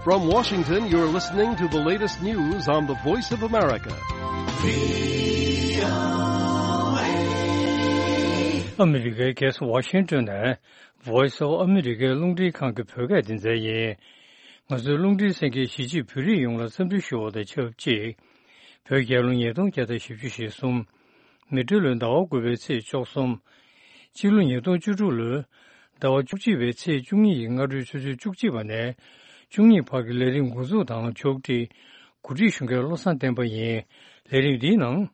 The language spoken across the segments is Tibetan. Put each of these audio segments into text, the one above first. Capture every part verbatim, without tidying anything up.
From Washington, you're listening to the latest news on the Voice of America. ཨ་མི་རི་ཀའི་རྒྱལ་ས་ཝ་ཤིང་ཏོན་ནས་Voice of America རླུང་འཕྲིན་ཁང་གི་བོད་སྐད་སྡེ་ཚན་ཡིན། ང་ཚོའི་རླུང་འཕྲིན་གསན་མཁན་གཞིས་བྱེས་བོད་རིགས་ཡོངས་ལ་འཚམས་འདྲི་ཞུ་བ་དང་ཆབས་ཅིག་བོད་རྒྱལ་ལོ་ཉིས་སྟོང་བརྒྱ་དང་བཞི་བཅུ་ཞེ་གསུམ། མེ་སྤྲེལ་ལོའི་ཟླ་བ་དགུ་པའི་ཚེས་བཅུ་གསུམ། སྤྱི་ལོ་ཉིས་སྟོང་བཅུ་དྲུག་ལོའི་ཟླ་བ་བཅུ་གཅིག་པའི་ཚེས་བཅུ་གཉིས་ཀྱི་སྔ་དྲོའི་ཆུ་ཚོད་བཅུ་གཅིག་པ་ནས་བཅུ་གཉིས་བར་གྱི་ལས་རིམ་འགོ་འཛུགས་དང་ཕྱོགས་སྒྲིག་གོ་སྒྲིག་ཞུ་མཁན་བློ་བཟང་བསྟན་པ་ཡིན། ལས་རིམ་འདིའི་ནང་།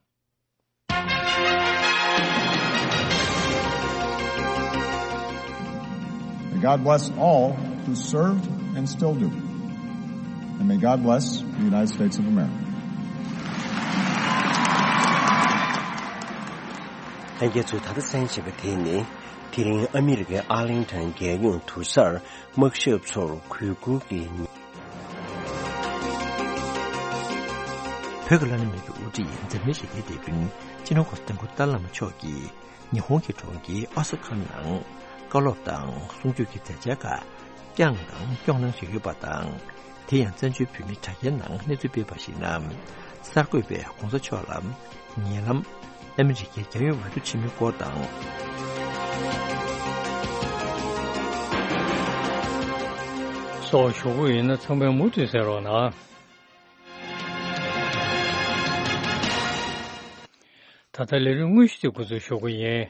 May God bless all who served and still do. And may God bless the United States of America. ལྷན་རྒྱས་ཚོས་ད་ལྟ་གསན་བཞིན་པ་དེ་ནི། དེ་རིང་ཨ་མི་རི་ཀའི་ཨར་ལིང་ཊོན་རྒྱལ་ཡོངས་དུར་སར་དམག་ཞབས་ཚོར་གུས་བཀུར་གྱི་ཉིན། བོད་ཀྱི་བླ་ན་མེད་པའི་དབུ་ཁྲིད་འཛམ་གླིང་ཞི་བདེའི་དེད་དཔོན་སྤྱི་ནོར་༧གོང་ས་༧སྐྱབས་མགོན་ཏཱ་ལའི་བླ་མ་མཆོག་གིས་ཉི་ཧོང་གི་གྲོང་ཁྱེར་ཨོ་ས་ཀ་ནང་བཀའ་སློབ་དང་གསུང་ཆོས་ཀྱི་མཛད་འཆར་ཁག་བསྐྱངས་དང་སྐྱོང་གནང་བཞིན་ཡོད་པ་དང་། དེ་ཡང་བཙན་བྱོལ་བོད་མིའི་དྲ་རྒྱའི་ནང་གནས་ཚུལ་སྤེལ་བ་ཞིག་ན། གསར་འགོད་པས་༧གོང་ས་མཆོག་ལ་ཉེ་ལམ་ཨ་མི་རི་ཀའི་རྒྱལ་ཡོངས་འོས་བསྡུ་ཆེན་མོའི་སྐོར་དང་། སོགས་ཞུ་གི་ཡིན་ན་ཚང་མས་མུ་མཐུད་གསན་རོགས་གནང་། ད་ལྟ་ལས་རིམ་དངོས་གཞི་དེ་འགོ་འཛུགས་ཞུ་གི་ཡིན།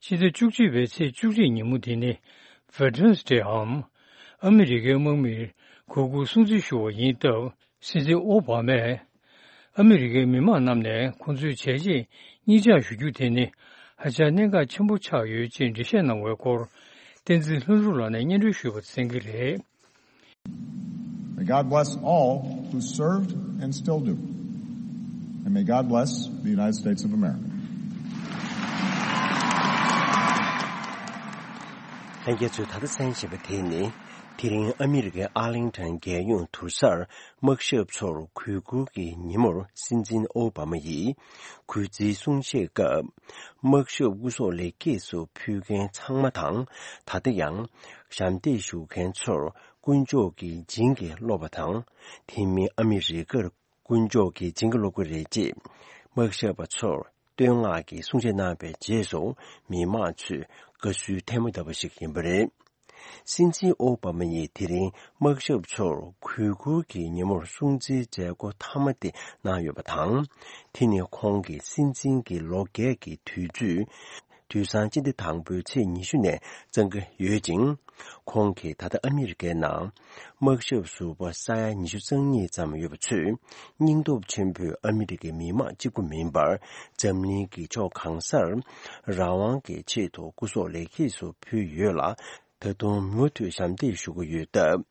ཕྱི་ཟླ་བཅུ་གཅིག་པའི་ཚེས་བཅུ་གཅིག་ཉིན་མོ་དེ་ནི་Veterans Day འམ་ཨ་མི་རི་ཀའི་དམག་མིར་གུས་བཀུར་སྲུང་བརྩི་ཞུ་བ་ཡིན་སྟབས། སྲིད་འཛིན་ཨོ་བྷ་མས་ཨ་མི་རི་ཀའི་མི་མང་རྣམས་ནས་ཁོང་ཚོའི་བྱས་རྗེས་སྙིང་བཅངས་ཞུ་རྒྱུ་དེ་ནི་ཧ་ཅང་གནད་འགག་ཆེན་པོ་ཆགས་ཡོད་ཅེས་འགྲེལ་བཤད་གནང་བའི་སྐོར། བསྟན་འཛིན་ལྷུན་གྲུབ་ལགས་ནས་སྙན་སྒྲོན་ཞུས་པ་གསན་གྱི་རེད། May God bless all who served and still do. And may God bless the United States of America. ལྷན་རྒྱས་ཚོས་ད་ལྟ་གསན་བཞིན་པ་དེ་ནི། དེ་རིང་ཨ་མི་རི་ཀའི་ཨར་ལིང་ཊོན་རྒྱལ་ཡོངས་དུར་སར་དམག་ཞབས་ཚོར་གུས་བཀུར་གྱི་ཉིན་མོར་སྲིད་འཛིན་ཨོ་བྷ་མ་ཡིས་གུས་བརྩིའི་གསུང་བཤད་སྐབས། དམག་ཞབས་སྐུ་སྲོག་ལེགས་སྐྱེས་སུ་ཕུལ་མཁན་ཚང་མ་དང་། ད་ལྟ་ཡང་ཞབས་འདེགས་ཞུ་མཁན་ཚོར་དཀོན་མཆོག་གིས་བྱིན་གྱིས་རློབས་པ་དང་། དེ་མིན་ཨ་མི་རི་ཀར་དཀོན་མཆོག་གིས་བྱིན་གྱིས་རློབ་ཀྱི་རེད་ཅེས་དམག་ཞབས་པ་ཚོར་བསྟོད་བསྔགས་ཀྱི་གསུང་བཤད་གནང་བའི་རྗེས་སུ། མི་མང་ཚོས་དགའ་བསུའི་ཐལ་མོ་བརྡབས་པ་ཞིག་ཡིན་པ་རེད། སྲིད་འཛིན་ཨོ་བྷ་མ་ཡིས་དེ་རིང་དམག་ཞབས་ཚོར་གུས་བཀུར་གྱི་ཉིན་མོར་སྲུང་བརྩིའི་མཛད་སྒོ་མཐའ་མ་དེ་གནང་ཡོད་པ་དང་། དེ་ནི་ཁོང་གི་སྲིད་འཛིན་གྱི་ལོ་བརྒྱད་ཀྱི་དུས་ཚོད། དུས་སང་སྤྱི་ཟླ་དང་པོའི་ཚེས་ཉི་ཤུ་ནས་བརྩམས་ཀྱི་ཡོད་ཅིང་། ཁོང་གིས་ད་ལྟ་ཨ་མི་རི་ཀའི་ནང་དམག་ཞབས་ཟུར་པ་ས་ཡ་ཉི་ཤུ་རྩ་གཉིས་ཙམ་ཡོད་པ་ཚོས། སྙིང་སྟོབས་ཆེན་པོས་ཨ་མི་རི་ཀའི་མི་དམངས་གཅིག་པུ་མིན་པར། འཛམ་གླིང་གི་ཕྱོགས་གང་སར་རང་དབང་གི་ཆེད་དུ་སྐུ་སྲོག་ལེགས་སྐྱེས་སུ་ཕུལ་ཡོད་ལ། ད་དུང་མུ་མཐུད་ཞབས་འདེགས་ཞུ་གི་ཡོད་སྟབས།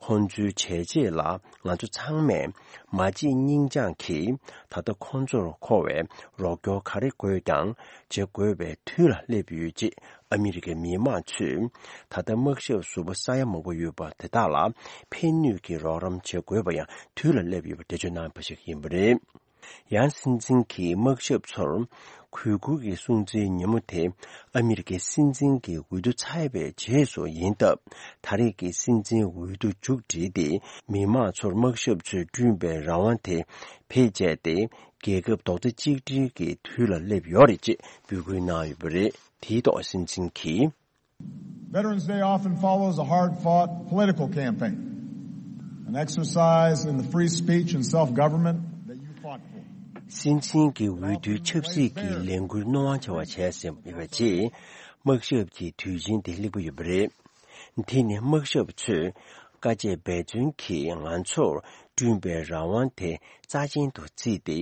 ཁོང་ཚོའི་བྱས་རྗེས་ལ་ང་ཚོ་ཚང་མས་མ་བརྗེད་སྙིང་བཅངས་ཀྱིས་ད་ལྟ་ཁོང་ཚོར་མཁོ་བའི་རོགས་སྐྱོར་ག་རེ་དགོས་ཀྱང་བྱེད་དགོས་པའི་དུས་ལ་སླེབས་ཡོད་ཅེས་ཨ་མི་རི་ཀའི་མི་དམངས་ཚོས་ད་ལྟ་དམག་ཞབས་ཟུར་པ་ས་ཡ་མང་པོ་ཡོད་པ་དེ་དག་ལ་ཕན་ནུས་ཀྱི་རོགས་རམ་བྱེད་དགོས་པ་ཡང་དུས་ལ་སླེབས་ཡོད་པ་འགྲེལ་བརྗོད་གནང་བ་ཞིག་ཡིན་པ་རེད། ཡང་སྲིད་འཛིན་གྱིས་དམག་ཞབས་ཚོར་གུས་བཀུར་གྱི་སྲུང་བརྩིའི་ཉིན་མོ་དེ་ཨ་མི་རི་ཀའི་སྲིད་འཛིན་གྱི་འོས་བསྡུ་ཚར་བའི་རྗེས་སུ་ཡིན་སྟབས། ད་རེས་ཀྱི་སྲིད་འཛིན་འོས་བསྡུ་མཇུག་བསྒྲིལ་ཏེ། མི་དམངས་ཚོར་དམག་ཞབས་ཚོས་བསྐྲུན་པའི་རང་དབང་དེ་བེད་སྤྱད་དེ། རྒྱལ་ཁབ་རྡོག་རྩ་གཅིག་སྒྲིལ་གྱི་དུས་ལ་སླེབས་ཡོད་རེད་ཅེས་འབོད་སྐུལ་གནང་ཡོད་པ་རེད། དེའི་ཐོག་སྲིད་འཛིན་གྱིས། Veterans Day often follows a hard-fought political campaign, an exercise in the free speech and self-government that you fought for. སྲིད་འཛིན་གྱི་འོས་བསྡུའི་ཆབ་སྲིད་ཀྱི་ལས་འགུལ་རྣོ་དབང་ཆེ་བ་བྱས་ཟིན་ཡོད་པའི་རྗེས། དམག་ཞབས་ཀྱི་དུས་ཆེན་དེ་སླེབས་ཀྱི་ཡོད་པ་རེད། དེ་ནི་དམག་ཞབས་ཚོས་དཀའ་སྤྱད་འབད་བརྩོན་གྱིས་ང་ཚོར་བསྐྲུན་པའི་རང་དབང་དེ་རྩ་ཆེན་དུ་བརྩིས་ཏེ།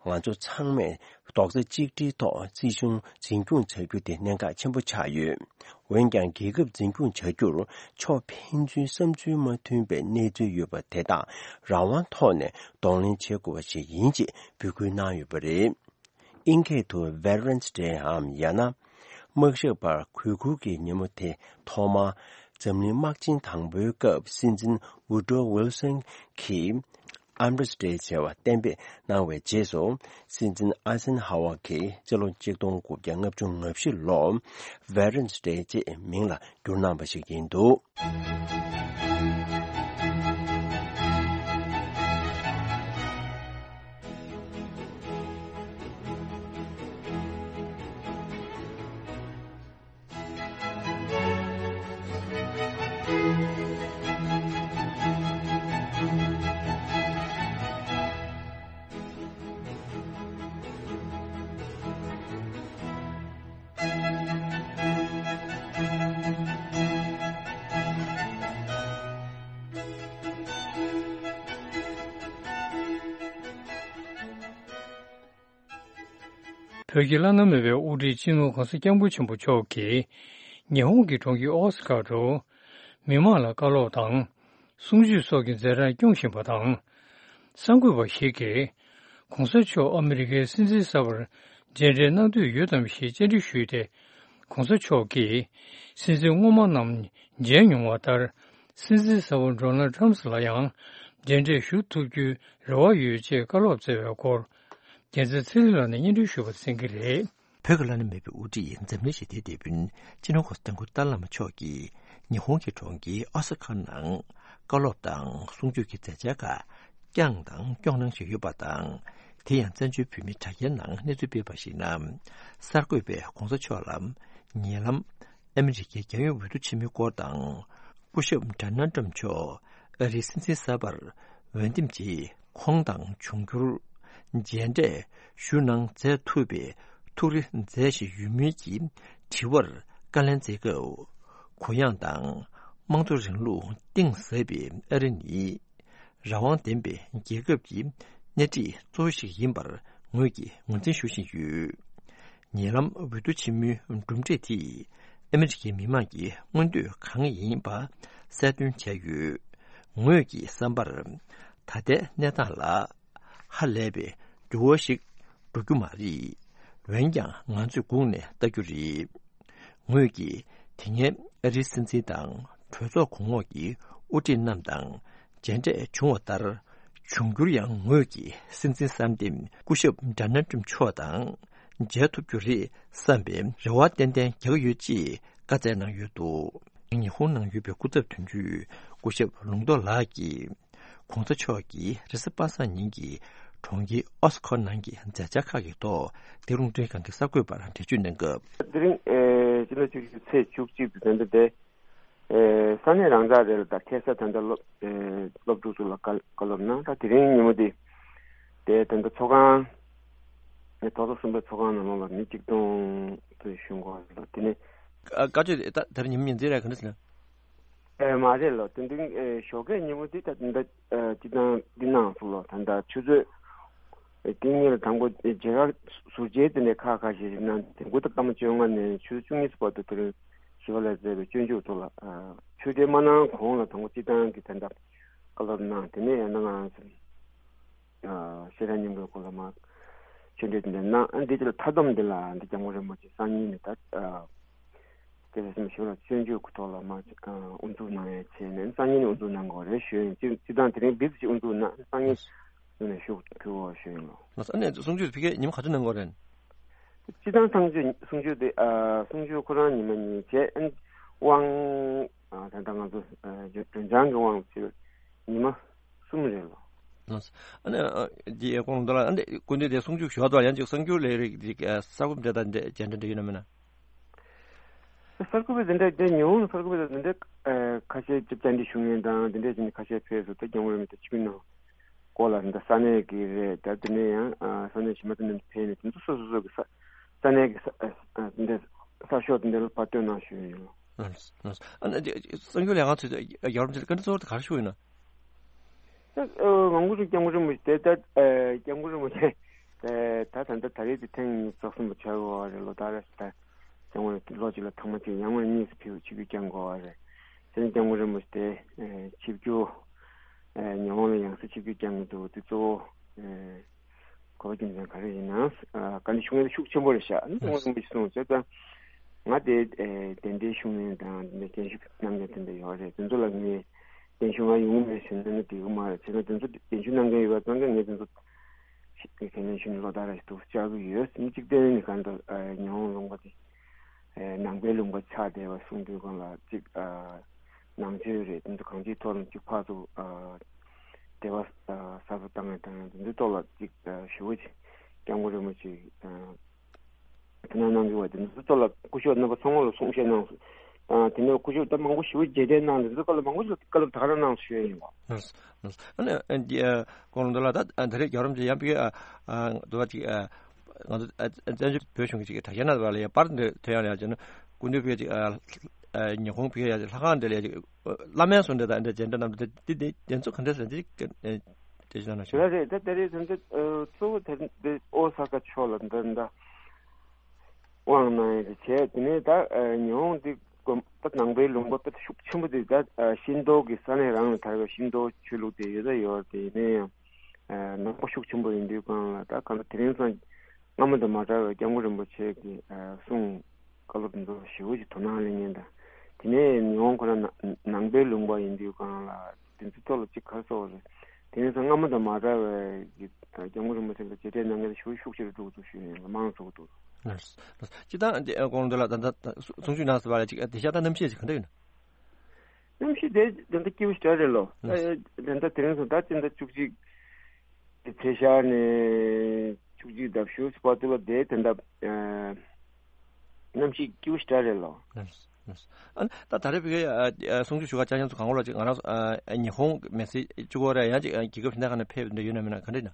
ང་ཚོ་ཚང་མས་རྡོག་རྩ་གཅིག་སྒྲིལ་ཐོག་སྲིད་གཞུང་འཛིན་སྐྱོང་བྱ་རྒྱུ་དེ་གནད་འགག་ཆེན་པོ་ཆགས་ཡོད། འོན་ཀྱང་། རྒྱལ་ཁབ་འཛིན་སྐྱོང་བྱ་རྒྱུར་ཕྱོགས་ཕན་ཚུན་བསམ་ཚུལ་མ་མཐུན་པའི་གནས་ཚུལ་ཡོད་པ་དེ་དག་རང་དབང་ཐོག་ནས་གདོང་ལེན་བྱེད་དགོས་པ་ཞིག་ཡིན་ཅེས་འབོད་སྐུལ་གནང་ཡོད་པ་རེད། ཨིན་སྐད་དུ་Veterans Day འམ་ཡང་ན། དམག་ཞབས་པར་གུས་བཀུར་གྱི་ཉིན་མོ་དེ་ཐོག་མར་འཛམ་གླིང་དམག་ཆེན་དང་པོའི་སྐབས་སྲིད་འཛིན་Woodrow Wilson གྱིས་Armistice ཟེར་བ་གཏན་འབེབས་གནང་བའི་རྗེས་སུ། སྲིད་འཛིན་ཨ་སན་ཧ་ཝ་གིས་སྤྱི་ལོ་ཆིག་སྟོང་དགུ་བརྒྱ་ལྔ་བཅུ་ང་བཞི་ལོར་Veterans Day ཅེས་མིང་ལ་བསྒྱུར་གནང་བ་ཞིག་ཡིན་འདུག་བོད་ཀྱི་བླ་ན་མེད་པའི་དབུ་ཁྲིད་སྤྱི་ནོར་༧གོང་ས་༧སྐྱབས་མགོན་ཆེན་པོ་མཆོག་གིས་ཉི་ཧོང་གི་གྲོང་ཁྱེར་ཨོ་ས་ཀ་རུ་མི་མང་ལ་བཀའ་སློབ་དང་གསུང་ཆོས་སོགས་ཀྱི་མཛད་འཕྲིན་སྐྱོང་བཞིན་པ་དང་། གསར་འགོད་པ་ཞིག་གིས་༧གོང་ས་མཆོག་ཨ་མི་རི་ཀའི་སྲིད་འཛིན་གསར་པར་མཇལ་འཕྲད་གནང་འདོད་ཡོད་དམ་ཞེས་བཅར་འདྲི་ཞུས་ཏེ། ༧གོང་ས་མཆོག་གིས་སྲིད་འཛིན་སྔོན་མ་རྣམས་མཇལ་མྱོང་བ་ལྟར། སྲིད་འཛིན་གསར་པ་ཌོ་ནལ་ཊམ་ལ་ཡང་མཇལ་འཕྲད་ཞུ་ཐུབ་རྒྱུའི་རེ་བ་ཡོད་ཅེས་བཀའ་སློབ་སྩལ་བའི་སྐོར། རྒྱལ་མཚན་ཚེ་རིང་ལགས་ནས་སྙན་སྒྲོན་ཞུས་པ་གསན་གྱི་རེད། བོད་ཀྱི་བླ་ན་མེད་པའི་དབུ་ཁྲིད་འཛམ་གླིང་ཞི་བདེའི་དེད་དཔོན་སྤྱི་ནོར་༧གོང་ས་༧སྐྱབས་མགོན་ཏཱ་ལའི་བླ་མ་མཆོག་གིས་ཉི་ཧོང་གི་གྲོང་ཁྱེར་ཨོ་ས་ཁ་ནང་བཀའ་སློབ་དང་གསུང་ཆོས་ཀྱི་མཛད་འཆར་ཁག་བསྐྱངས་དང་སྐྱོང་གནང་བཞིན་ཡོད་པ་དང་། དེ་ཡང་བཙན་བྱོལ་བོད་མིའི་དྲ་རྒྱའི་ནང་གནས་ཚུལ་སྤེལ་བར་གཞིགས་ན། གསར་འགོད་པས་༧གོང་ས་མཆོག་ལ་ཉེ་ལམ་ཨ་མི་རི་ཀའི་རྒྱལ་ཡོངས་འོས་བསྡུ་ཆེན་མོའི་སྐོར་དང་། སྐུ་ཞབས་ཌོ་ནལ་ཊམ་མཆོག་ཨ་རིའི་སྲིད་འཛིན་གསར་པར་འོས་འདེམས་ཀྱིས་ཁོང་དང་འབྱུང་འགྱུར་མཇལ་འཕྲད་ཞུ་གནང་མཛད་ཐུབ་པའི་ཐུགས་རེ་མཛད་བཞིན་ཡོད་མིན་གྱི་དྲི་བར་བཀའ་ལན་སྩལ་སྐབས། གུ་ཡངས་དང་དམངས་གཙོ་རིང་ལུགས་གཏིང་ཟབ་པའི་ཨ་རི་ནི་རང་དབང་ལྡན་པའི་རྒྱལ་ཁབ་ཀྱི་སྣེ་ཁྲིད་གཙོ་བོ་ཞིག་ཡིན་པར་ངོས་ཀྱིས་ངོས་འཛིན་ཞུ་བཞིན་ཡོད། ཉེ་ལམ་འོས་བསྡུ་ཆེན་མོའི་གྲུབ་འབྲས་དེས་ཨ་མི་རི་ཀའི་མི་དམངས་ཀྱི་མངོན་འདོད་གང་ཡིན་པ་གསལ་སྟོན་བྱས་ཡོད། ངོས་ཀྱི་བསམ་པར། ད་ལྟའི་གནས་སྟངས་ལ་ཧ་ལས་པའི་འགྱུར་བ་ཞིག་འགྲོ་རྒྱུ་མ་རེད། འོན་ཀྱང་ང་ཚོས་སྒུག་ནས་ལྟ་རྒྱུ་རེད། ངོས་ཀྱིས་དེ་སྔའི་ཨ་རིའི་སྲིད་འཛིན་དང་གྲོས་ཚོགས་གོང་འོག་གི་དབུ་ཁྲིད་རྣམས་དང་མཇལ་འཕྲད་བྱུང་བ་ལྟར། འབྱུང་འགྱུར་ཡང་ངོས་ཀྱིས་སྲིད་འཛིན་གསར་འདེམས་སྐུ་ཞབས་ཌོ་ནལ་ཊམ་མཆོག་དང་མཇལ་ཐུབ་རྒྱུ་རེད་བསམ་པའི་རེ་བ་ཏན་ཏན་རྒྱག་གི་ཡོད་ཅེས་བཀའ་སྩལ་གནང་ཡོད་འདུག་ཉི་ཧོང་ནང་ཡོད་པའི་སྐུ་ཚབ་དོན་གཅོད་སྐུ་ཞབས་ལུང་རྟོགས་ལགས་ཀྱིས། ༧གོང་ས་མཆོག་གིས་རེས་གཟའ་པ་སངས་ཉིན་གྱི་གྲོང་ཁྱེར་ཨོ་སི་ཁོ་ནང་གི་མཛད་འཆར་ཁག་གི་ཐོག་འདི་རུང་སྒྲོན་ཁང་གི་གསར་འགོད་པར་འགྲེལ་བརྗོད་གནང་སྐབས། དེ་རིང་ཨེ་སྤྱི་ཟླ་བཅུ་གཅིག་ཚེས་བཅུ་གཅིག་ཏུ་ད་ལྟ་དེ་ཨེ་ས་གནས་རང་འཇགས་རེད་ལ། ད་ཁ་སང་ད་ལྟ་སློབ་ཨེ་སློབ་ཕྲུག་ཚོ་ལ་བཀའ་བཀའ་སློབ་གནང་། ད་དེ་རིང་ཉིན་མོ་དེ་དེ་ད་ལྟ་ཚོགས་ཁང་ཨེ་རྡོག་རྩ་གསུམ་པའི་ཚོགས་ཁང་ནང་ལོགས་ལ་མི་གཅིག་སྟོང་ཙམ་ཞུགས་འགོ་ལ། དེ་ནས་བཀའ་ཆོས་དེ་ད་དེ་རིང་ཉིན་མོ་ཉིན་མཚན་རེད། ག་འདྲ་ཟེར་ན། ཨེ་མ་རེད་ལོ། དེ་འདྲའི་ཨེ་ཞོགས་ཀས་ཉིན་མོ་དེ་ད་ད་ཨེ་སྤྱི་བཏང་འདི་གནང་སོང་ལོ། ད་ད་ཆུ་ཚོད་ཨེ་ཏིང་ངེ་ལ་དང་པོ་ཨེ་མཇལ་ཁ་ཟུར་མཇལ་དེ་འདྲའི་ཁག་ཁག་ཞིག་གནང་། དེ་དགུ་དང་སྐར་མ་བཅོ་ལྔ་ནས་ཆུ་ཚོད་བཅུ་གཉིས་བར་དུ་དེ་རིང་ཞི་བ་ལྷས་མཛད་པའི་སྤྱོད་འཇུག་ཐོག་ལ་ཨ་ཆོས་འབྲེལ་མ་གནང་གོང་ལ་དང་པོ་སྤྱི་བཏང་གི་ད་ད་བཀའ་སློབ་གནང་། དེ་ནས་ཡང་ན་ང་ཚོ་ཨ་ཤེས་རབ་སྙིང་པོའི་སྐོར་ལ་མ་ཆོས་འབྲེལ་དེ་འདྲ་གནང་། ཨ་འདི་ཚོ་ལ་མཐའ་སྡོམ་འདི་ལ་འདི་སྐྱབས་མགོན་རིན་པོ་ཆེ་སང་ཉིན་ནས་ད་ཨ། དེ་ལས་སེམས་ཞུ་ལ་སྤྱོད་འཇུག་གི་ཐོག་ལ་མ་ཨ་དབུ་འཛུགས་གནང་ཡས་བྱས་ནས་སང་ཉིན་དབུ་འཛུགས་གནང་དགོས་རེད་ཞུ་ཡིན། སྤྱི་སྤྱི་བཏང་དེ་རིང་བིབ་ཅིག་དབུ་འཛུགས་གནང་། སང་ཉིན་དབུ་ནས་ཞུ་ཕུལ་བ་ཞུ་ཡིན་ལོ། ལགས་སོ། ཨ་ནི་གསུང་ཆོས་དེ་ཕ་གིར་ཉིན་མོ་ག་ཚོད་གནང་དགོས་རེད། སྤྱི་བཏང་གསུང་ཆོས་གསུང་ཆོས་དེ་ཨ་གསུང་ཆོས་ཁོ་རང་ཉི་མ་གཉིས་བྱས། ཨ་ནི་དབང་ཨ་ད་ལྟ་ང་ཚོ་ཨ་འཇོན་འཇོན་ཆང་གི་དབང་ཕྱིར་ཉི་མ་གསུམ་རེད་ལོ། ལགས་སོ། ཨ་ནི་ཨ་འདི་ཨེ་ཁོང་འདི་ལ་ཨ་འདི་སྐུ་མདུན་དེ་གསུང་ཆོས་ཞུ་བ་དང་ཡང་ཅིག་གསར་འགྱུར་ལས་རིགས་ཅིག་ཨ་གསར་འགོད་འདྲ་དང་འདྲ་མཇལ་འཕྲད་འདྲ་ཡོད་ན་མེད་ན། གསར་འགོད་པ་དེ་འདྲ་དེ་ཉི་ཧོང་གསར་འགོད་པ་དེ་འདྲ་ཨ་ཁ་ཤས་ཅིག་བཅར་འདྲི་ཞུ་མཁན་དང་དེ་འདྲ་བྱས་ནས་ཁ་ཤས་ཕེབས་སོང་། ད་སྐྱབས་མགོན་རིན་པོ་ཆེ་ཆིབས་བསྒྱུར་གནང་སྐོར་ལ་དེ་འདྲ་ས་གནས་ཀྱི་རེད། ད་དེ་ནས་ཡང་ཨ་ས་གནས་གཞན་པ་དེ་འདྲ་ཕེབས་ནས་དེ་ཚོ་སོ་སོ་སོ་གི་ས་ས་གནས་ཀྱི་ས་ཨ་ཨ་དེ་འདྲ་གསར་ཤོག་དེ་འདྲ་ལ་ཕར་བཏོན་གནང་ཞུས་ཡོད། ལགས་སོ། ལགས་སོ། ཨ་ནི་གསར་འགྱུར་ལས་ཁང་ཚོས་རྒྱལ་བ་རིན་པོ་ཆེ་ལ་བཀའ་འདྲི་གཙོ་བོ་དེ་ག་རེ་ཞུ་ཡོད་ན། ད་ཨ་མང་པོ་ཞིག་སྐྱབས་མགོན་རིན་པོ་ཆེ་དེ་ད་ཨ་སྐྱབས་མགོན་རིན་པོ་ཆེ་ད་ད་ད་ད་རེས་དེ་ཐེངས་གཉིས་རྫོགས་སོང་བ་ཆགས་ཡོད་རེད་ལོ། ད་རེས་ད་སྐྱབས་མགོན་ལོ་གཅིག་ལ་ཐེངས་མ་གཅིག་ཡང་སྔོན་གཉིས་སུ་ཕེབས་ཆིབས་བསྒྱུར་བསྐྱངས་དགོས་པ་རེད། དེ་ནས་སྐྱབས་མགོན་རིན་པོ་ཆེ་དེ་ཨ་ཆིབས་བསྒྱུར་ཨ་ཉི་ཧོང་ལ་ཡང་སེ་ཆིབས་བསྒྱུར་བསྐྱངས་ཀྱི་འདུག་དེ་གཙོ་བོ་ཨ་གོ་བ་རྒྱུ་མཚན་ག་རེ་ཡིན་ན། ཨ་བཀའ་འདྲི་ཞུ་མཁན་དེ་ཤུགས་ཆེན་པོ་རེད་ཤག་ཨ་ནི་སྐྱབས་མགོན་རིན་པོ་ཆེ་གསུངས་བྱས་ཙང་ང་དེ་ཨ་གདན་འདྲེན་ཞུ་མཁན་དང་དེ་འདྲ་རྒན་ཞུ་གནང་མཁན་དེ་འདྲ་ཡོད་རེད། དེ་ཚོ་ལ་ངས་གདན་ཞུ་ང་ཡོང་གི་མེད་ཟེར་ན་ནི་འགྲིག་གི་མ་རེད། བྱས་ན་དེ་ཚོ་གདན་ཞུ་གནང་མཁན་ཡོད་པ་ཙང་ཀ་ངས་དེ་ཚོ་ཁས་ལེན་ཞུ་ནས་ལོ་ལྟར་རེ་ཞིག་ཏུ་བཅར་གི་ཡོད། མི་གཅིག་བསྟན་ནས་གང་ལྟར་ཉི་ཧོང་ལུང་པ་དེ་ནང་པའི་ལུང་པ་ཆགས་བསྡད་པ་གསུང་དུས་སྒང་ལ་གཅིག་ནང་ཆོས་རེད། དེ་ཚོ་གང་ཅིའི་ཐོག་ནས་གཅིག་ཕར་ཚུར་འབྲེལ་བ་གསར་པ་བཏང་ཡ་དང་དེ་ཚོའི་ཐོག་ལ་གཅིག་ཞུ་བ་ཅིག་སྐྱབས་མགོན་རིན་པོ་ཆེ། དེ་ནང་གནང་རྒྱུ་བ་དེ་ཚོ་ལ་སྐུ་ཞབས་རྣམ་པ་ཚང་མ་ལ་གསུང་བཤད་གནང་སོང་། དེ་ནས་སྐུ་ཞབས་ད་མང་པོ་ཞེ་པོ་རྗེས་དྲན་གནང་དེ་ཚོ་སྐབས་ལ་མང་པོ་ཞིག་བཀའ་སློབ་ད་ག་རང་གནང་སོང་ཞུ་ཡ་ཡིན་པ། ལགས་སོ། ལགས་སོ། ཨ་ནི་ཨ་འདི་ཨ་ཁོང་ལ་འདི་ལ་ད་ཨ་ད་རེས་རྒྱལ་བ་རིན་པོ་ཆེ་ཡང་ཕ་གི་ཨ་ཨ་འདི་བ་ཅིག་ཨ་ང་ཚོ་ཨ་བཙན་བྱོལ་བོད་གཞུང་གི་ཅིག་དྲ་རྒྱ་ནང་བ་ལ་ཡ་པར་འདི་ཐོན་ཡ་ལ་ཡ་བྱས་ན་སྐུ་མདུན་ཕ་གི་ཅིག་ཨ་ཨ་ཉི་ཧོང་ཕ་གི་ཡ་ཅིག་ལྷ་ཁང་འདི་ལ་ཡ་ཅིག་བླ་སྨན་སོགས་འདི་དང་འདི་མཇལ་འཕྲད་གནང་འདི་འདི་འདི་འདི་ཚོ་ག་འདྲ་ཟེར་འདི་ཅིག་ཨ་དེ་ཅིག་གནང་ན་ཞུ། རེད་རེད། ད་ད་རེས་ད་འདི་ཨ་གཙོ་བོ་ད་འདི་ཨོ་ས་ཀ་ཕྱོགས་ལ་འདི་འདི་ དབང་གནང་ཡས་དེ་བྱས། དེ་ནས་ད་ཨ་ཉི་ཧོང་དེ་ཀོ་ད་ནང་པའི་ལུང་པ་དཔེ་ཤུགས་ཆེན་པོ་དེ་ད་ཨ་ཤིན་ཏོ་གི་ས་གནས་རང་ལ་དར་བའི་ཤིན་ཏོ་ཆོས་ལུགས་དེ་ཡོད་ད་ཡོད་རེད། དེ་ཡིན་ན་ཡང་ཨ་ནང་པ་ཤུགས་ཆེན་པོ་ཡིན་དུས་སྒང་ལ་ད་གང་ལྟར་དེ་རིང་སང་སྔ་མོ་དང་མ་འདྲ་བའི་སྐྱབས་མགོན་རིན་པོ་ཆེ་གི་ཨ་གསུང་བཀའ་སློབ་འདི་ཚོ་ཞེ་པོ་ཅིག་དོ་སྣང་གླེང་མཁན་དང་། དེ་ནས་ཉི་ཧོང་ཁོ་རང་ནང་ནང་པའི་ལུང་པ་ཡིན་དུས་སྒང་ལ་དེ་ཚོའི་ཐོག་ལ་ཅིག་ག་རེ་ཟེར་དགོས་རེད། དེ་ནས་སྔ་མོ་དང་མ་འདྲ་བའི་གི་སྐྱབས་མགོན་རིན་པོ་ཆེ་ལ་མཇལ་འཕྲད་གནང་མཁན་ཞེ་པོ་ཤུགས་ཆེ་རུ་འགྲོ་གི་འདུག་ཞུ་ཡིན། མང་རུ་འགྲོ་གི་འདུག་སྤྱིར་བཏང་དེ་དགོངས་དོན་ལ་ད་ལྟ་གསུང་ཆོས་གནང་ཟེར་བ་ལ་ཅིག་དེང་སང་ད་གནམ་གཤིས་ཅིག་ག་འདྲ་ཡིན་ན། གནམ་གཤིས་དེ་ད་ལྟ་སྐྱིད་པོ་ཞེ་དྲག་རེད་ལོ། ད་ད་ལྟ་དེ་རིང་སང་ད་སྤྱི་ཟླ་བཅུ་གཅིག་དེ་ཚེས་ཤར་ནས་བཅུ་གཅིག་ཟླ་བཞི་བར་དུ་ལ་དེ་ད་ལྟ་གནམ་གཤིས་སྐྱིད་པོ་ཞེ་དྲག་རེད་ལོ། ཨ་ད་ད་རེས་བོད་ཀྱི་གསུང་ཆོས་ཞུ་ག་བཅར་མཁན་ཚོ་གང་ག་ལ་ཅིག་ང་རང་ཉི་ཧོང་མི་སེར་གཅིག་པོ་རེད། ཡང་ཅིག་རྒྱལ་ཁབ་གཞན་དག་ནས་ཕེབས་འདོད་ཡོད་ན་མེད་ན་ག་འདྲ་ཡིན་ན།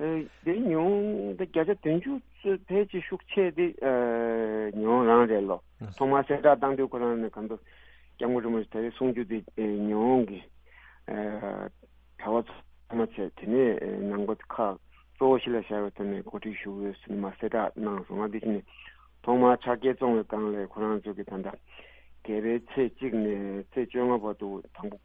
དེ་ཉུང་དེ་བརྒྱ་ཆ་བདུན་ཅུ་ཙམ་ཕལ་ཆེར་ཤུགས་ཆེ་དེ་ཉི་ཧོང་རང་རེད་ལོ། ཐོག་མར་གསལ་བསྒྲགས་བཏང་དུས་ཁོ་རང་ནས་གང་ལྟར་སྐྱབས་མགོན་རིན་པོ་ཆེ་ད་རེས་གསུང་རྒྱུ་དེ་ཉི་ཧོང་གི་གྲྭ་པ་ཚོ་མ་བྱས། དེ་ནས་ནང་པ་ཁག་གཙོ་བོ་གཞི་ལ་བཞག་པའི་ཐོག་ནས་གོ་སྒྲིག་ཞུ་དགོས་ཟེར་ནས་མར་གསལ་བསྒྲགས་གནང་སོང་ང་། དེ་བཞིན་ནས་ཐོག་མར་ཕྱག་འཁྱེར་བཙོང་བའི་སྒང་ལ་ཁོ་རང་ཚོ་གི་ད་ལྟ་རྒྱལ་པོའི་ཚེས་གཅིག་ནས་ཚེས་བཅོ་ལྔ་བར་དུ་དང་པོ་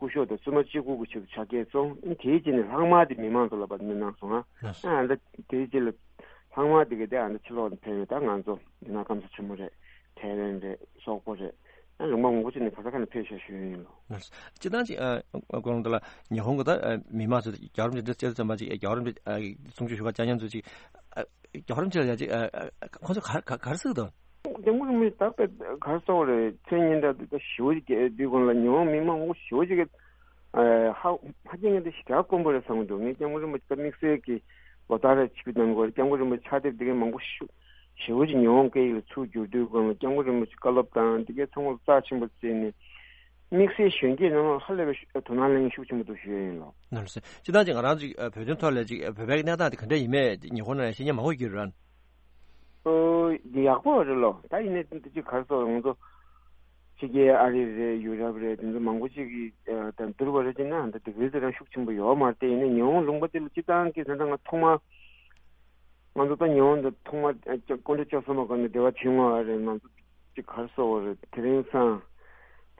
སྐུ་ཞབས་དང་བཙུན་མ་གཅིག་པུ་གི་ཆེད་དུ་ཕྱག་འཁྱེར་བཙོང་། དེའི་རྗེས་ནས་ལྷག་མ་དེ་མི་མང་ཚོ་ལ་ཕར་གནང་སོང་ང་། ལགས་སོ། ཨ་ད་དེའི་རྗེས་ལ་ལྷག་མ་དེ་གི་དེ་ཨ་ད་ཕྱི་ལོགས་ནས་ཕེབས་ཡོད། ད་ང་ཚོ་འདི་ན་ཀམ་ས་ཆེན་མོ་རེད། ཐའེ་ཝན་རེད། སོག་པོ་རེད། ཨ་ལུང་པ་མང་པོ་ཅིག་ནས་ག་ས་ག་ནས་ཕེབས་ཤག་ཞུ་ཡིན་ལོ། ལགས་སོ། སྤྱིར་བཏང་ཅིག་ཨ་ཀོ་ལོང་ཏོ་ལ་ཉི་ཧོང་གི་ད་ཨ་མི་མང་ཚོས་རྒྱལ་རབས་ཅིག་འདི་སྐྱེ་ཚོད་མ་ཅིག་རྒྱལ་རབས་ཅིག་ཨ་གསུང་ཆོས་ཞུ་ག་བཅར་མཁན་ཚོས་ཅིག་ཨ་རྒྱལ་རབས་ཅིག་ལ་ཡ་ཅིག་ཨ་ཨ་ཁོང་ཚོ་ག་ག་ག་རེ་ཟེར་གི་འདུག་སྐྱབས་མགོན་རིན་པོ་ཆེ་ད་དཔེ་ག་རེ་ཟེར་དགོས་རེད། མཚན་སྙན་གྲགས་དེ་ད་ཞེ་པོ་ཅིག་སྐད་དུས་སྒང་ལ་ཉི་ཧོང་མི་མང་པོ་ཞེ་པོ་ཅིག་གིས་ཨ་ཧ་ཧ་ཅང་གི་དེ་ཞེ་དྲག་དཀོན་པོ་རེད་བསམ་གི་འདུག་ངས་སྐྱབས་མགོན་རིན་པོ་ཆེ་ད་དམིགས་བསལ་གྱི་ལོ་ལྟར་རེ་ཆིབས་བསྒྱུར་གནང་དགོས་རེད། སྐྱབས་མགོན་རིན་པོ་ཆེ་ཕྱག་དེབ་དེ་གའི་མང་པོ་ཞེ་ཞེ་པོ་ཅིག་ཉི་ཧོང་སྐད་ཡིག་ལ་ཚུར་བསྒྱུར་དུས་སྒང་ལ་སྐྱབས་མགོན་རིན་པོ་ཆེ་བཀའ་སློབ་དང་དེ་གའི་ཚང་མ་ལ་རྩ་ཆེན་པོ་བརྩིས་ནས་དམིགས་བསལ་གཞོན་སྐྱེས་ནང་ལ་ཧ་ལས་པའི་དོ་སྣང་གླེང་ཤུགས་ཆེན་པོ་འདུག་ཞུ་ཡ་ཡིན་ལོ། ལགས་སོ། སྤྱིར་བཏང་ཅིག་ང་རང་ཅིག་བོད་དོན་ཐོག་ལ་ཅིག་བོད་པའི་གནས་སྟངས་དེ་ག་འདྲ་ཡིན་མེད་ཉི་ཧོང་ནང་ལ་ཤེས་མཁན་མང་པོ་ཡོད་རེད། ཨོ། འདི་ཡག་པོ་རེད་ལོ། ད་ཡིན་ནའི་འདི་ཅིག་ག་རེ་ཟེར། ང་ཚོ་ཕྱི་རྒྱལ་ཨ་རི་རེད། ཡུ་རོབ་རེད། དེ་ཚོ་མང་པོ་ཅིག་གིས་ད་བསྡུར་བ་རེད་ཅེ་ན་ད་དེ་གའི་ཚོད་རང་ཤུགས་ཆེན་པོ་ཡོད་མ་རེད། དེ་ཡིན་ནའི་ཉི་ཧོང་ལུང་པ་དེ་ལ་སྤྱིར་བཏང་གི་ད་ལྟ་ང་ཐོག་མར་ང་ཚོ་ད་ཉི་ཧོང་དུ་ཐོག་མར་སྐུ་ཕྲེང་བཅུ་གསུམ་པ་སྒང་ནས་འབྲེལ་བ་བྱུང་བ་རེད། ང་ཚོ་ཅིག་ག་རེ་ཟེར་དགོས་རེད། དེ་རིང་སང་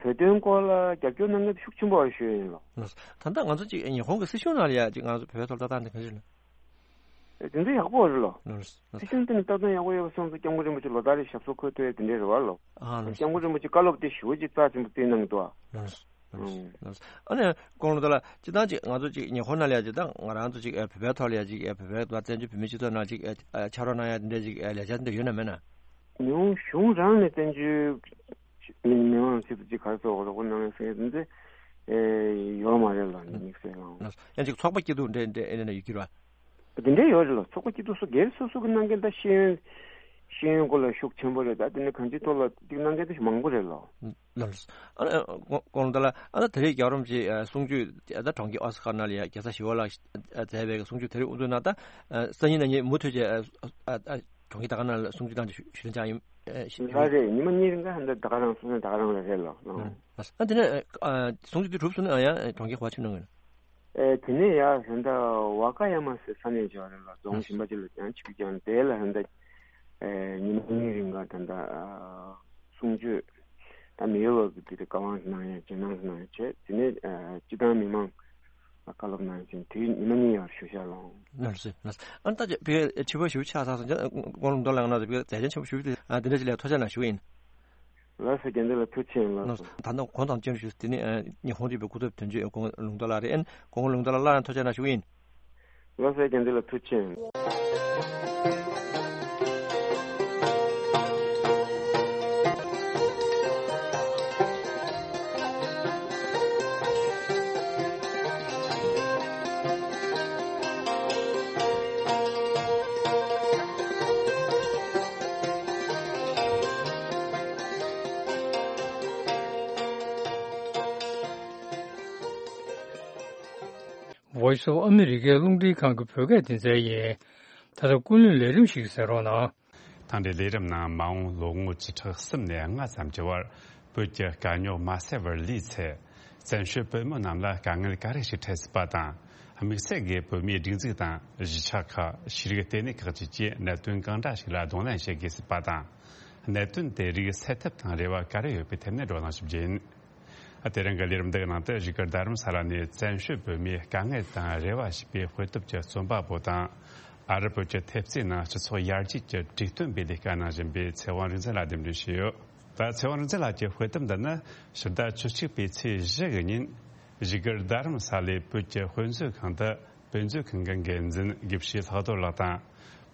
བོད་དོན་སྐོར་ལ་རྒྱབ་སྐྱོར་གནང་མཁན་ཤུགས་ཆེན་པོ་རེད་ཞུ་ཡ་ཡིན་ལོ། ད་ལྟ་ང་ཚོ་ཅིག་ཉི་ཧོང་གི་སྲིད་གཞུང་ནང་ལ་ཡ་ཅིག་ང་ཚོ་བོད་པའི་ཐོག་ལ་ལྟ་སྟངས་དེ་ག་འདྲ་རེད། དེ་འདྲ་ཡག་པོ་རེད་ལོ། ལགས་སོ། སྲིད་གཞུང་དེ་ནི་ལྟ་སྟངས་ཡག་པོ་ཡོད་པ་སོང་ཙང་སྐྱབས་མགོན་རིན་པོ་ཆེ་ལོ་ལྟར་རེ་ཞབས་སོར་འཁོད་ཐུབ་ཡ་དེ་འདྲ་རེད་བ་ལོ། ཨ་ལགས་སོ། སྐྱབས་མགོན་རིན་པོ་ཆེ་བཀའ་སློབ་དེ་ཞེ་པོ་ཅིག་རྩ་ཆེན་པོ་བསྩལ་གནང་གི་འདུག་ཨ། ལགས་སོ། ལགས་སོ། ཨ་ནི་ཀོང་ལུང་ཏོ་ལགས། སྤྱིར་བཏང་ཅིག་ང་ཚོ་ཅིག་ཉི་ཧོང་ནང་ལ་ཡ་ཅིག་ད་ང་རང་ཚོ་ཅིག་བོད་པའི་ཐོག་ལ་ཡ་ཅིག་བོད་པའི་བཙན་བྱོལ་བོད་མིའི་སྤྱི་ཚོགས་ནང་ཅིག་ཕྱག་རོགས་གནང་ཡ་དེ་འདྲ་ཅིག་ལས་འཆར་དེ་འདྲ་ཡོད་ན་མེད་ན། ཉི་ཧོང་གཞུང་རང་ནས་བཙན་བྱོལ་མི་མི་མང་ཆེད་དུ་ཅིག་ག་རེ་ཟེར་དགོས་རེད། ཁོ་ནང་ལ་ཟེར་ཡ་དེ་ཚོ་ཡོད་མ་རེད་ལ། དམིགས་བསལ་ལ། ཡང་ཅིག་ཚོགས་པ་སྐྱིད་སྡུག་འདྲ་འདྲ་ཨེ་ནས་ཡོད་ཀྱི་རེད་བ། དེ་འདྲ་ཡོད་རེད་ལ། ཚོགས་པ་སྐྱིད་སྡུག་སོ་སྒེར་སོ་སོ་གི་གནང་མཁན་ད་ཤེས་ཡོན་ཤེས་ཡོན་སྐོར་ལ་ཤུགས་ཆེན་པོ་རེད། ད་དེ་ནས་གང་ཅིའི་ཐོག་ལ་ཅིག་གནང་མཁན་ད་མང་པོ་རེད་ལ། ལགས་སོ། ཨ་ནི་ཀོང་ལུང་ཏོ་ལགས། ཨ་ད་དེ་རིང་རྒྱལ་བ་རིན་པོ་ཆེ་གསུང་ཆོས་ད་གྲོང་ཁྱེར་ཨོ་ས་ཀ་ནང་ལ་ཡ་རྒྱལ་ས་ཞི་བ་ལྷག་མཛད་པའི་གསུང་ཆོས་དེ་རིང་དབུ་འཛུགས་གནང་། ད་སང་ཉིན་གནངས་ཉིན་མུ་མཐུད་བྱས་གྲོང་ཁྱེར་ད་ག་ནང་ལ་གསུང་ཆོས་གནང་རྒྱུ་ཞུ་དོན་ཅང་ཡིན། ཨེ་ཞུ། ལགས་རེད། ཉི་མ་གཉིས་རིང་ག་ཧན་ད་ད་ག་རང་སོང་ན་ད་ག་རང་ལ་རེད་ལགས། ཨ་དེ་ནས་ཨ་གསུང་ཆོས་དེ་གྲུབ་སོང་ན་ཡང་གྲོང་ཁྱེར་ག་པར་ཕྱིན་གནང་གི་ཡིན། ཨེ་དེ་ནས་ཡ་ཧན་ད་ཝ་ཀ་ཡ་མ་ཟེར་ས་གནས་ཅིག་ཡོད་རེད་ལགས། རྫོང་གཞན་པ་ཅིག་ལ་ཡང་ཕྱིན་ཀྱང་དེ་ལ་ཧན་ད་ཨེ་ཉི་མ་གཉིས་རིང་ག་ད་ད་གསུང་ཆོས་ད་མི་ཡོད་པ་གི་དེ་རེད། བཀའ་དབང་གནང་ཡ་རྗེས་གནང་གནང་ཡ་བྱས། དེ་ནས་ཨེ་སྤྱི་བཏང་མི་མང་བཀའ་སློབ་གནང་ཞིང་དེའི་ཉི་མ་གཉིས་ཡར་ཞུ་བཞག་ལོ། ལགས་སོ། ལགས་སོ། ཨ་ནི་ད་ཅིག་བོད་ཕྱི་པ་ཞུ་ཆགས་ཚར་སོང་ཙང་ཀོང་ལུང་ཏོ་ལགས་ང་ཚོ་བོད་མཛད་འཆར་ཆེན་པོ་ཞུ་རྒྱུ་དེ་འདི་འདྲ་ཞིག་ལ་ཐུགས་རྗེ་གནང་ཞུ་གི་ཡིན། ལགས་སོ། རྒྱལ་མཚན་ལ་ཐུགས་རྗེ་ཆེ་ཡིན། ལགས་སོ། ད་ནང་གོང་དང་བཅར་ཞུ་དེ་ནི་ཉི་ཧོང་རིག་པའི་སྐུ་ཚབ་དོན་གཅོད་ཀོང་ལུང་ཏོ་ལགས་རེད། ཨ་ནི་ཀོང་ལུང་ཏོ་ལགས་སླར་ཡང་ཐུགས་རྗེ་གནང་ཞུ་གི་ཡིན། ལགས་སོ། རྒྱལ་མཚན་ལ་ཐུགས་རྗེ་ཆེ། Voice of America རླུང་འཕྲིན་ཁང་གི་བོད་སྐད་སྡེ་ཚན་ཡིན། ད་ལྟ་ཀུན་གླེང་ལས་རིམ་ཞིག་གསན་རོགས་གནང་། ད་ལྟའི་ལས་རིམ་ནང་མ་འོངས་ལོ་ངོ་བཅུ་ཕྲག་གསུམ་ནས་ལྔ་ཙམ་གྱི་བར་བོད་ཀྱི་དཀའ་རྙོག་མ་སེལ་བར་ལུས་ཚེ། བཙན་བྱོལ་བོད་མི་རྣམས་ལ་དཀའ་ངལ་ག་རེ་ཞིག་འཕྲད་སྲིད་པ་དང་ དམིགས་བསལ་གྱི་བོད་མིའི་སྒྲིག་འཛུགས་དང་གཞིས་ཆགས་ཁག་ཤེས་རིག་ལྟེ་གནས་ཁག་བཅས་ཀྱིས་གནད་དོན་གང་འདྲ་ཞིག་ལ་གདོང་ལེན་བྱེད་དགོས་སྲིད་པ་དང་། གནད་དོན་དེ་རིགས་སེལ་ཐབས་དང་རེ་བ་ག་རེ་ཡོད་པའི་ཐད་ནས་བགྲོ་གླེང་ཞིབ་རྒྱས་ཡིན། དེ་རིང་གི་ལས་རིམ་འདིའི་ནང་དུ་བཞུགས་སྒར་རྡ་རམ་ས་ལ་ནས་བཙན་བྱོལ་བོད་མིའི་དཀའ་ངལ་དང་རེ་བ་ཞེས་པའི་དཔེ་དེབ་ཀྱི་རྩོམ་པ་པོ་དང་། ཨ་རི་བོད་ཀྱི་ཐེབས་རྩའི་ནང་སྤྱི་ཚོགས་ཡར་རྒྱས་ཀྱི་གྲོས་སྟོན་པའི་ལས་ཀ་གནང་བཞིན་པའི་ཚེ་དབང་རིག་འཛིན་ལགས་འདེམས་སྒྲུག་བྱས་ཡོད། ད་ཚེ་དབང་རིག་འཛིན་ལགས་ཀྱི་དཔེ་དེབ་འདི་ནི་ཕྱི་ཟླ་བཅུ་གཅིག་པའི་ཚེས་བཞི་གི་ཉིན་བཞུགས་སྒར་རྡ་རམ་ས་ལའི་བོད་ཀྱི་དཔེ་མཛོད་ཁང་དུ་དཔེ་མཛོད་ཁང་གི་འགན་འཛིན་དགེ་བཤེས་ལྷག་རྡོར་ལགས་དང་།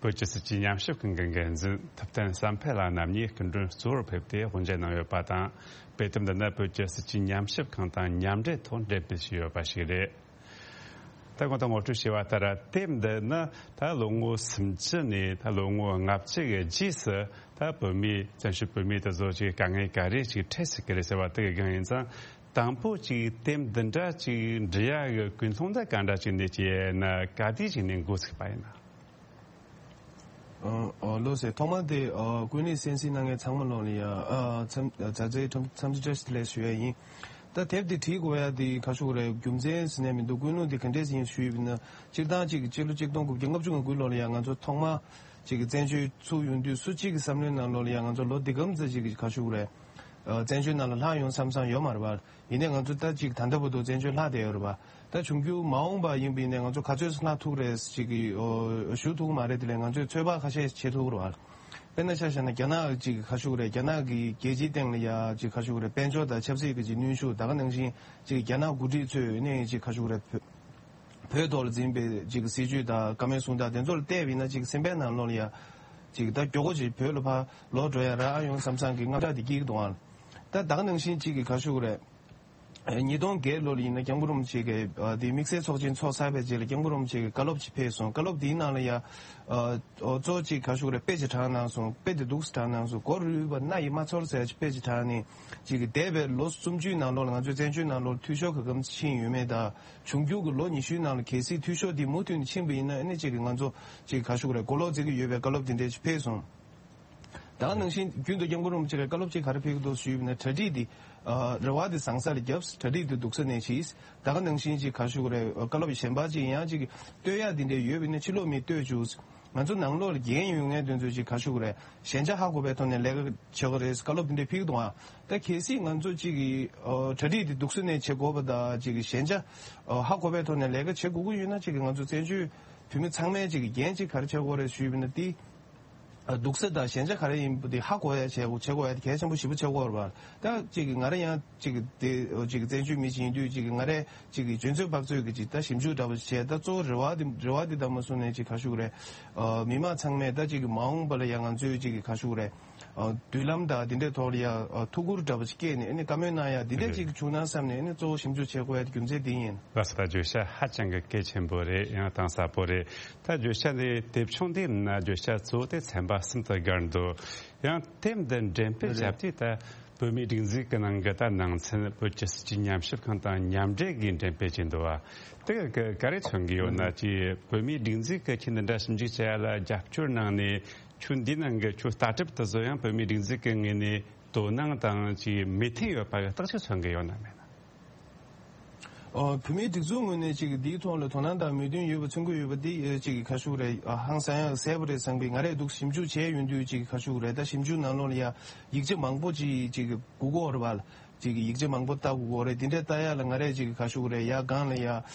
བོད་ཀྱི་སྲིད་ཇུས་ཉམས་ཞིབ་ཁང་གི་འགན་འཛིན་ཐུབ་བསྟན་བསམ་འཕེལ་ལགས་རྣམ་གཉིས་སྐུ་མགྲོན་གཙོ་བོར་ཕེབས་ཏེ་དབུ་འབྱེད་གནང་ཡོད་པ་དང་། དཔེ་དེབ་འདི་ནི་བོད་ཀྱི་སྲིད་ཇུས་ཉམས་ཞིབ་ཁང་དང་མཉམ་འབྲེལ་ཐོག་འགྲེམས་སྤེལ་བྱས་ཡོད་པ་ཞིག་རེད། ད་གོང་དུ་ངོ་སྤྲོད་བྱས་པ་ལྟར། དེབ་འདི་ནི་ད་ལོ་ངོ་སུམ་ཅུ་ནས་ད་ལོ་ངོ་ལྔ་བཅུ་གི་རྗེས་སུ་ད་བོད་མིའི་བཙན་བྱོལ་བོད་མིའི་དེ་ཚོ་ཅིག་དཀའ་ངལ་ག་རེ་ཅིག་འཕྲད་སྲིད་ཀྱི་རེད་ཟེར་བ་དེ་གི་སྒང་ཡིན་ཙང་། དང་པོ་ཅིག་དེབ་འདི་འདྲ་ཅིག་འབྲི་ཡག་གི་ཀུན་སློང་ད་ག་འདྲ་ཅིག་ནས་ཅིག་ཡིན་ན་ག་དུས་ཅིག་ནས་འགོ་ཚུགས་པ་ཡིན་ན། ཨ་ཨ་ལགས་སོ། ཐོག་མ་དེ་ཨ་ཀུན་གླེང་གསན་གཟིགས་གནང་མཁན་ཚང་མ་ལོག་ལ་ཡ་ཨ་འཚམས་ཨ་མཛའ་བརྩེའི་འཚམས་འཚམས་འདྲི་བཀྲ་ཤིས་བདེ་ལེགས་ཞུ་ཡ་ཡིན། ད་དེབ་དེ་བྲིས་དགོས་ཡ་དེ་ག་ཞུ་དགོས་རེད། རྒྱུ་མཚན་ཟེར་ནས་མི་འདུག་ཀུན་སློང་དེ་ག་འདྲས་ཡིན་ཞུས་པ་ཡིན་ན། སྤྱིར་བཏང་གཅིག་གི་སྤྱི་ལོ་གཅིག་སྟོང་དགུ་བརྒྱ་ལྔ་བཅུ་ང་དགུ་ལོ་ལ་ཡ་ང་ཚོ་ཐོག་མ་གཅིག་གི་བཙན་བྱོལ་ཚུགས་ཡོང་དུས་སུ་གཅིག་གི་བསམ་བློའི་ནང་ལོགས་ལ་ཡ་ང་ཚོ་ལོ་འདི་གམ་ཙམ་ཅིག་གི་ག་ཞུ་དགོས་རེད། ཨ་བཙན་བྱོལ་ནང་ལ་ལྷག་ཡོང་བསམ་བསམ་ཡོད་མ་རེད་པ། ཡིན་ནའི་ང་ཚོ་ད་ཅིག་ད་ལྟ་བར་དུ་བཙན་བྱོལ་ལྷག་བསྡད་ཡོད་རེད་པ། ད་འབྱུང་འགྱུར་མ་འོངས་པ་ཡིན་པ་ཡིན་ནའི་ང་ཚོ་ག་ཚོད་ལྷག་ཐུབ་རེད་ཅིག་གི་ཨོ་ཞུ་ཐུབ་མ་རེད། དེ་ལས་ང་ཚོས་ཚོད་དཔག་ཁ་ཤས་བྱེད་ཐུབ་རེད་པ། དཔེར་ན་ཆ་བཞག་ན་རྒྱ་ནག་ཅིག་ག་ཞུ་རེད། རྒྱ་ནག་གི་རྒྱལ་སྤྱིའི་སྟེང་ལ་ཡ་ཅིག་ག་ཞུ་རེད། དཔལ་འབྱོར་དང་ཆབ་སྲིད་ཀྱི་ཅིག་གནོན་ཤུགས། ད་ག་ནང་བཞིན་ཅིག་རྒྱ་ནག་འགོ་ཁྲིད་ཚོས་ནས་ཅིག་ག་ཞུ་རེད། བོད་ཐོག་ལ་འཛིན་པའི་ཅིག་སྲིད་བྱུས་དང་བཀའ་མོལ་གསུང་སྟངས་དེ་ཚོ་ལ་བལྟས་པ་ཡིན་ན་ཅིག་སེམས་པའི་ནང་ལོགས་ལ་ཡ་ཅིག་ད་མགྱོགས་པོ་ཅིག་བོད་ལ་ཕར་ལོག་འགྲོ་ཡ་རག་ཨ་ཡོང་བསམ་བསམ་གི་དངངས་སྐྲག་དེ་སྐྱེ་གི་འདུག་ཨ། ད་ད་ག་ནང་བཞིན་ཅིག་གི་ག་ཞུ་དགོས་རེད། ཉིས་སྟོང་བརྒྱད་ལོ་ལ་ཡིན་ན་སྐྱབས་མགོན་རིན་པོ་ཆེ་གི་ཨ་དེ་དམིགས་བསལ་ཚོགས་ཆེན་ཚོགས་ཚར་བའི་རྗེས་ལ་སྐྱབས་མགོན་རིན་པོ་ཆེ་གི་བཀའ་སློབ་ཅིག་ཕེབས་སོང་། བཀའ་སློབ་དེའི་ནང་ལ་ཡ་ཨ་གཙོ་བོ་ཅིག་ག་ཞུ་དགོས་རེད། དཔེ་ཅིག་དྲངས་གནང་སོང་། དཔེ་དེ་འདུག་སེ་དྲངས་གནང་སོང་། མགོ་རུལ་བ་སྣ་ཡིས་མ་ཚོར་ཟེར་ཅིག་དཔེ་ཅིག་དྲངས་ནས་ཅིག་གི་འདས་པའི་ལོ་སུམ་ཅུའི་ནང་ལོགས་ལ་ང་ཚོའི་བཙན་བྱོལ་ནང་ལོགས་འཐུས་ཤོར་ག་གམ་ཕྱིན་ཡོད་མེད་དང་། འབྱུང་འགྱུར་གྱི་ལོ་ཉི་ཤུའི་ནང་ལ་གལ་སྲིད་འཐུས་ཤོར་འདི་མུ་མཐུད་ནས་ཕྱིན་པ་ཡིན་ན་ཨ་ནི་ཅིག་གི་ང་ཚོ་ཅིག་ག་ཞུ་དགོས་རེད། གོ་ལོག་འཛིན་གྱི་ཡོད་པའི་བཀའ་སློབ་དེ་འདྲས་ཅིག་ཕེབས་སོང་། ད་ག་ནང་བཞིན་རྒྱུན་དུ་སྐྱབས་མགོན་རིན་པོ་ཆེ་གིས་བཀའ་སློབ་ཅིག་ག་རེ་ཕེབས་ཀྱི་འདུག་ཞུས་པ་ཡིན་ན། གྲ་སྒྲིག་འདི་ཨ་རེ་བ་འདི་བཟང་ས་ལ་བརྒྱབ། གྲ་སྒྲིག་འདི་སྡུག་ས་ནས་བྱས། ད་ག་ནང་བཞིན་ཅིག་ག་ཞུ་དགོས་རེད། བཀའ་སློབ་གཞན་པ་ཅིག་ཡང་ཅིག་བསྟོད་ཡག་འདི་འདྲས་ཡོད་པ་ཡིན་ན་ཕྱི་ལོགས་མིས་བསྟོད་བཅུག་ང་ཚོ་ནང་ལོགས་ལ་འགན་ཡོད་མཁན་དེ་ཚོས་ཅིག་ག་ཞུ་དགོས་རེད། ཞན་ཆ་ཧ་གོ་བའི་ཐོག་ནས་ལས་ཀ་བྱེད་དགོས་རེད། བཀའ་སློབ་འདི་འདྲས་ཕེབས་ཀྱི་འདུག་ཨ། ད་གལ་སྲིད་ང་ཚོ་ཅིག་གི་ཨ་གྲ་སྒྲིག་འདི་སྡུག་ས་ནས་བྱེད་དགོས་པ་དང་ཅིག་གི་ཞན་ཆ་ཨ་ཧ་གོ་བའི་ཐོག་ནས་ལས་ཀ་བྱེད་དགོས་ཀྱི་ཡོད་ན་ཅིག་གི་ང་ཚོ་བཙན་བྱོལ་བོད་མི་ཚང་མས་ཅིག་གི་འགན་ཅིག་ག་རེ་བྱེད་དགོས་རེད་ཞུས་པ་ཡིན་ན། འདི་སྡུག་ས་དང་ཞན་ཆ་ག་རེ་ཡིན་པ་དེ་ཧ་གོ་ཡ་བྱེད་དགོས་བྱེད་དགོས་ཡ་དེ་གལ་ཆེན་པོ་ཞེ་པོ་ཆགས་ཀྱི་ཡོད་རེད་པ། ད་ཅིག་གི་ང་རང་ཡང་ཅིག་གི་དེ་ཅིག་གི་བཙན་བྱོལ་མི་ཅིག་ཡིན་དུས་ཅིག་གི་ང་རས་ཅིག་གི་འཇོན་ཚོད་དཔག་ཚོད་ཀྱི་ཅིག་ད་ཞིབ་འཇུག་འདྲ་པོ་ཞིག་བྱས། ད་གཙོ་བོ་རེ་བ་དེ་རེ་བ་དེ་ད་མ་སོང་ནས་ཅིག་ག་ཞུ་དགོས་རེད། ཨ་མི་མང་ཚང་མས་ད་ཅིག་གི་མ་འོངས་པ་ལ་ཡང་ང་ཚོས་ཅིག་གི་ག་ཞུ་དགོས་རེད། ཨ་མདུན་ལམ་དང་དེ་འདྲའི་ཐོག་ལ་ཡང་ཨ་ཐུགས་ཁུར་འདྲ་པོ་ཞིག་བསྐྱེད་ནས་ཨ་ནི་བཀའ་མོལ་གནང་ཡ་དེ་འདྲ་ཅིག་བྱུང་ན་བསམ་ནས་ཨ་ནི་གཙོ་བོ་ཞིབ་འཇུག་བྱེད་དགོས་ཡ་དེ་རྒྱུ་མཚན་དེ་ཡིན། ལགས་སོ། ད་བརྗོད་བྱ་ཧ་ཅང་གི་གལ་ཆེན་པོ་རེད། ཡང་གཏིང་ཟབ་པོ་རེད། ད་བརྗོད་བྱ་འདི་དེབ་ཆུང་འདིའི་ནང་བརྗོད་བྱ་གཙོ་བོ་དེ་ཚན་པ་གསུམ་དུ་བགར་འདུག་ཡང་དེབ་འདི་འགྲེམས་སྤེལ་བྱས་དུས་ད་བོད་མིའི་སྒྲིག་འཛུགས་ཀྱི་ནང་གི་ད་ནང་ཚན་བོད་ཀྱི་སྲིད་ཇུས་ཉམས་ཞིབ་ཁང་དང་མཉམ་འབྲེལ་གྱིས་འགྲེམས་སྤེལ་བྱས་འདུག་བ། དེ་ག་ག་རེ་མཚོན་གྱི་ཡོད་ན། ཅིག་བོད་མིའི་སྒྲིག་འཛུགས་ཀྱིས་ཁྱེད་འདི་འདྲ་ཞིབ་འཇུག་བྱེད་ཡ་ལ་རྒྱབ་སྐྱོར་གནང་ནས། ཁྱོད་འདི་ནང་གི་ཁྱོད་ལྟ་གྲུབ་དེ་ཚོ་ཡང་བོད་མིའི་སྒྲིག་འཛུགས་ཀྱི་ངོས་ནས་དོ་སྣང་དང་ཅིག་མོས་མཐུན་ཡོད་པ་གི་རྟགས་ཤིག་མཚོན་གྱི་ཡོད་ན་མེད་ན། ཨོ། བོད་མིའི་སྒྲིག་འཛུགས་ངོས་ནས་ཅིག་འདིའི་ཐོག་ལ་དོ་སྣང་དང་མོས་མཐུན་ཡོད་པ་མཚོན་གྱི་ཡོད་པ་འདི་ཅིག་ག་ཞུ་རེད། ཨ་ཧང་སང་ཡག་གསལ་པོ་རེད་བསམ་གི། ང་རས་འདུག་ཞིབ་འཇུག་བྱས་ཡོང་དུས་ཅིག་ག་ཞུ་རེད། ད་ཞིབ་འཇུག་ནང་ལོགས་ལ་ཡ་ཡིག་ཆ་མང་པོ་ཅིག་ཅིག་དགོས་ཀྱི་ཡོད་རེད་པ། ཅིག་ཡིག་ཆ་མང་པོ་ལྟ་དགོས་ཀྱི་ཡོད་རེད། འདི་འདྲ་ལྟ་ཡ་ལ་ང་རས་ཅིག་ག་ཞུ་རེད། ཡ་སྒང་ལ་ཡ་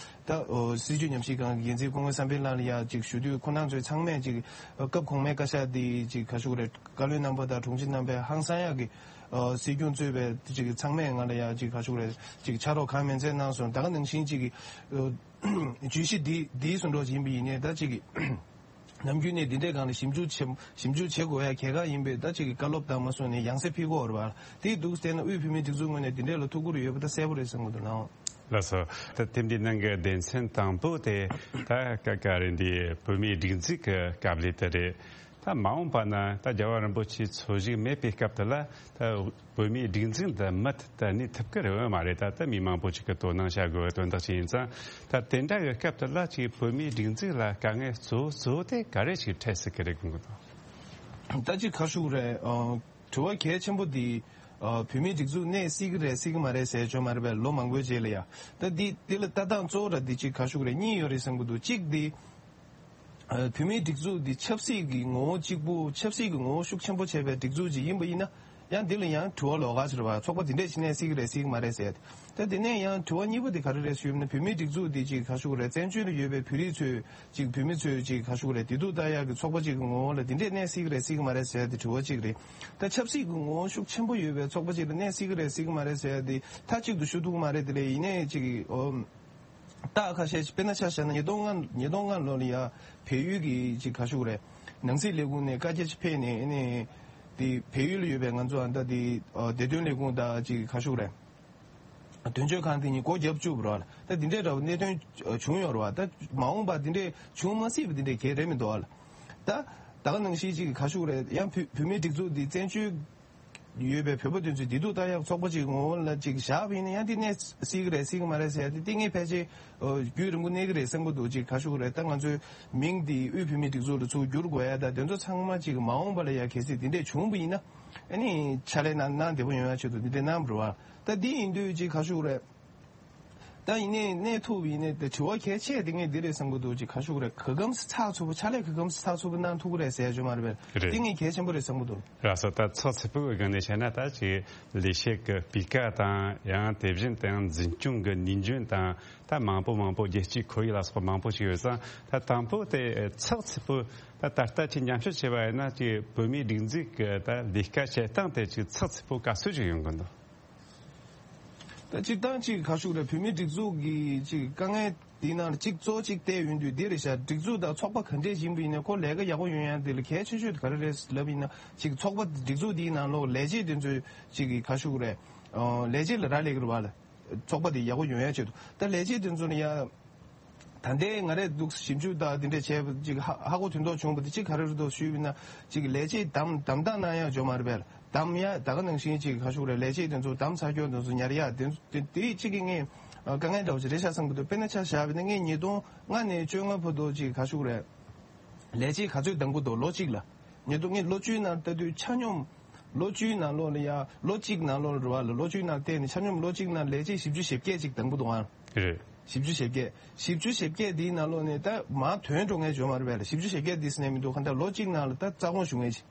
ད་ཨོ་སྲིད་བྱུས་ཉམས་ཞིབ་ཁང་གི་འགན་འཛིན་སྐུ་ངོ་བསམ་འཕེལ་ལགས་ལ་ཡ་ཅིག་ཞུ་དུས་ཁོ་རང་ཚོས་ཚང་མས་ཅིག་སྐབས་གོང་མའི་བཀའ་ཤག་འདི་ཅིག་ག་ཞུ་རེད། བཀའ་བློན་རྣམ་པ་དང་དྲུང་ཆེ་རྣམ་པས་ཧང་སང་ཡག་གི་ཨ་སྲིད་སྐྱོང་གཙོས་པའི་ཅིག་གི་ཚང་མས་ང་ལ་ཡ་ཅིག་ག་ཞུ་རེད། ཅིག་ཕྱག་རོགས་གང་མིན་ཚད་གནང་སོང་། ད་ག་ནང་བཞིན་ཅིག་གི་ཨ་བརྗོད་གཞི་འདི་འདིའི་བཟོ་འདྲ་ཡིན་པ་ཡིན་ནའི་ད་ཅིག་གི་ནམ་རྒྱུན་ནས་འདི་འདྲའི་སྒང་ལ་ཞིབ་འཇུག་བྱེད་ཞིབ་འཇུག་བྱེད་དགོས་ཡ་གལ་འགངས་ཡིན་པས། ད་ཅིག་གི་བཀའ་སློབ་དང་མ་སོང་ནས་ཡང་སེ་ཕུལ་དགོས་རེད་པ། དེ་འདུག་བལྟས་ན་དབུས་བོད་མིའི་སྒྲིག་འཛུགས་ངོས་ནས་འདི་འདྲའི་ལ་ཐུགས་ཁུར་ཡོད་པ་ད་གསལ་པོ་རེད་བསམ་གི་འདུག་ལགས། ལགས་སོ། ད་དེབ་འདིའི་ནང་གི་སྡེ་ཚན་དང་པོ་དེ་ད་ཀ་ཀ་རེད། འདི་བོད་མིའི་སྒྲིག་འཛུགས་ཀྱི་སྐབས་ལས་དེ་རེད། ད་མ་འོངས་པ་ན་ད་རྒྱལ་བ་རིན་པོ་ཆེའི་འཚོ་བཞུགས་མེད་པའི་སྐབས་དེ་ལ་ད་བོད་མིའི་སྒྲིག་འཛུགས་འདི་མུ་མཐུད་དུ་གནས་ཐུབ་ཀྱི་རེད་པ་མ་རེད། ད་ད་མི་མང་པོ་ཅིག་གིས་དོ་སྣང་བྱ་དགོས་པའི་དོན་དག་ཅིག་ཡིན་ཙང་། ད་དེ་འདྲ་གི་སྐབས་དེ་ལ་ཅིག་བོད་མིའི་སྒྲིག་འཛུགས་ལ་དཀའ་ངལ་གཙོ་བོ་གཙོ་བོ་དེ་ག་རེ་ཞིག་འཕྲད་སྲིད་ཀྱི་རེད་དགོངས་ཀྱི་འདུག་ད་ཅིག་ག་ཞུ་རེད། ཨ་དྲི་བ་གལ་ཆེན་པོ་འདི་ ཨ་བོད་མིའི་སྒྲིག་འཛུགས་གནས་སྲིད་ཀྱི་རེད་སྲིད་ཀྱི་མ་རེད་ཟེར་ཡ་ཅིག་ཡོད་མ་རེད་པས། ལོ་མང་པོའི་རྗེས་ལ་ཡ། ད་འདི་འདི་ལ་ལྟ་སྟངས་གཙོ་བོ་ར་འདི་ཅིག་ག་ཞུ་གི་རེད། གཉིས་ཡོད་རེད་བསམ་གྱི་འདུག་གཅིག་འདི། ཨ་བོད་མིའི་སྒྲིག་འཛུགས་འདི་ཆབ་སྲིད་ཀྱི་ངོ་བོ་གཅིག་པུ། ཆབ་སྲིད་ཀྱི་ངོ་བོ་ཤུགས་ཆེན་པོ་བྱས་པའི་སྒྲིག་འཛུགས་ཅིག་ཡིན་པ་ཡིན་ན། ཡང་འདི་ལ་ཡང་དྲི་བ་ལོགས་ཀ་ཟེར་བ། ཚོགས་པ་འདི་འདྲས་ཅིག་གནས་སྲིད་ཀྱི་རེད་སྲིད་ཀྱི་མ་རེད་ཟེར་ཡ་དེ། ད་དེ་ནས་ཡང་དྲི་བ་གཉིས་པ་དེ་ག་རེ་རེད་ཞུས་ན། བོད་མིའི་སྒྲིག་འཛུགས་འདི་ཅིག་ག་ཞུ་གི་རེད། བཙན་བྱོལ་ལ་ཡོད་པའི་བོད་རིགས་ཚོས་ཅིག་བོད་མི་ཚོས་ཅིག་ག་ཞུ་གི་རེད། བདེ་སྡུག་ལྟ་ཡག་གི་ཚོགས་པ་ཅིག་གི་ངོ་བོ་ལ་འདི་འདྲས་གནས་སྲིད་ཀྱི་རེད་སྲིད་ཀྱི་མ་རེད་ཟེར་ཡ་དེ་དྲི་བ་གཅིག་རེད། ད་ཆབ་སྲིད་ཀྱི་ངོ་བོ་ཤུགས་ཆེན་པོ་ཡོད་པའི་ཚོགས་པ་ཅིག་ལ་གནས་སྲིད་ཀྱི་རེད་སྲིད་ཀྱི་མ་རེད་ཟེར་ཡ་དེ་མཐའ་གཅིག་ཏུ་ཞུ་ཐུབ་ཀྱི་མ་རེད། དེ་ལས་ཡིན་ནའི་ཅིག་ཨོ། རྟགས་ཁ་ཤས་ཤིག་དཔེར་ན་ཆ་བཞག་ན་ཉིས་སྟོང་ལྔ་ཉིས་སྟོང་ལྔ་ལོ་ལ་ཡ་བལ་ཡུལ་གྱི་ཅིག་ག་ཞུ་གི་རེད། ནང་སྲིད་ལས་ཁུངས་ནས་བཀའ་རྒྱ་ཅིག་ཕེབས་ནས་ཨ་ནི་དེ་བལ་ཡུལ་ལ་ཡོད་པའི་ང་ཚོ་ཨ་ད་དེ་ཨ་བདེ་དོན་ལས་ཁུངས་དང་ཅིག་ག་ཞུ་གི་རེད། དོན་གཅོད་ཁང་དེ་གཉིས་སྒོ་བརྒྱབ་བཅུག་པ་རེད་པ། ད་དེ་འདྲའི་འདྲ་བོ་གནད་དོན་བྱུང་ཡོད་རེད་པ། ད་མ་འོངས་པ་དེ་འདྲའི་བྱུང་མ་སྲིད་པ་དེ་འདྲའི་གལ་རེད་མི་འདུག་པ། ད་ད་ག་ནང་བཞིན་ཅིག་ག་ཞུ་གི་རེད། ཡང་བོད་བོད་མིའི་སྒྲིག་འཛུགས་འདི་བཙན་བྱོལ་ཡོད་པའི་བོད་པ་དེ་ཚོས་བདེ་སྡུག་ལྟ་ཡག་ཚོགས་པ་ཅིག་ངོ་བོ་ལ་ཅིག་བཞག་པ་ཡིན་ན། ཡང་དེ་གནས་སྲིད་ཀྱི་རེད་སྲིད་ཀྱི་མ་རེད་ཟེར་ཡ་དེ་དེ་ངས་ཕལ་ཆེར་ཨོ་རྒྱུན་རིང་པོ་གནས་ཀྱི་རེད་བསམ་གྱི་འདུག་ཅིག་ག་ཞུ་གི་རེད། ད་ང་ཚོའི་མིང་འདི་དབུས་བོད་མིའི་སྒྲིག་འཛུགས་ལ་ཚུར་བསྒྱུར་དགོས་ཡ་ད་དེ་ཚོ་ཚང་མ་ཅིག་མ་འོངས་པ་ལ་ཡ་གལ་སྲིད་དེ་འདྲས་བྱུང་བ་ཡིན་ན། ཨ་ནི་ཕྱག་ལས་གནང་གནང་བདེ་པོ་ཡོང་ཡ་ཆེད་དུ་འདི་འདྲས་གནང་བ་རེད་པ། ད་འདི་ཡིན་དུས་ཅིག་ག་ཞུ་གི་རེད། ད་ཡིན་ནའི་གནས་ཐུབ་ཡིན་ནའི་དེ་དྲི་བ་གལ་ཆེ་དེ་ངས་འདི་རེད་བསམ་གྱི་འདུག་ཅིག་ག་ཞུ་གི་རེད། ག་གམ་ཚགས་ཚུད་པོ་ཕྱག་ལས་ག་གམ་ཚགས་ཚུད་པོ་གནང་ཐུབ་ཀྱི་རེད་ཟེར་ཡ་ཅིག་ཡོད་མ་རེད་པས། རེད། དེ་ངས་གལ་ཆེན་པོ་རེད་བསམ་གྱི་འདུག་ལགས་སོ། ད་ཚགས་ཚུད་པོའི་སྒང་ནས་བཤད་ན་ད་ཅིག་ལས་བྱེད་ཀྱི་སྤུས་ཀ་དང་། ཡང་དེ་བཞིན་དུ་ཡང་འཛིན་སྐྱོང་གི་ནུས་འཇོན་དང་། ད་མང་པོ་མང་པོ་རྒྱལ་སྤྱིའི་ཁོར་ཡུག་ལ་སོགས་པ་མང་པོ་ཞིག་ཡོད་ཙང་། ད་དང་པོ་དེ་ཚགས་ཚུད་པོ་ད་ད་ལྟ་ཅིག་མཉམ་སྤྱོད་བྱས་པ་ཡིན་ན། ཅིག་བོད་མིའི་སྒྲིག་འཛུགས་ཀྱི་ད་ལས་ཀ་བྱེད་སྟངས་དེ་ཅིག་ཚགས་ཚུད་པོ་ག་ཚོད་ཅིག་ཡོང་གི་འདུག་ད་སྤྱིར་བཏང་ཅིག་ག་ཞུ་གི་རེད། བོད་མིའི་སྒྲིག་འཛུགས་ཀྱི་ཅིག་དཀའ་ངལ་འདི་ནང་གཅིག་གཙོ་གཅིག་བལྟས་ཡོང་དུས་འདི་རེད་ཤག་སྒྲིག་འཛུགས་དང་ཚོགས་པ་ག་འདྲས་ཡིན་པ་ཡིན་ན་ཁོ་ལས་ཀ་ཡག་པོ་ཡོང་ཡ་འདི་ལ་གལ་ཆེ་ཤོས་དེ་ག་རེ་རེད་ལབ་ཡིན་ན། ཅིག་ཚོགས་པ་སྒྲིག་འཛུགས་འདིའི་ནང་ལོགས་ལས་བྱེད་དེ་ཚོས་ཅིག་གི་ག་ཞུ་གི་རེད། ཨོ་ལས་བྱེད་ལ་རག་ལས་ཀྱི་རེད་པ་ལ། ཚོགས་པ་དེ་ཡག་པོ་ཡོང་ཡ་ཆེད་དུ། ད་ལས་བྱེད་དེ་ཚོ་ལ་ཡ། ད་ལྟའི་ང་རས་འདུག་ཞིབ་འཇུག་དང་དེ་འདྲས་བྱས་པ་ཅིག་ཧ་ཧ་གོ་དོན་དག་བྱུང་བ་དེ་ཅིག་ག་རེ་རེད་འདུག་ཞུས་པ་ཡིན་ན། ཅིག་ལས་བྱེད་བདམས་བདམས་སྟངས་གནང་ཡག་ཅིག་ཡོད་མ་རེད་པས། བདམས་ཡ་ད་ག་ནང་བཞིན་ཅིག་ག་ཞུ་གི་རེད། ལས་བྱེད་དེ་ཚོ་བདམས་ཚར་ཁྱོད་དེ་ཚོ་ཉར་ཡ་དེ་ཚོ་དེ་དེ་ཅིག་གི་ངས་ཨ་དཀའ་ངལ་འདྲ་བོ་ཅིག་རེད་ཤག་བསམ་གྱི་འདུག་དཔེར་ན་ཆ་བཞག་པ་ཡིན་ན་ངས་ཉིས་སྟོང་ལྔ་ནས་བཅོ་ལྔ་བར་དུ་ཅིག་ག་ཞུ་གི་རེད། ལས་བྱེད་ག་ཚོད་བདམས་གྱི་འདུག་ལོ་གཅིག་ལ། ཉིས་སྟོང་ངས་ལོ་བཅུའི་ནང་ལྟ་དུས་ཆ་སྙོམས། ལོ་བཅུའི་ནང་ལོགས་ལ་ཡ་ལོ་གཅིག་ནང་ལོགས་ལ་རེད་པ་ལ། ལོ་བཅུའི་ནང་བལྟས་ནས་ཆ་སྙོམས་ལོ་གཅིག་ནང་ལས་བྱེད་བཞི་བཅུ་ཞེ་བརྒྱད་ཅིག་བདམས་གྱི་འདུག་ཨང་། རེད། བཞི་བཅུ་ཞེ་བརྒྱད། བཞི་བཅུ་ཞེ་བརྒྱད་འདིའི་ནང་ལོགས་ནས་ད་མར་ཐོན་འགྲོ་མཁན་ཅིག་ཡོད་མ་རེད་པས་ལ། བཞི་བཅུ་ཞེ་བརྒྱད་འདི་ཟེར་ནས་མི་འདུག་གང་ལྟར་ལོ་གཅིག་ནང་ལ་ད་རྩ་དགོངས་ཞུ་མཁན་ཅིག་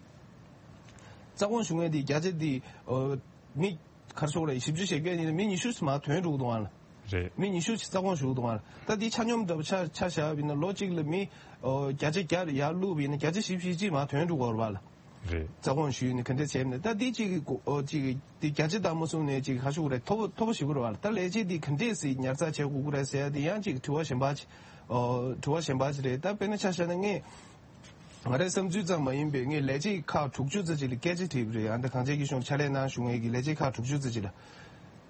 རྩ་དགོངས་ཞུ་མཁན་འདི་བརྒྱ་ཆ་འདི་ཨོ་མི་ག་རེ་ཟེར་དགོས་རེད། བཞི་བཅུ་ཞེ་བརྒྱད་ཡིན་ན་མི་ཉི་ཤུ་ཙམ་མར་ཐོན་འགྲོ་གི་འདུག་ཨང་ལ། རེད། མི་ཉི་ཤུ་ཙམ་རྩ་དགོངས་ཞུ་གི་འདུག་ཨང་ལ། ད་འདི་ཆ་སྙོམས་འདྲ་པོ་ཆ་ཆ་བཞག་པ་ཡིན་ན་ལོ་གཅིག་ལ་མི་ཨོ་བརྒྱ་ཆ་བརྒྱ་ཡར་བླུགས་པ་ཡིན་ན་བརྒྱ་ཆ་བཞི་བཅུ་ཞེ་གཅིག་མར་ཐོན་འགྲོ་གི་ཡོད་རེད་པ་ལ། རེད། རྩ་དགོངས་ཞུས་ནས་ག་འདྲ་བྱས་ནས་ད་འདི་གཅིག་གི་གོ་ཨོ་གཅིག་གི་འདི་བརྒྱ་ཆ་བདག་མོ་གསུངས་ནས་གཅིག་ག་ཞུ་གི་རེད། མཐོ་པོ་མཐོ་པོ་ཞེ་པོ་རེད་པ་ལ། ད་ལས་བྱེད་འདི་ག་འདྲས་སེ་ཉར་ཚགས་བྱེད་དགོས་ཀྱི་རེད་ཟེར་ཡ་འདི་ཡང་གཅིག་དྲི་བ་གཞན་པ་ཅིག་ཨོ་དྲི་བ་གཞན་པ་ཅིག་རེད། ད་དཔེར་ན་ཆ་བཞག་ན་ངས་ང་རའི་བསམ་ཚུལ་ཙམ་མ་ཡིན་པའི་ངས་ལས་བྱེད་ཁག་དྲུག་ཅུ་ཙམ་ཅིག་ལ་སྐད་ཆ་དྲིས་པ་རེད། ཨ་ད་གངས་ཅན་སྐྱིད་གཤོངས་ཕྱག་ལས་གནང་བཞུགས་མཁན་གྱི་ལས་བྱེད་ཁག་དྲུག་ཅུ་ཙམ་ཅིག་ལ།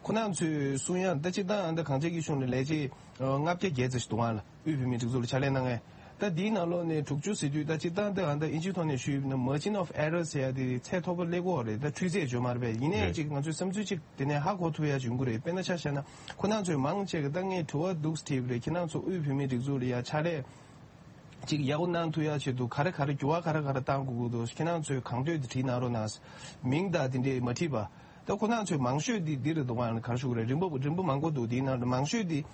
ཁོ་རང་ཚོས་གསུང་ཡ་ད་སྤྱིར་བཏང་ཨ་ད་གངས་ཅན་སྐྱིད་གཤོངས་ལ་ལས་བྱེད་ལྔ་བརྒྱ་བརྒྱད་ཙམ་ཞིག་འདུག་ཨང་ལ། དབུས་བོད་མིའི་སྒྲིག་འཛུགས་ལ་ཕྱག་ལས་གནང་མཁན། ད་འདིའི་ནང་ལོགས་ནས་དྲུག་ཅུ་ཟེར་དུས་ད་སྤྱིར་བཏང་ད་ཨ་ད་ཨིན་ཇིའི་ཐོག་ནས་ཞུས་ན་margin of error ཟེར་ཡ་དེ་ཚད་མཐོ་པོ་སླེབས་ཀྱི་ཡོད་རེད། ད་འཕྲུལ་ཚད་ཡོད་མ་རེད་པས། ཡིན་ནའི་རེད། ཅིག་ང་ཚོའི་བསམ་ཚུལ་ཅིག་དེ་ནས་ཧ་གོ་ཐུབ་ཡ་ཅིག་ཡོང་གི་རེད། དཔེར་ན་ཆ་བཞག་ན་ཁོ་རང་ཚོས་མང་ཆེ་གི་ད་ངས་དྲི་བ་འདུག་སེ་དྲིས་པ་རེད། ཁྱེད་རང་ཚོ་དབུས་བོད་མིའི་སྒྲིག་འཛུགས་ལ་ཡ་ཕྱག་ལས་ཅིག་ཡག་པོ་གནང་ཐུབ་ཡ་ཆེད་དུ་ག་རེ་ག་རེ་འགྱུར་བ་ག་རེ་ག་རེ་གཏང་དགོས་ཀྱི་འདུག་ཁྱེད་རང་ཚོས་གང་འདོད་དེ་བྲིས་གནང་རོགས་གནང་། མིང་དང་དེ་འདྲས་མ་བྲིས་པ། ད་ཁོ་རང་ཚོས་མང་ཤོས་དེ་འདི་རེད་འདུག་ཨང་ག་རེ་ཞུ་གི་རེད། རིམ་པ་རིམ་པ་མང་པོ་འདུག་དེའི་ནང་ནས་མང་ཤོས་དེ་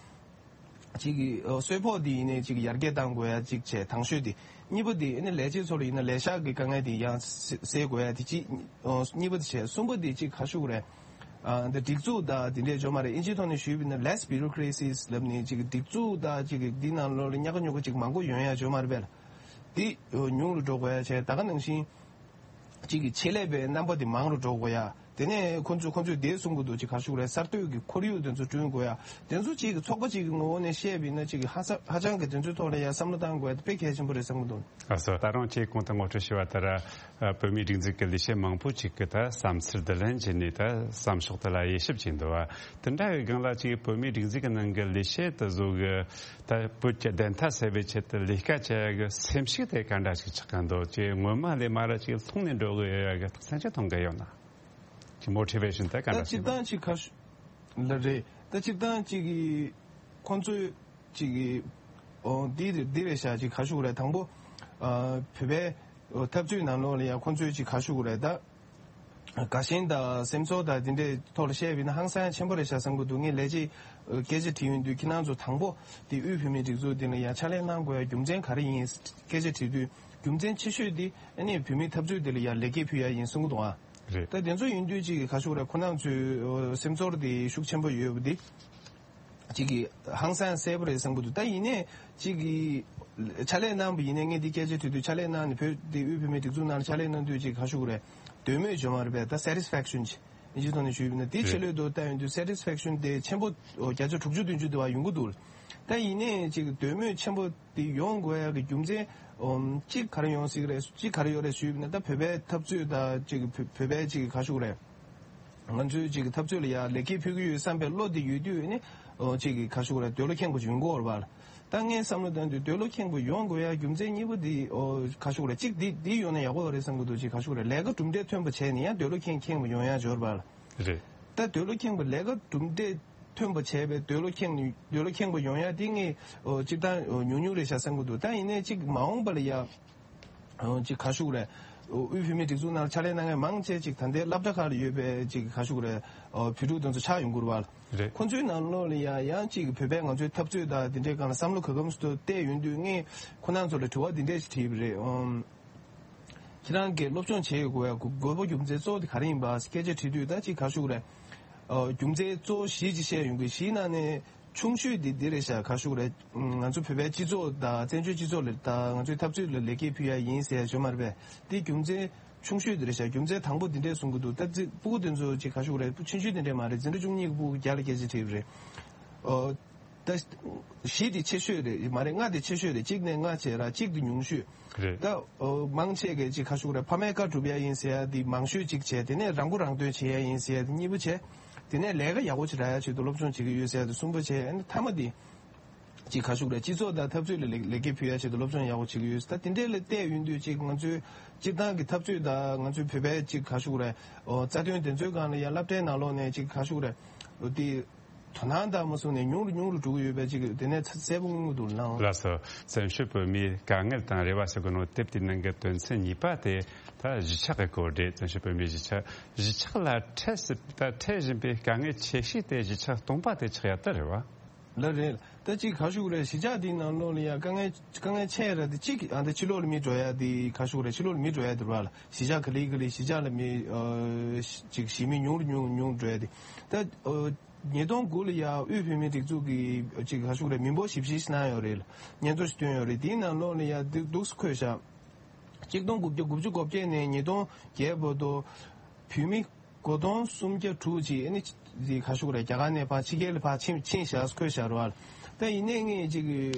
གཅིག་གི་ཨོ་གསོལ་ཕོགས་དེ་ཡིན་ནའི་གཅིག་ཡར་རྒྱས་གཏང་དགོས་ཡ་གཅིག་བྱས། དང་ཤོས་དེ། གཉིས་པ་དེ་ཨ་ནི་ལས་བྱེད་ཚོ་ལ་ཡིན་ན་ལས་ཤག་གི་དཀའ་ངལ་དེ་ཡང་སེ་སེལ་དགོས་ཡ་དེ་གཅིག་ཨོ་གཉིས་པ་དེ་བྱས། གསུམ་པ་དེ་གཅིག་ག་རེ་ཞུ་གི་རེད། ཨ་འདི་སྒྲིག་འཛུགས་དང་དེ་འདྲས་ཅིག་ཡོད་མ་རེད། ཨིན་ཇིའི་ཐོག་ནས་ཞུས་པ་ཡིན་ན་less bureaucracies ལབ་ནས་གཅིག་སྒྲིག་འཛུགས་དང་གཅིག་འདི་ནང་ལོགས་ལ་ཉག་ག་ཉོག་ག་གཅིག་མང་པོ་ཡོང་ཡ་ཅིག་ཡོད་མ་རེད་པས་ལ། དེ་ཉུང་རུ་འགྲོ་དགོས་ཡ་བྱས། ད་ག་ནང་བཞིན་གཅིག་གི་ཆེད་ལས་པའི་རྣམ་པ་དེ་མང་རུ་འགྲོ་དགོས་ཡ། དེ་ནས་ཁོ་ཚོས་ཁོ་ཚོས་དེ་གསུང་གི་འདུག་ཅིག་ག་རེ་ཞུ་གི་རེད། གསར་གཏོད་ཀྱི་ཁོར་ཡུག་དེ་ཚོ་བསྐྲུན་དགོས་ཡ། དེ་ཚོ་གཅིག་གི་ཚོགས་པ་གཅིག་གི་ངོ་བོ་ནས་བཤད་པ་ཡིན་ན་གཅིག་གི་ཧ་ས་ཧ་ཅང་གི་དེ་ཚོའི་ཐོག་ལ་ཡ་བསམ་བློ་བཏང་དགོས་ཡ་དེ་དཔེ་གལ་ཆེན་པོ་རེད་བསམ་གི་འདུག་ཨ་སོ། ད་རུང་ཁྱེད་གོང་དུ་ངོ་སྤྲོད་ཞུས་པ་ལྟར། ཨ་བོད་མིའི་སྒྲིག་འཛུགས་ཀྱི་ལས་བྱེད་མང་པོ་ཅིག་གིས་ད་བསམ་ཚུལ་བསྡུ་ལེན་བྱས་ནས་ད་བསམ་ཕྱོགས་དེ་ལ་དབྱེ་ཞིབ་བྱས་འདུག་བ། དེ་འདྲ་བའི་སྒང་ལ་ཅིག་བོད་མིའི་སྒྲིག་འཛུགས་ཀྱི་ནང་གི་ལས་བྱེད་དེ་ཚོ་གི་ད་བོད་ཀྱི་བདེན་མཐའ་གསལ་བའི་ཆེད་དུ་ལས་ཀ་བྱེད་ཡ་གི་སེམས་ཤུགས་དེ་ག་འདྲ་ཞིག་ཆགས་ཀྱི་འདུག་ཅིག་སྔོན་མ་ལས་མར་ཅིག་ལྷུང་ནས་འགྲོ་གི་ཡོད་ཡ་གི་རྟགས་མཚན་ཅིག་མཐོང་གི་ཡོད་ན། ཅིག་མོ་ཊི་ཝེ་ཤན་དེ་ག་འདྲ་ཞིག་ད་སྤྱིར་བཏང་ཅིག་ཁ་ཤས་ལ་རེད། ད་སྤྱིར་བཏང་ཅིག་གི་ཁོང་ཚོས་ཅིག་གི་ཨོ་འདི་འདི་རེད་ཤག་ཅིག་ག་རེ་ཞུ་གི་རེད། དང་པོ་ཨ་བོད་པའི་འཐབ་རྩོད་ནང་ལོགས་ལ་ཡང་ཁོང་ཚོས་ཅིག་ག་རེ་ཞུ་གི་རེད། ད་ དགའ་ཞེན་དང་སེམས་ཚོར་དང་དེ་འདྲའི་ཐོག་ལ་བཤད་པ་ཡིན་ན་ཧང་སང་ཆེན་པོ་རེད་ཤག་བསམ་གྱི་འདུག་ངས་ལས་བྱེད་སྐད་ཆ་དྲིས་ཡོང་དུས་ཁྱེད་རང་ཚོ་དང་པོ་དེ་དབུས་བོད་མིའི་སྒྲིག་འཛུགས་དེ་ལ་ཡང་ཕྱག་ལས་གནང་དགོས་ཡ་རྒྱུ་མཚན་ག་རེ་ཡིན་སྐད་ཆ་དྲིས་དུས་རྒྱུ་མཚན་ཆེ་ཤོས་དེ་ཨ་ནི་བོད་མིའི་འཐབ་རྩོད་དེ་ལ་ཡང་ལེགས་སྐྱེས་ཕུལ་ཡ་ཡིན་གསུང་གི་འདུག་ཨ། རེད། ད་དེ་ཚོ་ཡིན་དུས་ཅིག་ག་ཞུ་དགོས་རེད། ཁོ་རང་ཚོའི་སེམས་ཚོར་དེ་ཤུགས་ཆེན་པོ་ཡོད་པ་དེ། གཅིག་གིས་ཧང་སང་གསལ་པོ་རེད་བསམ་གྱི་འདུག་ད་ཡིན་ནའི་གཅིག་གིས་ཕྱག་ལས་གནང་བ་ཡིན་ནའི་ངས་འདི་སྐད་ཆ་དྲིས་དུས་ཕྱག་ལས་གནང་ནས་བོད་འདི་དབུས་བོད་མིའི་སྒྲིག་འཛུགས་ནང་ལ་ཕྱག་ལས་གནང་དུས་ཅིག་ག་ཞུ་དགོས་རེད། འདོད་མོས་བྱུང་བ་རེད་པས། ད་satisfaction་ཅིག་ཨིན་ཇིའི་ཐོག་ནས་ཞུས་པ་ཡིན་ན་དེ་ཆེད་ལས་དུ་ལྟ་ཡོང་དུས་satisfaction་དེ་ཆེན་པོ་བརྒྱ་ཆ་དྲུག་ཅུ་བདུན་ཅུ་དེ་བ་ཡོང་གི་འདུག་ད་ཡིན་ནའི་ཅིག་འདོད་མོས་ཆེན་པོ་དེ་ཡོང་དགོས་ཡག་གི་རྒྱུ་མཚན་གཅིག་ག་རེ་ཡོང་སྲིད་རེད། གཅིག་ག་རེ་ཡོད་རེད་ཞུས་པ་ཡིན་ན་ད་བོད་པའི་འཐབ་རྩོད་དང་ཅིག་བོད་བོད་པའི་ཅིག་ག་ཞུ་དགོས་རེད། ང་ཚོའི་ཅིག་འཐབ་རྩོད་ལ་ཡང་ལེགས་སྐྱེས་ཕུལ་གྱི་ཡོད་བསམ་པའི་བློ་དེ་ཡོད་དུས་ནི་ཨོ་ཅིག་གི་ག་ཞུ་དགོས་རེད། འདོད་བློ་ཁེངས་པོ་ཅིག་ཡོང་གི་ཡོད་རེད་པ། ད་ངས་བསམ་བློ་བཏང་དུས་འདོད་བློ་ཁེངས་པོ་ཡོང་དགོས་ཡ་རྒྱུ་མཚན་གཉིས་པོ་འདི་ཨོ་ག་ཞུ་དགོས་རེད། གཅིག་འདི་འདི་ཡོང་ན་ཡག་པོ་རེད་བསམ་གྱི་འདུག་ཅིག་ག་ཞུ་དགོས་རེད། ལས་ཀ་གྲུབ་འབྲས་ཐོན་པ་བྱས་ནས་ཡང་འདོད་བློ་ཁེངས་ཁེངས་པོ་ཡོང་ཡ་ཡོད་རེད་པ། རེད། ད་འདོད་བློ་ཁེངས་པོ་ལས་ཀ་གྲུབ་འབྲས་ཐོན་པ་བྱས་པའི་འདོད་བློ་ཁེངས་ནས་འདོད་བློ་ཁེངས་པོ་ཡོང་ཡ་དེ་ངས་ཨོ་སྤྱིར་བཏང་ཨོ་ཉུང་ཉུང་རེད་ཤག་བསམ་གྱི་འདུག་ད་ཡིན་ནའི་གཅིག་མ་འོངས་པ་ལ་ཡ། ཨོ་ཅིག་ག་ཞུ་དགོས་རེད། དབུས་བོད་མིའི་སྒྲིག་འཛུགས་ནང་ལ་ཕྱག་ལས་གནང་མཁན་མང་ཆེ་ཅིག་ད་ལྟའི་སློབ་གྲྭ་ཁག་ལ་ཡོད་པའི་ཅིག་ག་ཞུ་དགོས་རེད། ཨོ་བོད་ཕྲུག་དེ་ཚོ་ཆགས་ཡོང་གི་རེད་པ། རེད། ཁོ་ཚོའི་ནང་ལོགས་ལ་ཡང་ཡང་ཅིག་བོད་པའི་ང་ཚོའི་འཐབ་རྩོད་དང་དེ་འདྲའི་སྒང་ལ་བསམ་བློ་ག་གམ་སུ་བལྟས་ཡོང་དུས་ངས་ཁོ་རང་ཚོ་ལ་དྲི་བ་འདི་འདྲས་ཞིག་དྲིས་པ་རེད། ཨོ། ཁྱེད་རང་གིས་སློབ་སྦྱོང་བྱེད་དགོས་ཡ་དགོས་དགོས་པ་རྒྱུ་མཚན་གཙོ་བོ་དེ་ག་རེ་ཡིན་པ་སྐད་ཆ་དྲིས་དུས་ད་ཅིག་ག་ཞུ་དགོས་རེད། ཨོ་རྒྱུ་མཚན་གཙོ་བོ་བཞི་ཅིག་བཤད་ཡོང་གི། བཞིའི་ནང་ནས། ཆུང་ཤོས་འདི་འདི་རེད་ཤག་ག་ཞུ་དགོས་རེད། ང་ཚོ་བོད་པའི་སྤྱི་ཚོགས་དང་བཙན་བྱོལ་སྤྱི་ཚོགས་ལ་དང་ང་ཚོའི་འཐབ་རྩོད་ལ་ལེགས་སྐྱེས་ཕུལ་ཡ་ཡིན་ཟེར་ཡ་ཞུ་མ་རེད་པས། འདི་རྒྱུ་མཚན་ཆུང་ཤོས་འདི་རེད་ཤག་རྒྱུ་མཚན་དང་པོ་འདི་འདྲས་གསུང་གི་འདུག་ད་ཙི་སྤུ་གུ་དེ་ཚོ་ཅིག་ག་ཞུ་དགོས་རེད། སྤུ་ཆུང་ཆུང་དེ་འདྲས་མ་རེད། འཛིན་གྲྭ་བཅུ་གཉིས་ཀྱི་སྤུ་གུ་བརྒྱ་ལ་སྐད་ཆ་དྲིས་པ་རེད། ཨོ། ད་བཞི་དེ་ཆེ་ཤོས་རེད་མ་རེད། ལྔ་དེ་ཆེ་ཤོས་རེད། གཅིག་ནས་ལྔ་བྱས་ར་གཅིག་དེ་ཉུང་ཤོས། རེད། ད་ཨོ་མང་ཆེ་གས་ཅིག་ག་ཞུ་དགོས་རེད། ཕ་མའི་བཀའ་སྒྲུབ་ཡ་ཡིན་ཟེར་ཡ་དེ་མང་ཤོས་ཅིག་བྱས། དེ་ནས་རང་མགོ་རང་ཐོན་བྱེད་ཡ་ཡིན་ཟེར་ཡ་དེ་གཉིས་པ་བྱས། དེ་ནས་ལས་ཀ་ཡག་པོ་ཅིག་རག་ཡ་ཆེད་དུ་སློབ་སྦྱོང་བྱེད་ཀྱི་ཡོད་ཟེར་ཡ་དེ་གསུམ་པ་བྱས། ཨ་ནི་མཐའ་མ་དེ་ཅིག་ག་ཞུ་དགོས་རེད། སྤྱི་ཚོགས་དང་འཐབ་རྩོད་ལ་ལེགས་ལེགས་སྐྱེས་ཕུལ་ཡ་ཆེད་དུ་སློབ་སྦྱོང་ཡག་པོ་བྱེད་ཀྱི་ཡོད་ཟེར། ད་དེ་འདྲས་ལ་བལྟས་ཡོང་དུས་ཅིག་ང་ཚོའི་སྤྱིར་བཏང་གི་འཐབ་རྩོད་དང་ང་ཚོའི་བོད་པའི་ཅིག་ག་ཞུ་དགོས་རེད། ཨོ་རྩ་དོན་དེ་ཚོའི་སྒང་ལ་ཡ་སློབ་གྲྭའི་ནང་ལོགས་ནས་ཅིག་ག་ཞུ་དགོས་རེད། ཨོ་དེ། དོ་སྣང་དང་མ་སོང་ནས་ཉུང་རུ་ཉུང་རུ་འགྲོ་གི་ཡོད་པའི་ཅིག་དེ་ནས་གསལ་པོ་མངོན་གྱི་འདུག་ལགས། ལགས་སོ། བཙན་བྱོལ་བོད་མིའི་དཀའ་ངལ་དང་རེ་བ་ཟེར་གོ་ནོ་དེབ་དེའི་ནང་གི་དོན་ཚན་གཉིས་པ་དེ་ད་གཞིས་ཆགས་ཀྱི་སྐོར་རེད། བཙན་བྱོལ་བོད་མིའི་གཞིས་ཆགས། གཞིས་ཆགས་ལ་འཕྲད་སྲིད་ད་འཕྲད་བཞིན་པའི་དཀའ་ངལ་ཆེ་ཤོས་དེ་གཞིས་ཆགས་སྟོང་པ་དེ་ཆགས་ཡ་ད་རེད་བ། ལགས་རེད། ད་ཅིག་ག་ཞུ་དགོས་རེད། གཞིས་ཆགས་འདིའི་ནང་ལོགས་ལ་ཡ་དཀའ་ངལ་དཀའ་ངལ་ཆེ་ར་དེ་གཅིག་ཨ་ད་ཕྱི་ལོགས་ལ་མི་འགྲོ་ཡ་དེ་ག་ཞུ་དགོས་རེད། ཕྱི་ལོགས་ལ་མི་འགྲོ་ཡ་དེ་རེད་བ་ལ། གཞིས་ཆགས་ག་ལེ་ག་ལེ་གཞིས་ཆགས་ལ་མི་ཨ་ཅིག་གཞིས་མི་ཉུང་རུ་ཉུང་ཉུང་འགྲོ་ཡ་དེ་ད་ཨ། ཉིས་སྟོང་དགུ་ལ་ཡ་དབུས་བོད་མིའི་སྒྲིག་འཛུགས་ཀྱི་ཅིག་ག་ཞུ་དགོས་རེད། མི་འབོར་ཞིབ་བཤེར་ཞིག་གནང་ཡོད་རེད། སྙན་ཐོ་ཞིག་བཏོན་ཡོད་རེད། དེའི་ནང་ལོགས་ལ་ཡ་འདི་འདུག་སེ་འཁོད་བཞག་གཅིག་སྟོང་དགུ་བརྒྱ་དགུ་བཅུ་གོ་བརྒྱད་ནས་ཉིས་སྟོང་བརྒྱད་བར་དུ་བོད་མི་སྒོར་སྟོང་སུམ་བརྒྱ་དྲུག་ཅིག་ཨ་ནི་འདི་ག་ཞུ་དགོས་རེད། རྒྱ་གར་ནས་ཕར་ཕྱི་རྒྱལ་ལ་ཕར་ཕྱིན་ཕྱིན་བཞག་འཁོད་བཞག་རེད་བ། ད་ཡིན་ནའི་ངས་ཅིག་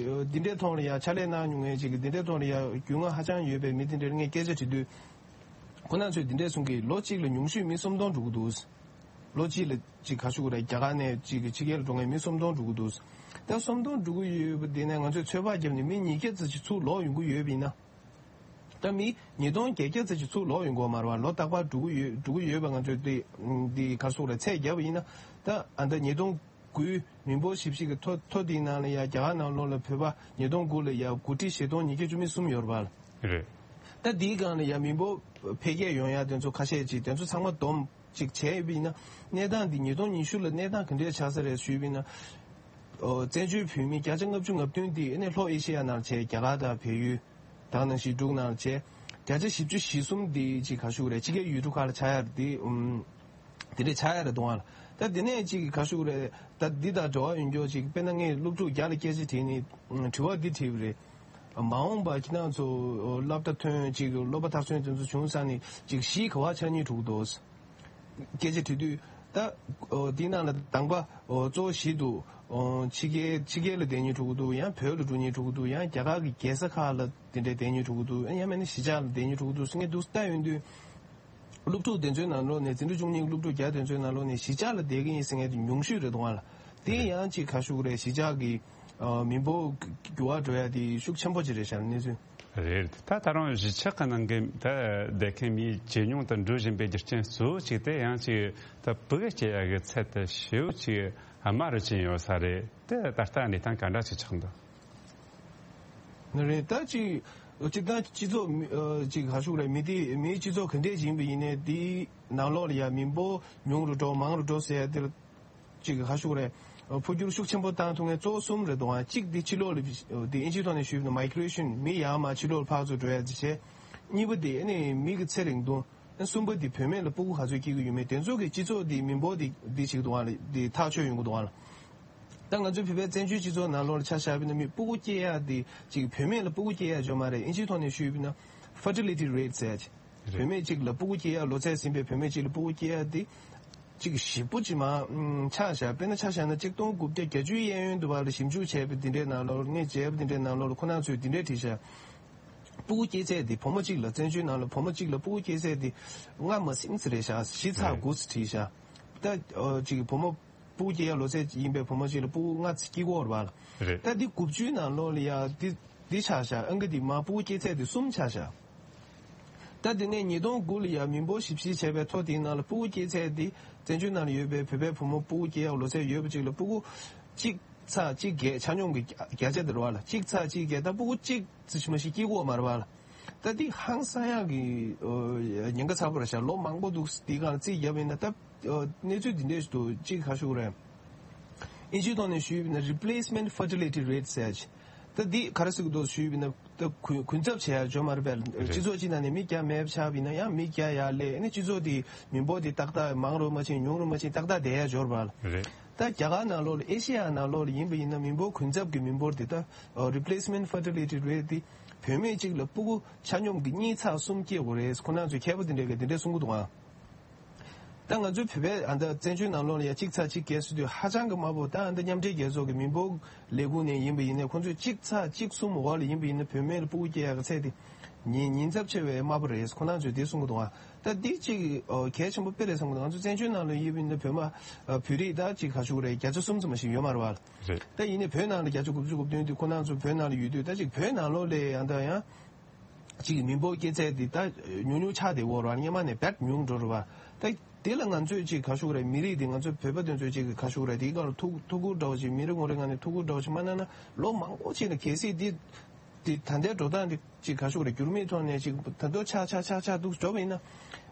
འདི་འདྲའི་ཐོག་ལ་ཡ་ཕྱག་ལས་གནང་མྱོང་མཁན་ཅིག་འདི་འདྲའི་ཐོག་ལ་ཡ་རྒྱུས་མངའ་ཧ་ཅང་ཡོད་པའི་མི་འདི་འདྲར་ངས་སྐད་ཆ་དྲིས་དུས། ཁོ་རང་ཚོས་འདི་འདྲས་གསུང་གི། ལོ་གཅིག་ལ་ཉུང་ཤོས་མི་སུམ་སྟོང་འགྲོ་གི་འདུག་ལོ་གཅིག་ལ་ཅིག་ག་ཞུ་དགོས་རེད། རྒྱ་གར་ནས་ཅིག་ཕྱི་རྒྱལ་ལ་འགྲོ་མཁན་མི་སུམ་སྟོང་འགྲོ་གི་འདུག་ད་སུམ་སྟོང་འགྲོ་གི་ཡོད་པ་དེ་ནས་ང་ཚོས་ཚོད་དཔག་བརྒྱབ་ནས་མི་ཉིས་བརྒྱ་ཙམ་ཅིག་ཚུར་ལོག་ཡོང་གི་ཡོད་པ་ཡིན་ན། ད་མི་ཉིས་སྟོང་བརྒྱད་བརྒྱ་ཙམ་ཅིག་ཚུར་ལོག་ཡོང་གི་ཡོད་མ་རེད་བ། ལོ་རྟག་པར་འགྲོ་གི་ཡོད་འགྲོ་གི་ཡོད་པ་ང་ཚོས་དེ་འདི་ག་ཞུ་དགོས་རེད། ཚད་བརྒྱབ་པ་ཡིན་ན་ད་ཨ་ད་ཉིས་སྟོང་དགུའི་མི་འབོར་ཞིབ་བཤེར་གྱི་ཐོ་ཐོ་དེའི་ནང་ལ་ཡ་རྒྱ་གར་ནང་ལོགས་ལ་བོད་པ་ཉིས་སྟོང་དགུ་ལ་ཡ་དགུ་ཁྲི་བཞི་སྟོང་ཉིས་བརྒྱ་བཅུ་མེད་གསུམ་ཡོད་རེད་བ། རེད། ད་འདིའི་སྒང་ལ་ཡ་མི་འབོར་འཕེལ་རྒྱས་ཡོང་ཡ་དེ་ཚོ་ཁ་ཤས་ཅིག་དེ་ཚོ་ཚང་མ་བསྡོམས་ཅིག་བྱས་ཡོད་པ་ཡིན་ན། གནས་སྟངས་འདི་ཉིས་སྟོང་ཉི་ཤུ་ལ་གནས་སྟངས་ག་འདྲས་ཆགས་ས་རེད་ཞུས་པ་ཡིན་ན། ཨོ་བཙན་བྱོལ་བོད་མི་བརྒྱ་ཆ་ལྔ་བཅུ་ང་བདུན་འདི་ཨ་ནི་ལྷོ་ཨེ་ཤེ་ཡ་ནང་བྱས། རྒྱ་གར་དང་བལ་ཡུལ། ད་ག་ནང་བཞིན་འབྲུག་ནང་བྱས། བརྒྱ་ཆ་བཞི་བཅུ་ཞེ་གསུམ་འདི་ཅིག་ག་ཞུ་དགོས་རེད། ཕྱི་རྒྱལ་ཡུལ་གྲུ་ཁག་ལ་ཆགས་ཡ་རེད་དེ། ཨུམ། དེ་འདྲས་ཆགས་ཡ་རེད་འདུག་ཨ། ད་དེ་ནས་ཅིག་ག་ཞུ་དགོས་རེད། ད་འདི་དང་འབྲེལ་བ་ཡོད་མཁན་ཅིག་དཔེར་ན་ངས་སློབ་ཕྲུག་བརྒྱ་ལ་སྐད་ཆ་དྲིས་ནས་དྲི་བ་འདི་དྲིས་པ་རེད། མ་འོངས་པ་ཁྱེད་རང་ཚོ་སློབ་གྲྭ་ཐོན་ཅིག་སློབ་པ་མཐར་སོན་དེ་ཚོ་བྱུང་ཚར་ནས་ཅིག་གཞིས་ག་པར་ཆགས་སྙིང་བྲོ་གི་འདུག་སྐད་ཆ་དྲིས་དུས་ད་འདི་ནང་ལ་དང་པ་གཙོ་བོ་གཞིས་འདུག་ཕྱི་རྒྱལ་ཕྱི་རྒྱལ་ལ་བསྡད་སྙིང་བྲོ་གི་འདུག་ཡང་བོད་ལ་འགྲོ་སྙིང་བྲོ་གི་འདུག་ཡང་རྒྱ་གར་གྱི་རྒྱལ་ས་ཁག་ལ་དེ་འདྲས་བསྡད་སྙིང་བྲོ་གི་འདུག་ཡང་མིན་ན་གཞིས་ཆགས་ལ་བསྡད་སྙིང་བྲོ་གི་འདུག་ཟེར་མཁན་འདུག་ལྟ་ཡོང་དུས། སློབ་ཕྲུག་དེ་ཚོའི་ནང་ལོགས་ནས་འཛིན་གྲྭ་བཅུ་གཉིས་ཀྱི་སློབ་ཕྲུག་བརྒྱ་དེ་ཚོའི་ནང་ལོགས་ནས་གཞིས་ཆགས་ལ་བསྡད་ཀྱི་ཡིན་ཟེར་མཁན་དེ་ཉུང་ཤོས་རེད་འདུག་ཨ་ལ། དེ་ཡང་ཅིག་ག་ཞུ་གི་རེད། གཞིས་ཆགས་ཀྱི་ཨ་མི་འབོར་འགྱུར་བ་འགྲོ་ཡ་དེ་ཤུགས་ཆེན་པོ་ཅིག་རེད་ཤག་གནས་ཚུལ། རེད། ད་ད་རུང་གཞིས་ཆགས་ཀྱི་ནང་གི་ད་བསྡད་མཁན་མི་ཇེ་ཉུང་དུ་འགྲོ་བཞིན་པའི་རྒྱུ་རྐྱེན་གཙོ་བོ་གཅིག་དེ་ཡང་ཅིག་ད་ཕྲུ་གུ་སྐྱེ་ཡ་གི་ཚད་དེ་ཞེ་པོ་ཅིག་དམའ་རུ་ཕྱིན་ཡོད་ས་རེད། དེ་ད་ལྟ་གནས་སྟངས་ག་འདྲ་ཅིག་ཆགས་འདུག་ནི་རེད། ད་ཅིག་ སྤྱིར་བཏང་སྤྱི་ཚོགས་མི་ཨ་ཅིག་ག་ཞུ་རེད། མི་དེ་མིའི་སྤྱི་ཚོགས་ག་འདྲས་ཡིན་པ་ཡིན་ནའི་དེའི་ནང་ལོགས་ལ་ཡ་མི་འབོར་ཉུང་རུ་འགྲོ་མང་རུ་འགྲོ་ཟེར་ཡ་དེ་ལ་ཅིག་ག་ཞུ་རེད། ཨ་འཕོ་འགྱུར་ཤུགས་ཆེན་པོ་བཏང་ཐུབ་མཁན་གཙོ་བོ་གསུམ་རེད་འདུག་ཨ། གཅིག་དེ་ཕྱི་ལོགས་ལ་དེ་ཨིན་ཇིའི་ཐོག་ནས་ཞུས་པ་ན་མའི་གྷི་རེ་ཤན། མི་ཡར་མར་ཕྱི་ལོགས་ལ་ཕར་ཚུར་འགྲོ་ཡ་དེ་བྱས། གཉིས་པ་དེ་ཨ་ནི་མི་གི་ཚེ་རིང་ཐུང་། ཨ་གསུམ་པ་དེ་བུད་མེད་ལ་ཕྲུ་གུ་ག་ཚོད་སྐྱེ་གི་ཡོད་མེད། དེ་ཚོ་གི་སྤྱི་ཚོགས་དེ་མི་འབོར་དེ་དེ་ཞིག་འདུག་ཨ། དེ་ཐག་ཆོད་ཡོང་གི་འདུག་ཨ། ད་ང་ཚོའི་བོད་པའི་བཙན་བྱོལ་སྤྱི་ཚོགས་ནང་ལོགས་ལ་ཆ་བཞག་པ་ཡིན་ན་མི་ཕྲུ་གུ་སྐྱེ་ཡ་དེ་ཅིག་བུད་མེད་ལ་ཕྲུ་གུ་སྐྱེ་ཡ་ཅོ་མ་རེད། ཨིན་ཇིའི་ཐོག་ནས་ཞུས་པ་ཡིན་ན་ཕར་ཊི་ལི་ཊི་རེ་ཊི་ཟེར་ཡ་ཅིག་རེད། བུད་མེད་གཅིག་ལ་ཕྲུ་གུ་སྐྱེ་ཡ། ལོ་ཚད་ཟིན་པའི་བུད་མེད་གཅིག་ལ་ཕྲུ་གུ་སྐྱེ་ཡ་དེ་ཅིག་ཞེ་པོ་ཅིག་མར་ཨུམ་ཆག་བཞག་དཔེར་ན་ཆ་བཞག་ན་གཅིག་སྟོང་དགུ་བརྒྱ་བརྒྱད་ཅུ་གཡས་གཡོན་དུ་བར་ལ་ཞིབ་འཇུག་བྱས་པ་འདི་འདྲའི་ནང་ལོགས། ངས་མཇལ་བ་འདི་འདྲའི་ནང་ལོགས་ལ་ཁོ་རང་ཚོས་འདི་འདྲའི་བྲིས་བཞག་ཕྲུ་གུ་སྐྱེ་ཚད་དེ་བུ་མོ་གཅིག་ལ། བཙན་བྱོལ་ནང་ལ་བུ་མོ་གཅིག་ལ་ཕྲུ་གུ་སྐྱེ་ཚད་དེ་ལྔ་མ་ཟིན་ཙམ་རེད་བཞག་བཞི་ཚེག་དགུ་ཙམ་བྲིས་བཞག་ད་ཨོ་ཅིག་བུ་མོ་ཕྲུ་གུ་སྐྱེ་ཡ་ལོ་ཚད་ཡིན་པའི་བུ་མོ་གཅིག་ལ་ཕྲུ་གུ་ལྔ་ཙམ་སྐྱེ་གི་ཡོད་རེད་པ་ལ། རེད། ད་འདི་དགུ་བཅུའི་ནང་ལོགས་ལ་ཡ་འདི་འདི་ཆག་བཞག་ཨང་ཀི་འདི་མར་ཕྲུ་གུ་སྐྱེ་ཚད་དེ་གསུམ་ཆག་བཞག་ད་དེ་ནས་ཉིས་སྟོང་དགུ་ལ་ཡ་མི་འབོར་ཞིབ་བཤེར་བྱས་པའི་ཐོ་དེའི་ནང་ལ་ཕྲུ་གུ་སྐྱེ་ཚད་དེ་བཙན་བྱོལ་ནང་ལ་ཡོད་པའི་བོད་པའི་བུ་མོ་ཕྲུ་གུ་སྐྱེ་ཡ་ལོ་ཚད་ཡོད་པ་གཅིག་ལ་ཕྲུ་གུ་གཅིག་ཚེག་གཅིག་བརྒྱད། ཆ་སྙོམས་ཀྱི་བརྒྱ་ཆ་དེ་རེད་པ་ལ། གཅིག་ཚེག་གཅིག་བརྒྱད། ད་ཕྲུ་གུ་གཅིག་ཙམ་ཞིག་མ་གཏོགས་སྐྱེ་གི་ཡོད་མ་རེད་པ་ལ། ད་འདི་ཧང་སང་ཡག་གི་ཨོ་ཉེན་ཁ་ཚ་པོ་རེད་ཤག་ལོ་མང་པོ་འདུག་འདི་སྒང་ལ་རྩིས་བརྒྱབ་པ་ཡིན་ན། ད་ཨོ་གནས་ཚུལ་འདི་འདྲས་ཤིག་འདུག་གཅིག་ག་ཞུ་དགོས་རེད། ཨིན་ཇིའི་ཐོག་ནས་ཞུས་པ་ཡིན་ན་replacement fertility rate ཟེར་ཡ་ཅིག་ད་འདི་ག་རེ་ཟེར་གི་འདུག་ཞུས་པ་ཡིན་ན། ད་གུན་གུན་གསབ་བྱེད་ཡ་ཅོ་མ་རེད་པས། རེད། སྤྱི་ཚོགས་གཅིག་ནང་ནས་མི་བརྒྱ་མེད་པ་ཆགས་པ་ཡིན་ན་ཡང་མི་བརྒྱ་ཡར་སླེབས། ཨ་ནི་སྤྱི་ཚོགས་དེ་མི་འབོར་དེ་ཏག་ཏག་མང་རུ་མ་ཕྱིན་ཉུང་རུ་མ་ཕྱིན་ཏག་ཏག་བསྡད་ཡ་ཅོ་རེད་པ་ལ། རེད། ད་རྒྱ་གར་ནང་ལོགས་ལ་ཨེ་ཤི་ཡ་ནང་ལོགས་ལ་ཡིན་པ་ཡིན་ན་མི་འབོར་གུན་གསབ་ཀྱི་མི་འབོར་དེ་ད་replacement fertility rate དེ་བུད་མེད་གཅིག་ལ་ཕྲུ་གུ་ཆ་སྙོམས་ཀྱི་གཉིས་ཚེག་གསུམ་སྐྱེ་དགོས་རེད། ཁོ་རང་ཚོའི་མཁས་པ་དེ་འདྲས་ཀྱིས་དེ་འདྲས་གསུང་གི་འདུག་ཨ། ད་ང་ཚོའི་བོད་པའི་ཨ་ད་བཙན་བྱོལ་ནང་ལོགས་ལ་ཡ་གཅིག་ཚེག་གཅིག་བརྒྱད་ཟེར་དུས་ཧ་ཅང་གི་དམའ་པོ། ད་ཨ་ད་མཉམ་འབྲེལ་རྒྱལ་ཚོགས་ཀྱི་མི་འབོར་ལས་ཁུངས་ནས་ཡིན་པ་ཡིན་ན་ཁོང་ཚོས་གཅིག་ཚེག་གཅིག་གསུམ་འོག་ལ་ཡིན་པ་ཡིན་ན་བུད་མེད་ལ་ཕྲུ་གུ་སྐྱེ་ཡག་གི་ཚད་དེ་ཉིན་ཉིན་ཚབས་ཆེ་བའི་དམའ་པོ་རེད། ཁོང་རྣམ་ཚོས་དེ་གསུང་གི་འདུག་ཨ། ད་འདི་གཅིག་ཨོ་གལ་ཆེན་པོ་དཔེ་རེད་བསམ་གི་འདུག་ང་ཚོ་བཙན་བྱོལ་ནང་ལ་ཡིན་པ་ཡིན་ན་བོད་མ་ཨ་བོད་རིགས་ད་གཅིག་ག་ཞུ་གི་རེད། བརྒྱ་ཆ་གསུམ་ཙམ་ཞིག་ཡོད་མ་རེད་བ། རེད། ད་ཡིན་ནའི་བོད་ནང་ལ་བརྒྱ་ཆ་དགུ་བཅུ་གོ་བདུན་དེ་ཁོང་རྣམ་ཚོ་བོད་ནང་ལ་ཡོད་དུས་ད་གཅིག་བོད་ནང་ལོགས་ལ་ཡང་ད་ཡང་། གཅིག་མི་འབོར་སྐྱེ་ཚད་འདི་ད་ཉུང་ཉུང་ཆགས་བསྡད་ཡོད་རེད་བ། སྔོན་མ་ནས་རྦད་ཉུང་འགྲོ་རེད་བ། ད་དེ་ལ་ང་ཚོས་གཅིག་ག་ཞུ་གི་རེད། མི་རིགས་འདི་ང་ཚོ་བོད་པ་དེ་ཚོས་གཅིག་ག་ཞུ་གི་རེད། དེའི་སྒང་ལ་ཐུགས་ཐུགས་ཁུར་འདྲ་བོ་ཅིག་མི་རེ་ངོ་རེ་ངང་ནས་ཐུགས་ཁུར་འདྲ་བོ་ཅིག་མ་གནང་ན་ལོ་མང་པོ་ཅིག་ལ་གལ་སྲིད་འདི་འདི་ད་ལྟའི་འགྲོ་སྟངས་འདི་གཅིག་ག་ཞུ་གི་རེད། འགྱུར་མེད་ཐོག་ནས་གཅིག་ད་དུང་ཆག་ཆག་ཆག་ཆག་འདུག་འགྲོ་བ་ཡིན་ན་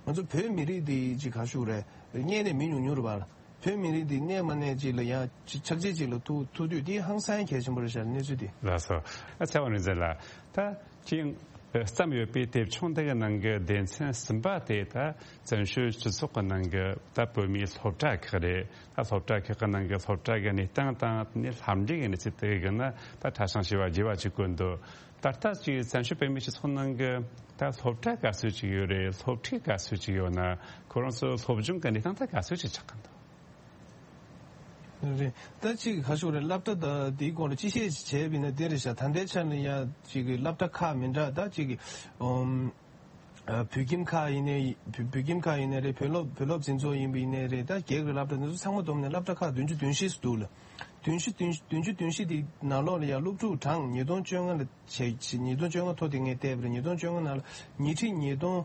ང་ཚོ་བོད་མི་རིགས་འདི་གཅིག་ག་ཞུ་གི་རེད། རྙེད་ནས་མི་ཉུང་ཉུང་རེད་བ། བོད་མི་རིགས་འདི་གནས་མ་གནས་ཅིག་ལ་ཡང་ཆག་ཆག་ཅིག་ལ་ཐུག་ཐུག་དུས་འདི་ཧང་སང་གལ་ཆེན་པོ་རེད་ཤག་གནས་ཚུལ་འདི། ལགས་སོ། ཨ་ཚེ་དབང་རིག་འཛིན་ལགས། ད་ཅིང་བརྩམས་ཡོད་པའི་དེབ་ཆུང་འདི་གི་ནང་གི་སྡེ་ཚན་གསུམ་པ་དེ་ད་བཙན་བྱོལ་སྤྱི་ཚོགས་ཀྱི་ནང་གི་ད་བོད་མིའི་སློབ་གྲྭ་ཁག་རེད། ད་སློབ་གྲྭ་ཁག་གི་ནང་གི་སློབ་གྲྭ་གི་གནས་སྟངས་དང་དེ་ནས་ལྷབ་འབྲིང་གི་གནས་ཚུལ་དེ་གི་ན་ད་ཕྲ་ཞིང་ཞིབ་པ་རྒྱས་པ་ཅིག་བཀོད་འདུག་ད་ལྟ་ཅིག་བཙན་བྱོལ་བོད་མིའི་སྤྱི་ཚོགས་ནང་གི་ད་སློབ་གྲྭ་ག་ཚོད་ཅིག་ཡོད་རེད། སློབ་ཁྲིད་ག་ཚོད་ཅིག་ཡོད་ན། ཁོ་རང་ཚོ་སློབ་སྦྱོང་གི་གནས་སྟངས་ད་ག་ཚོད་ཅིག་ཆགས་ཀྱི་འདུག་རེད། ད་ཅིག་ག་ཞུ་རེད། སློབ་གྲྭ་ད་དེའི་སྐོར་ལ་སྤྱི་བཤད་ཅིག་བྱས་པ་ཡིན་ན་དེ་རེད་ཤག་ད་ལྟའི་ཆ་ལ་ཡ་ཅིག་གི་སློབ་གྲྭ་ཁག་མི་འདྲ་ད་ཅིག་གི་ཨམ་ཨ་བོད་ཁྱིམ་ཁག་ཡིན་ནའི་བོད་བོད་ཁྱིམ་ཁག་ཡིན་ནའི་རེད། བོད་སློབ་བོད་སློབ་འཛིན་ཚོགས་ཡིན་པ་ཡིན་ནའི་རེད། ད་རྒྱལ་ཁབ་ཀྱི་སློབ་གྲྭ་འདི་ཚོ་ཚང་མ་བསྡོམས་ནས་སློབ་གྲྭ་ཁག་བདུན་ཅུ་དོན་བཞི་ཙམ་འདུག་ལ། བདུན་ཅུ་དོན་བདུན་ཅུ་དོན་བཞི་དེའི་ནང་ལོགས་ལ་ཡ་སློབ་ཕྲུག་གྲངས་ཉིས་སྟོང་བཅོ་ལྔ་ལ་བྱས་ཉིས་སྟོང་བཅོ་ལྔ་ཐོ་དེ་ངས་བལྟས་པ་རེད། ཉིས་སྟོང་བཅོ་ལྔ་ནང་ལ་ཉིས་ཁྲི་ཉིས་སྟོང་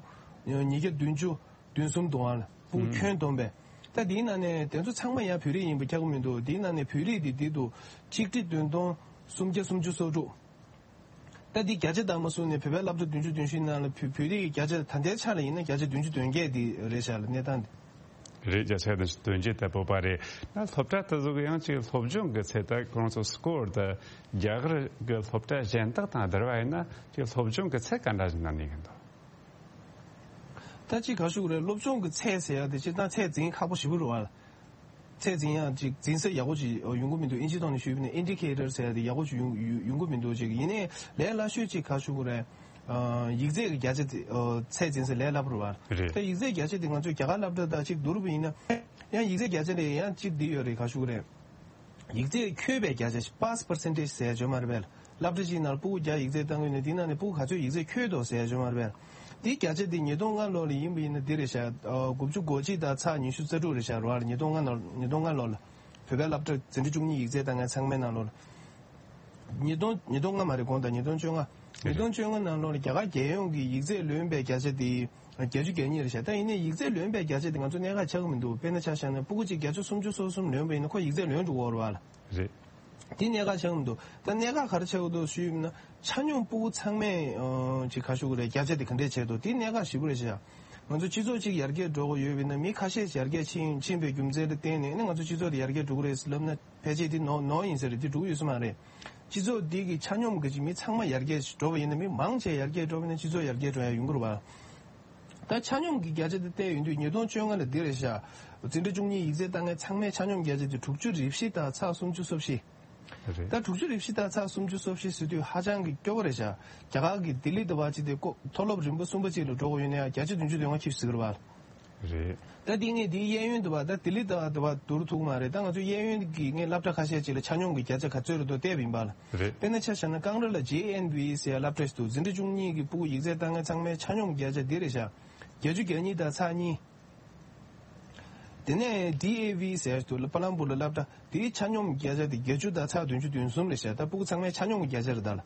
ཉིས་བརྒྱ་བདུན་ཅུ་བདུན་གསུམ་འདུག་ཨང་ལ། ཕྲུ་གུ་ཁྱོན་བསྡོམས་པས། ད་དེའི་ནང་ནས་དེ་ཚོ་ཚང་མ་ཡང་བོད་རིགས་ཡིན་པ་ཁྱབ་ཀྱི་མི་འདུག་དེའི་ནང་ནས་བོད་རིགས་དེ་དེ་འདུག་ཆིག་ཁྲི་བདུན་སྟོང་སུམ་བརྒྱ་སུམ་ཅུ་སོ་དྲུག་ད་འདི་བརྒྱ་ཆ་དང་མ་བཟུང་ནས་བོད་པའི་སློབ་གྲྭ་བདུན་ཅུ་དོན་བཞི་ནང་ལ་བོད་བོད་རིགས་ཀྱི་བརྒྱ་ཆ་ད་ལྟའི་ཆ་ལ་ཡིན་ན་བརྒྱ་ཆ་བདུན་ཅུ་དོན་བརྒྱད་འདི་རེད་ཤག་ལ་གནས་སྟངས་འདི། རེད། བརྒྱ་ཆ་བདུན་ཅུ་དོན་བརྒྱད་ད་བོད་པ་རེད། ན་སློབ་གྲྭ་དེ་ཚོ་གི་ཡང་ཅིག་སློབ་སྦྱོང་གི་ཚད་ད་ཁོང་ཚོ་སྐོར་ད་རྒྱ་གར་གི་སློབ་གྲྭ་གཞན་དག་དང་བསྡུར་བ་ཡིན་ན་ཅིག་སློབ་སྦྱོང་གི་ཚད་ག་འདྲ་ཞིག་ན་གནས་ཀྱི་འདུག་ད་ཅིག་ག་ཞུ་གི་རེད། སློབ་སྦྱོང་གི་ཚད་ཟེར་ཡ་དེ་སྤྱིར་བཏང་ཚད་འཛིན་ཁག་པོ་ཞེ་པོ་རེད་བ། ཚད་འཛིན་ཡ་ཅིག་འཛིན་ས་ཡག་པོ་ཅིག་ཡོང་གི་མི་འདུག་ཨིན་ཇིའི་ཐོག་ནས་ཞུས་པ་ཡིན་ན་ཨིན་ཌི་ཁེ་ཊར་ཟེར་ཡ་དེ་ཡག་པོ་ཅིག་ཡོང་ཡོང་ཡོང་གི་མི་འདུག་ཅིག་ཡིན་ནའི་ལས་སླ་ཤོས་ཅིག་ག་ཞུ་གི་རེད། ཨ་ཡིག་ཚད་ཀྱི་བརྒྱ་ཆ་དེ་ཨ་ཚད་འཛིན་ས་ལས་སླ་པོ་རེད་བ། རེད། ད་ཡིག་ཚད་བརྒྱ་ཆ་དེ་ང་ཚོས་རྒྱ་གར་སློབ་གྲྭ་དང་ཅིག་བསྡུར་བ་ཡིན་ན་ཡང་ཡིག་ཚད་བརྒྱ་ཆ་དེ་ཡང་ཅིག་འདི་ཡོད་རེད། ག་ཞུ་གི་རེད། ཡིག་ཚད་འཁྱོལ་བའི་བརྒྱ་ཆ་པཱས་པར་སེན་ཊེཇ་ཟེར་ཡ་ཡོད་མ་རེད་པས། སློབ་གྲྭ་གཅིག་ནང་ལ་ཕྲུ་གུ་བརྒྱ་ཡིག་ཚད་བཏང་གི་ཡོད་ན་དེའི་ནང་ནས་ཕྲུ་གུ་ག་ཚོད་ཡིག་ཚད་འཁྱོལ་འདུག་ཟེར་ཡ་ཡོད་མ་རེད་པས། དེའི་བརྒྱ་ཆ་དེ་ཉིས་སྟོང་ལྔ་ལོ་ལ་ཡིན་པ་ཡིན་ན་འདི་རེད་ཤག་ཨ་དགུ་བཅུ་གོ་གཅིག་དང་ཚེག་ཉི་ཤུ་རྩ་དྲུག་རེད་ཤག་རེད་བ། ཉིས་སྟོང་ལྔ་ལོ་ཉིས་སྟོང་ལྔ་ལོ་ལ་བོད་པའི་སློབ་གྲྭ་འཛིན་གྲྭ་བཅུ་གཉིས་ཡིག་ཚད་བཏང་མཁན་ཚང་མའི་ནང་ལོགས་ལ། ཉིས་སྟོང་ཉིས་སྟོང་ལྔ་མ་རེད། དགོངས་དག་ཉིས་སྟོང་བཅོ་ལྔ། ཉིས་སྟོང་བཅོ་ལྔ་ནང་ལོགས་ལ་རྒྱ་གར་རྒྱལ་ཡོངས་ཀྱི་ཡིག་ཚད་ལོན་པའི་བརྒྱ་ཆ་དེ་བརྒྱད་ཅུ་གྱ་གཉིས་རེད་ཤག་ད་ཡིན་ནའི་ཡིག་ཚད་ལོན་པའི་བརྒྱ་ཆ་དེ་ང་ཚོ་གནད་འགག་ཆགས་ཀྱི་མི་འདུག་དཔེར་ན་ཆ་བཞག་ན་ཕྲུ་གུ་གཅིག་བརྒྱ་ཆ་སུམ་ཅུ་སོ་གསུམ་ལོན་པ་ཡིན་ན་ཁོ་ཡིག་ཚད་ལོན་འགྲོ་གི་ཡོད་རེད་བ་ལ། རེད། དེ་གནད་འགག་ཆགས་མི་འདུག་ད་གནད་འགག་ག་རེ་ཆགས་འདུག་ཞུས་ཡིན་ན། ཆ་སྙོམས་ཕྲུ་གུ་ཚང་མས་ཨ་ཅིག་ག་ཞུ་གི་རེད། བརྒྱ་ཆ་དེ་ག་འདྲས་བྱས་འདུག་དེ་གནད་འགག་ཞེ་པོ་རེད་ཤག་ང་ཚོ་སྤྱི་ཚོགས་གཅིག་ཡར་རྒྱས་འགྲོ་གི་ཡོད་པ་ཡིན་ན། མི་ཁ་ཤས་ཡར་རྒྱས་ཕྱིན་ཕྱིན་པའི་རྒྱུ་མཚན་ལ་བརྟེན་ནས་ནི་ང་ཚོ་སྤྱི་ཚོགས་དེ་ཡར་རྒྱས་འགྲོ་གི་རེད་ལབ་ན། ཕལ་ཆེར་དེ་ནོར་ནོར་ཡིན་ས་རེད། དེ་འགྲོ་གི་ཡོད་ས་མ་རེད། སྤྱི་ཚོགས་འདི་གི་ཆ་སྙོམས་ཀྱི་མི་ཚང་མ་ཡར་རྒྱས་འགྲོ་བ་ཡིན་ན། མི་མང་ཆེ་ཡར་རྒྱས་འགྲོ་བ་ཡིན་ན་སྤྱི་ཚོགས་ཡར་རྒྱས་འགྲོ་ཡ་ཡོང་གི་རེད་བ། ད་ཆ་སྙོམས་ཀྱི་བརྒྱ་ཆ་དེ་བལྟས་ཡོང་དུས་ཉིས་སྟོང་བཅོ་ལྔ་ལ་འདི་རེད་ཤག་འཛིན་གྲྭ་བཅུ་གཉིས་ཡིག་ཚད་བཏང་མཁན་ཚང་མའི་ཆ་སྙོམས་བརྒྱ་ཆ་དེ་དྲུག་ཅུ་རེ་བཞི་དང་ཚེག་སུམ་ཅུ་སོ་བཞི། རེད། ད་དྲུག་ཅུ་རེ་བཞི་དང་ཚེག་སུམ་ཅུ་སོ་བཞི་ཟེར་དུས་ཧ་ཅང་གི་སྐྱོ་པོ་རེད་ཤག་རྒྱ་གར་གྱི་ལྡི་ལི་དུ་བ་ཅིག་དེ་ཀོ་མཐོ་སློབ་རིམ་པ་གསུམ་པ་ཅིག་ལ་འགྲོ་དགོས་ཡོད་ན་ཡང་བརྒྱ་ཆ་བདུན་ཅུ་དོན་ལྔ་ཁྱེར་ཟེར་གི་རེད་བ། རེད། ད་འདི་ངས་འདིའི་གཡས་གཡོན་དུ་བ། ད་ལྡི་ལི་དུ་བ་དུ་བ་བསྡུར་ཐུབ་མ་རེད། ད་ང་ཚོ་གཡས་གཡོན་གྱི་ངས་སློབ་གྲྭ་ཁ་ཤས་ཅིག་ལ་ཆ་སྙོམས་ཀྱི་བརྒྱ་ཆ་ག་ཚོད་རེད་འདུག་བལྟས་པ་ཡིན་པ་ལ། རེད། དཔེར་ན་ཆ་བཞག་ན་ཀང་ར་ལ་ཇེ་ཨེན་བི་ཟེར་ཡ་སློབ་གྲྭ་ཞིག་འདུག་འཛིན་གྲྭ་བཅུ་གཉིས་ཀྱི་ཕྲུ་གུ་ཡིག་ཚད་བཏང་མཁན་ཚང་མའི་ཆ་སྙོམས་བརྒྱ་ཆ་འདི་རེད་ཤག་བརྒྱད་ཅུ་གྱ་གཉིས་དང་ཚེག་གཉིས། དེ་ནས་ཌི་ཨེ་ཝི་ཟེར་ཡ་ཞིག་འདུག་ལ་པ་ལམ་པུར་ལ་སློབ་གྲྭ། དེའི་ཆ་སྙོམས་བརྒྱ་ཆ་དེ་བརྒྱད་ཅུ་དང་ཚེག་བདུན་ཅུ་དོན་གསུམ་རེད་ཤག་ད་ཕྲུ་གུ་ཚང་མའི་ཆ་སྙོམས་ཀྱི་བརྒྱ་ཆ་རེད་ད་ལ།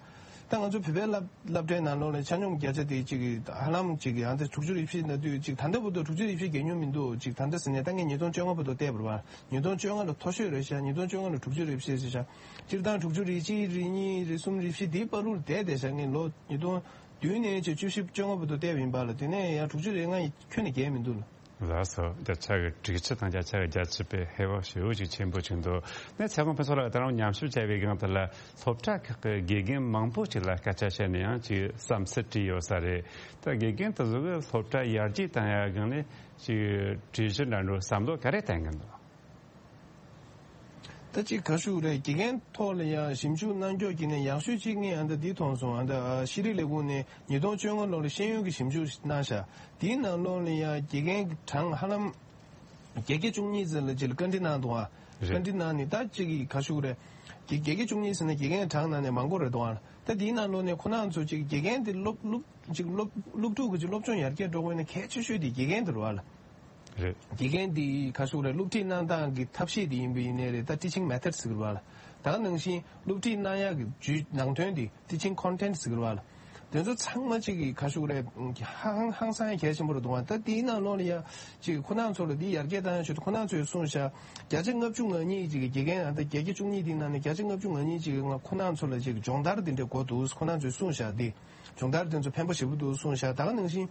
ད་ང་ཚོ་བོད་པའི་སློབ་སློབ་གྲྭའི་ནང་ལོགས་ལ་ཆ་སྙོམས་བརྒྱ་ཆ་དེ་ཅིག་ཧ་ལམ་ཅིག་ཨ་ད་དྲུག་ཅུ་རེ་བཞི་ན་དུས་ཅིག་ད་ལྟ་བར་དུ་དྲུག་ཅུ་རེ་བཞི་བརྒལ་མྱོང་མི་འདུག་ཅིག་ད་ལྟ་ཟེར་ནས་ད་ངས་ཉིས་སྟོང་བཅོ་ལྔ་བར་དུ་བལྟས་པ་རེད་བ། ཉིས་སྟོང་བཅོ་ལྔ་ལ་མཐོ་ཤོས་རེད་ཤག་ཉིས་སྟོང་བཅོ་ལྔ་ལ་དྲུག་ཅུ་རེ་བཞི་ཟེར་ཤག་སྤྱིར་བཏང་དྲུག་ཅུ་རེ་གཅིག་རེ་གཉིས་རེ་གསུམ་རེ་བཞི་དེའི་བར་དུ་བསྡད་བསྡད་ཤག་ངས་ལོ་ཉིས་སྟོང་བདུན་ནས་བྱས་བཅུ་བཞི་བཅོ་ལྔ་བར་དུ་བལྟས་པ་ཡིན་པ་ལ། དེ་ནས་ཡང་དྲུག་ཅུ་རེ་ལྔ་ཡི་ཁྱོན་ནས་བརྒལ་མི་འདུག་ལ། ལགས་སོ། བརྒྱ་ཆ་གི་དྲུག་ཅུ་དང་བརྒྱ་ཆ་གི་བརྒྱད་ཅུ་པའི་ཧེ་བག་ཞེ་པོ་ཅིག་ཆེན་པོ་བྱུང་འདུག་ངས་ཚེ་དབང་ཕུན་ཚོགས་ལགས་ད་རུང་ཉམས་ཞིབ་བྱས་པའི་སྒང་དེ་ལ་སློབ་གྲྭ་ཁག་གི་དགེ་རྒན་མང་པོ་ཅིག་ལ་སྐད་ཆ་བཤད་ནས་ཡང་ཅིག་བསམ་ཚུལ་དྲིས་ཡོད་ས་རེད། ད་དགེ་རྒན་དེ་ཚོ་གི་སློབ་གྲྭ་ཡར་རྒྱས་བཏང་ཡ་སྒང་ནས་ཅིག་གྲོས་གཞི་འདྲ་འགྲོ་བསམ་བློ་ག་རེ་བཏང་གི་འདུག་ད་ཅིག་ག་ཞུ་རེད། དགེ་རྒན་ཐོག་ལ་ཡང་ཞིབ་འཇུག་གནང་ཕྱོགས་ཀྱི་ནས་ཡག་ཤོས་གཅིག་ངས་ཨ་ད་འདི་མཐོང་སོང་། ཨ་ད་ཤེས་རིག་ལས་ཁུངས་ནས་ཉིས་སྟོང་བཅོ་ལྔ་ལོ་ལ་ཤེས་ཡོན་གྱི་ཞིབ་འཇུག་གནང་ཤག་དེའི་ནང་ལོགས་ལ་ཡང་དགེ་རྒན་གྱི་གྲངས་ཧ་ལམ་བརྒྱད་བརྒྱ་བཅུ་གཉིས་ཙམ་ལ་ཅིག་ལ་བཀའ་འདྲི་གནང་འདུག་ཨ། རེད། བཀའ་འདྲི་གནང་ནས་ད་ཅིག་གི་ག་ཞུ་རེད། དགེ་བརྒྱད་བརྒྱ་བཅུ་གཉིས་ཟེར་ན་དགེ་རྒན་གྲངས་ནང་ནས་མང་པོ་རེད་འདུག་ཨ། ད་དེའི་ནང་ལོགས་ནས་ཁོ་རང་ཚོ་ཅིག་དགེ་རྒན་དེ་སློབ་སློབ་ཅིག་སློབ་སློབ་ཕྲུག་གི་ཅིག་སློབ་སྦྱོང་ཡར་རྒྱས་འགྲོ་དགོས་ན་གལ་ཆེ་ཤོས་དེ་དགེ་རྒན་དེ་རེད་བ་ལ། རེད། དགེ་རྒན་འདི་ག་ཞུ་རེད། སློབ་ཁྲིད་གནང་སྟངས་ཀྱི་ཐབས་ཤེས་འདི་ཡིན་པ་ཡིན་ནའི་རེད། ད་teaching method ཟེར་གི་རེད་བ་ལ། ད་ག་ནང་བཞིན་སློབ་ཁྲིད་གནང་ཡག་གི་བརྒྱུད་ནང་དོན་འདི་teaching content ཟེར་གི་རེད་བ་ལ། དེ་ཚོ་ཚང་མ་གཅིག་གི་ག་ཞུ་རེད། ཧང་ཧང་སང་ཡ་གལ་ཆེན་པོ་རེད་འདུག་བ། ད་དེའི་ནང་ལོགས་ལ་ཡ་གཅིག་ཁོ་རང་ཚོ་ལ་འདི་ཡར་རྒྱས་བཏང་ཡ་ཞུ་དུས་ཁོ་རང་ཚོས་གསུངས་ཤག་བརྒྱ་ཆ་ལྔ་བཅུ་ང་གཉིས་གཅིག་གི་དགེ་རྒན་ཨ་ད་བརྒྱད་བརྒྱ་བཅུ་གཉིས་འདི་ནང་ནས་བརྒྱ་ཆ་ལྔ་བཅུ་ང་གཉིས་གཅིག་གི་ང་ཁོ་རང་ཚོ་ལ་གཅིག་སྦྱོང་བརྡར་འདི་འདྲ་དགོས་འདུག་ཁོ་རང་ཚོས་གསུངས་ཤག་འདི་སྦྱོང་བརྡར་དེ་ཚོ་ཕན་པོ་ཞེ་པོ་འདུག་གསུངས་ཤག་ད་ག་ནང་བཞིན།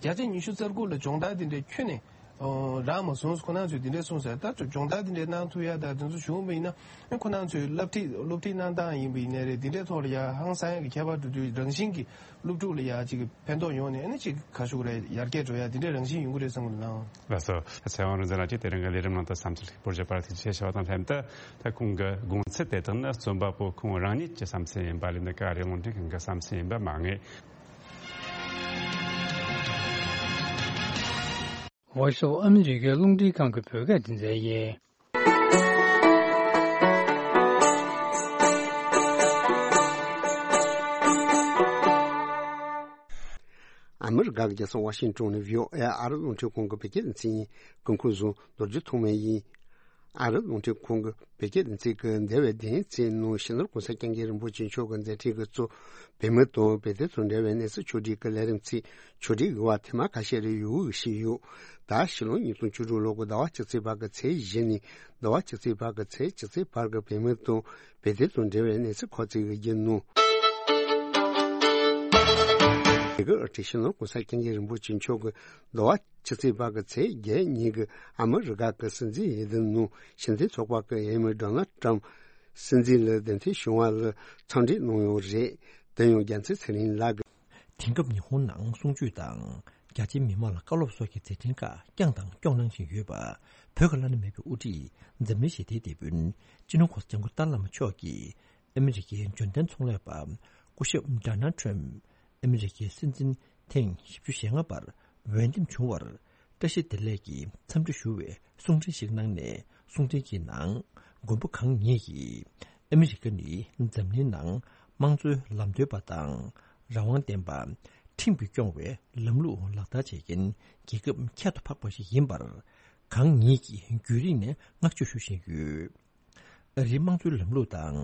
བརྒྱ་ཆ་ཉི་ཤུ་རྩ་དགུ་ལ་སྦྱོང་བརྡར་དེ་འདྲའི་ཁྱོན་ནས་རག་མ་སོང་། ཁོ་རང་ཚོས་དེ་འདྲའི་གསུངས་ཟེར། ད་སྦྱོང་བརྡར་དེ་འདྲའི་གནང་ཐུབ་ཡ་ད་དེ་ཚོ་བྱུང་བ་ཡིན་ན་ཁོ་རང་ཚོའི་སློབ་ཁྲིད་སློབ་ཁྲིད་གནང་སྟངས་ཡིན་པ་ཡིན་ནའི་རེད། དེ་འདྲའི་ཐོག་ལ་ཡ་ཧང་སང་ཡ་གི་ཁྱད་པར་འགྲོ་དུས་རང་བཞིན་གྱི་སློབ་ཕྲུག་ལ་ཡ་ཅིག་ཕན་ཐོགས་ཡོང་ནས་ཨ་ནི་ཅིག་ག་ཞུ་རེད། ཡར་རྒྱས་འགྲོ་ཡ་དེ་འདྲའི་རང་བཞིན་ཡོང་གི་རེད་བསམ་གི་འདུག་ལགས། ལགས་སོ། ཚེ་དབང་རིག་འཛིན་ལགས་ཀྱིས་དེ་རིང་གི་ལས་རིམ་ནང་དུ་བསམ་ཚུལ་ལེགས་པོ་བརྗོད་པར་ཐུགས་རྗེ་ཆེ་ཞུ་བ་དང་ལྷན་དུ། ད་ཁོང་གི་དགོངས་ཚུལ་དེ་དག་ནི་རྩོམ་པ་པོ་ཁོང་རང་ཉིད་ཀྱི་བསམ་ཚུལ་ཡིན་པ་ལས་ནི་ཀ་རེ་རླུང་འཕྲིན་ཁང་གི་བསམ་ཚུལ་ཡིན་པ་མ་ངེས། Voice of America རླུང་འཕྲིན་ཁང་གི་བོད་སྐད་སྡེ་ཚན་ཡིན། ཨ་མི་རི་ཀ་གི་རྒྱལ་ས་ཝ་ཤིང་ཏོན་ནས་བྷི་ཨོ་ཨེ་ཨ་རི་རླུང་འཕྲིན་ཁང་གི་བོད་སྐད་སྡེ་ཚན་ཡིན། སྐུ་ཁམས་བཟང་། རྡོ་རྗེ་ཐོགས་མེད་ཡིན། ཨ་རི་རླུང་འཕྲིན་ཁང་གི་བོད་སྐད་སྡེ་ཚན་གྱི་འདས་པའི་བདུན་ཚེས་ནང་སྤྱི་ནོར་གོང་ས་སྐྱབས་མགོན་རིན་པོ་ཆེ་མཆོག་གི་མཛད་འཕྲིན་གྱི་གཙོ་བོད་མི་དང་བོད་དོན་དང་འབྲེལ་བའི་གནས་ཚུལ་ཕྱོགས་སྒྲིག་གི་ལས་རིམ་ཚིག་ཕྱོགས་སྒྲིག་གི་བར་ཐེངས་མ་ཁ་ཤས་རེ་ཡོང་གི་ཞིག་ཡོད། ད་ཕྱི་ལོ་ཉིས་སྟོང་བཅུ་དྲུག་ལོ་གི་ཟླ་བ་བཅུ་གཅིག་པ་གི་ཚེས་བཞི་ནས་ཟླ་བ་བཅུ་གཅིག་པ་གི་ཚེས་བཅུ་གཅིག་བར་གྱི་བོད་མི་དང་བོད་དོན་དང་འབྲེལ་བའི་གནས་ཚུལ་ཁག་ཅིག་གི་བརྒྱུད་ནང་། དེ་གི་ཨ་ཁྲི་སྤྱི་ནོར་གོང་ས་སྐྱབས་མགོན་རིན་པོ་ཆེ་མཆོག་གི་ཟླ་བ་བཅུ་གཅིག་པ་གི་ཚེས་བརྒྱད་ཉིན་གྱི་ཨ་མི་རི་ཀ་གི་སྲིད་འཛིན་འོས་བསྡུ་ནང་སྲིད་འཛིན་ཚོགས་པ་གི་འོས་མི་ཌོ་ནལ་ཏྲམ་སྲིད་འཛིན་ལ་གདན་འཐོན་བྱུང་བ་ལ་འཚམས་འདྲི་གནང་ཡོད་རེད། དེ་ཡང་རྒྱལ་མཚན་ཚེ་རིང་ལགས་ཀྱིས། དེང་སྐབས་ཉི་ཧོང་ནང་གསུང་ཆོས་དང་རྒྱ་ཆེའི་མི་མང་ལ་བཀའ་སློབ་སོགས་ཀྱི་མཛད་འཕྲིན་ཁག་བསྐྱངས་དང་སྐྱོང་གནང་བཞིན་ཡོད་པ། བོད་ཀྱི་བླ་ན་མེད་པའི་དབུ་ཁྲིད་འཛམ་གླིང་ཞི་བདེའི་དེད་དཔོན་སྤྱི་ནོར་གོང་ས་སྐྱབས་མགོན་ཏཱ་ལའི་བླ་མ་མཆོག་གིས་ཨ་མི་རི་ཀའི་འབྱོར་ལྡན་ཚོང་ལས་པ་སྐུ་ཞབས་ཌོ་ནལ་ཏྲམ་ཨ་མི་རི་ཀའི་སྲིད་འཛིན་ཐེངས་བཞི་བཅུ་ཞེ་ལྔ་པར་འོས་འདེམས་བྱུང་བར་བཀྲ་ཤིས་བདེ་ལེགས་ཀྱི་འཚམས་འདྲི་ཞུ་བའི་གསུང་འཕྲིན་ཞིག་གནང་ནས། གསུང་འཕྲིན་གྱི་ནང་མགོན་པོ་གང་ཉིད་ཀྱིས་ཨ་མི་རི་ཀ་ནི་འཛམ་གླིང་ནང་དམངས་གཙོའི་ལམ་སྟོན་པ་དང་། རང་དབང་ལྡན་པ། ཁྲིམས་ཀྱིས་སྐྱོང་བའི་ལམ་ལུགས་ལག་བསྟར་བྱེད་མཁན་རྒྱལ་ཁབ་ཁྱད་དུ་འཕགས་པ་ཞིག་ཡིན་པར། གང་ཉིད་ཀྱིས་རྒྱུན་རིང་ནས་བསྔགས་བརྗོད་ཞུ་བཞིན་ཡོད། ཨ་རིའི་དམངས་གཙོའི་ལམ་ལུགས་དང་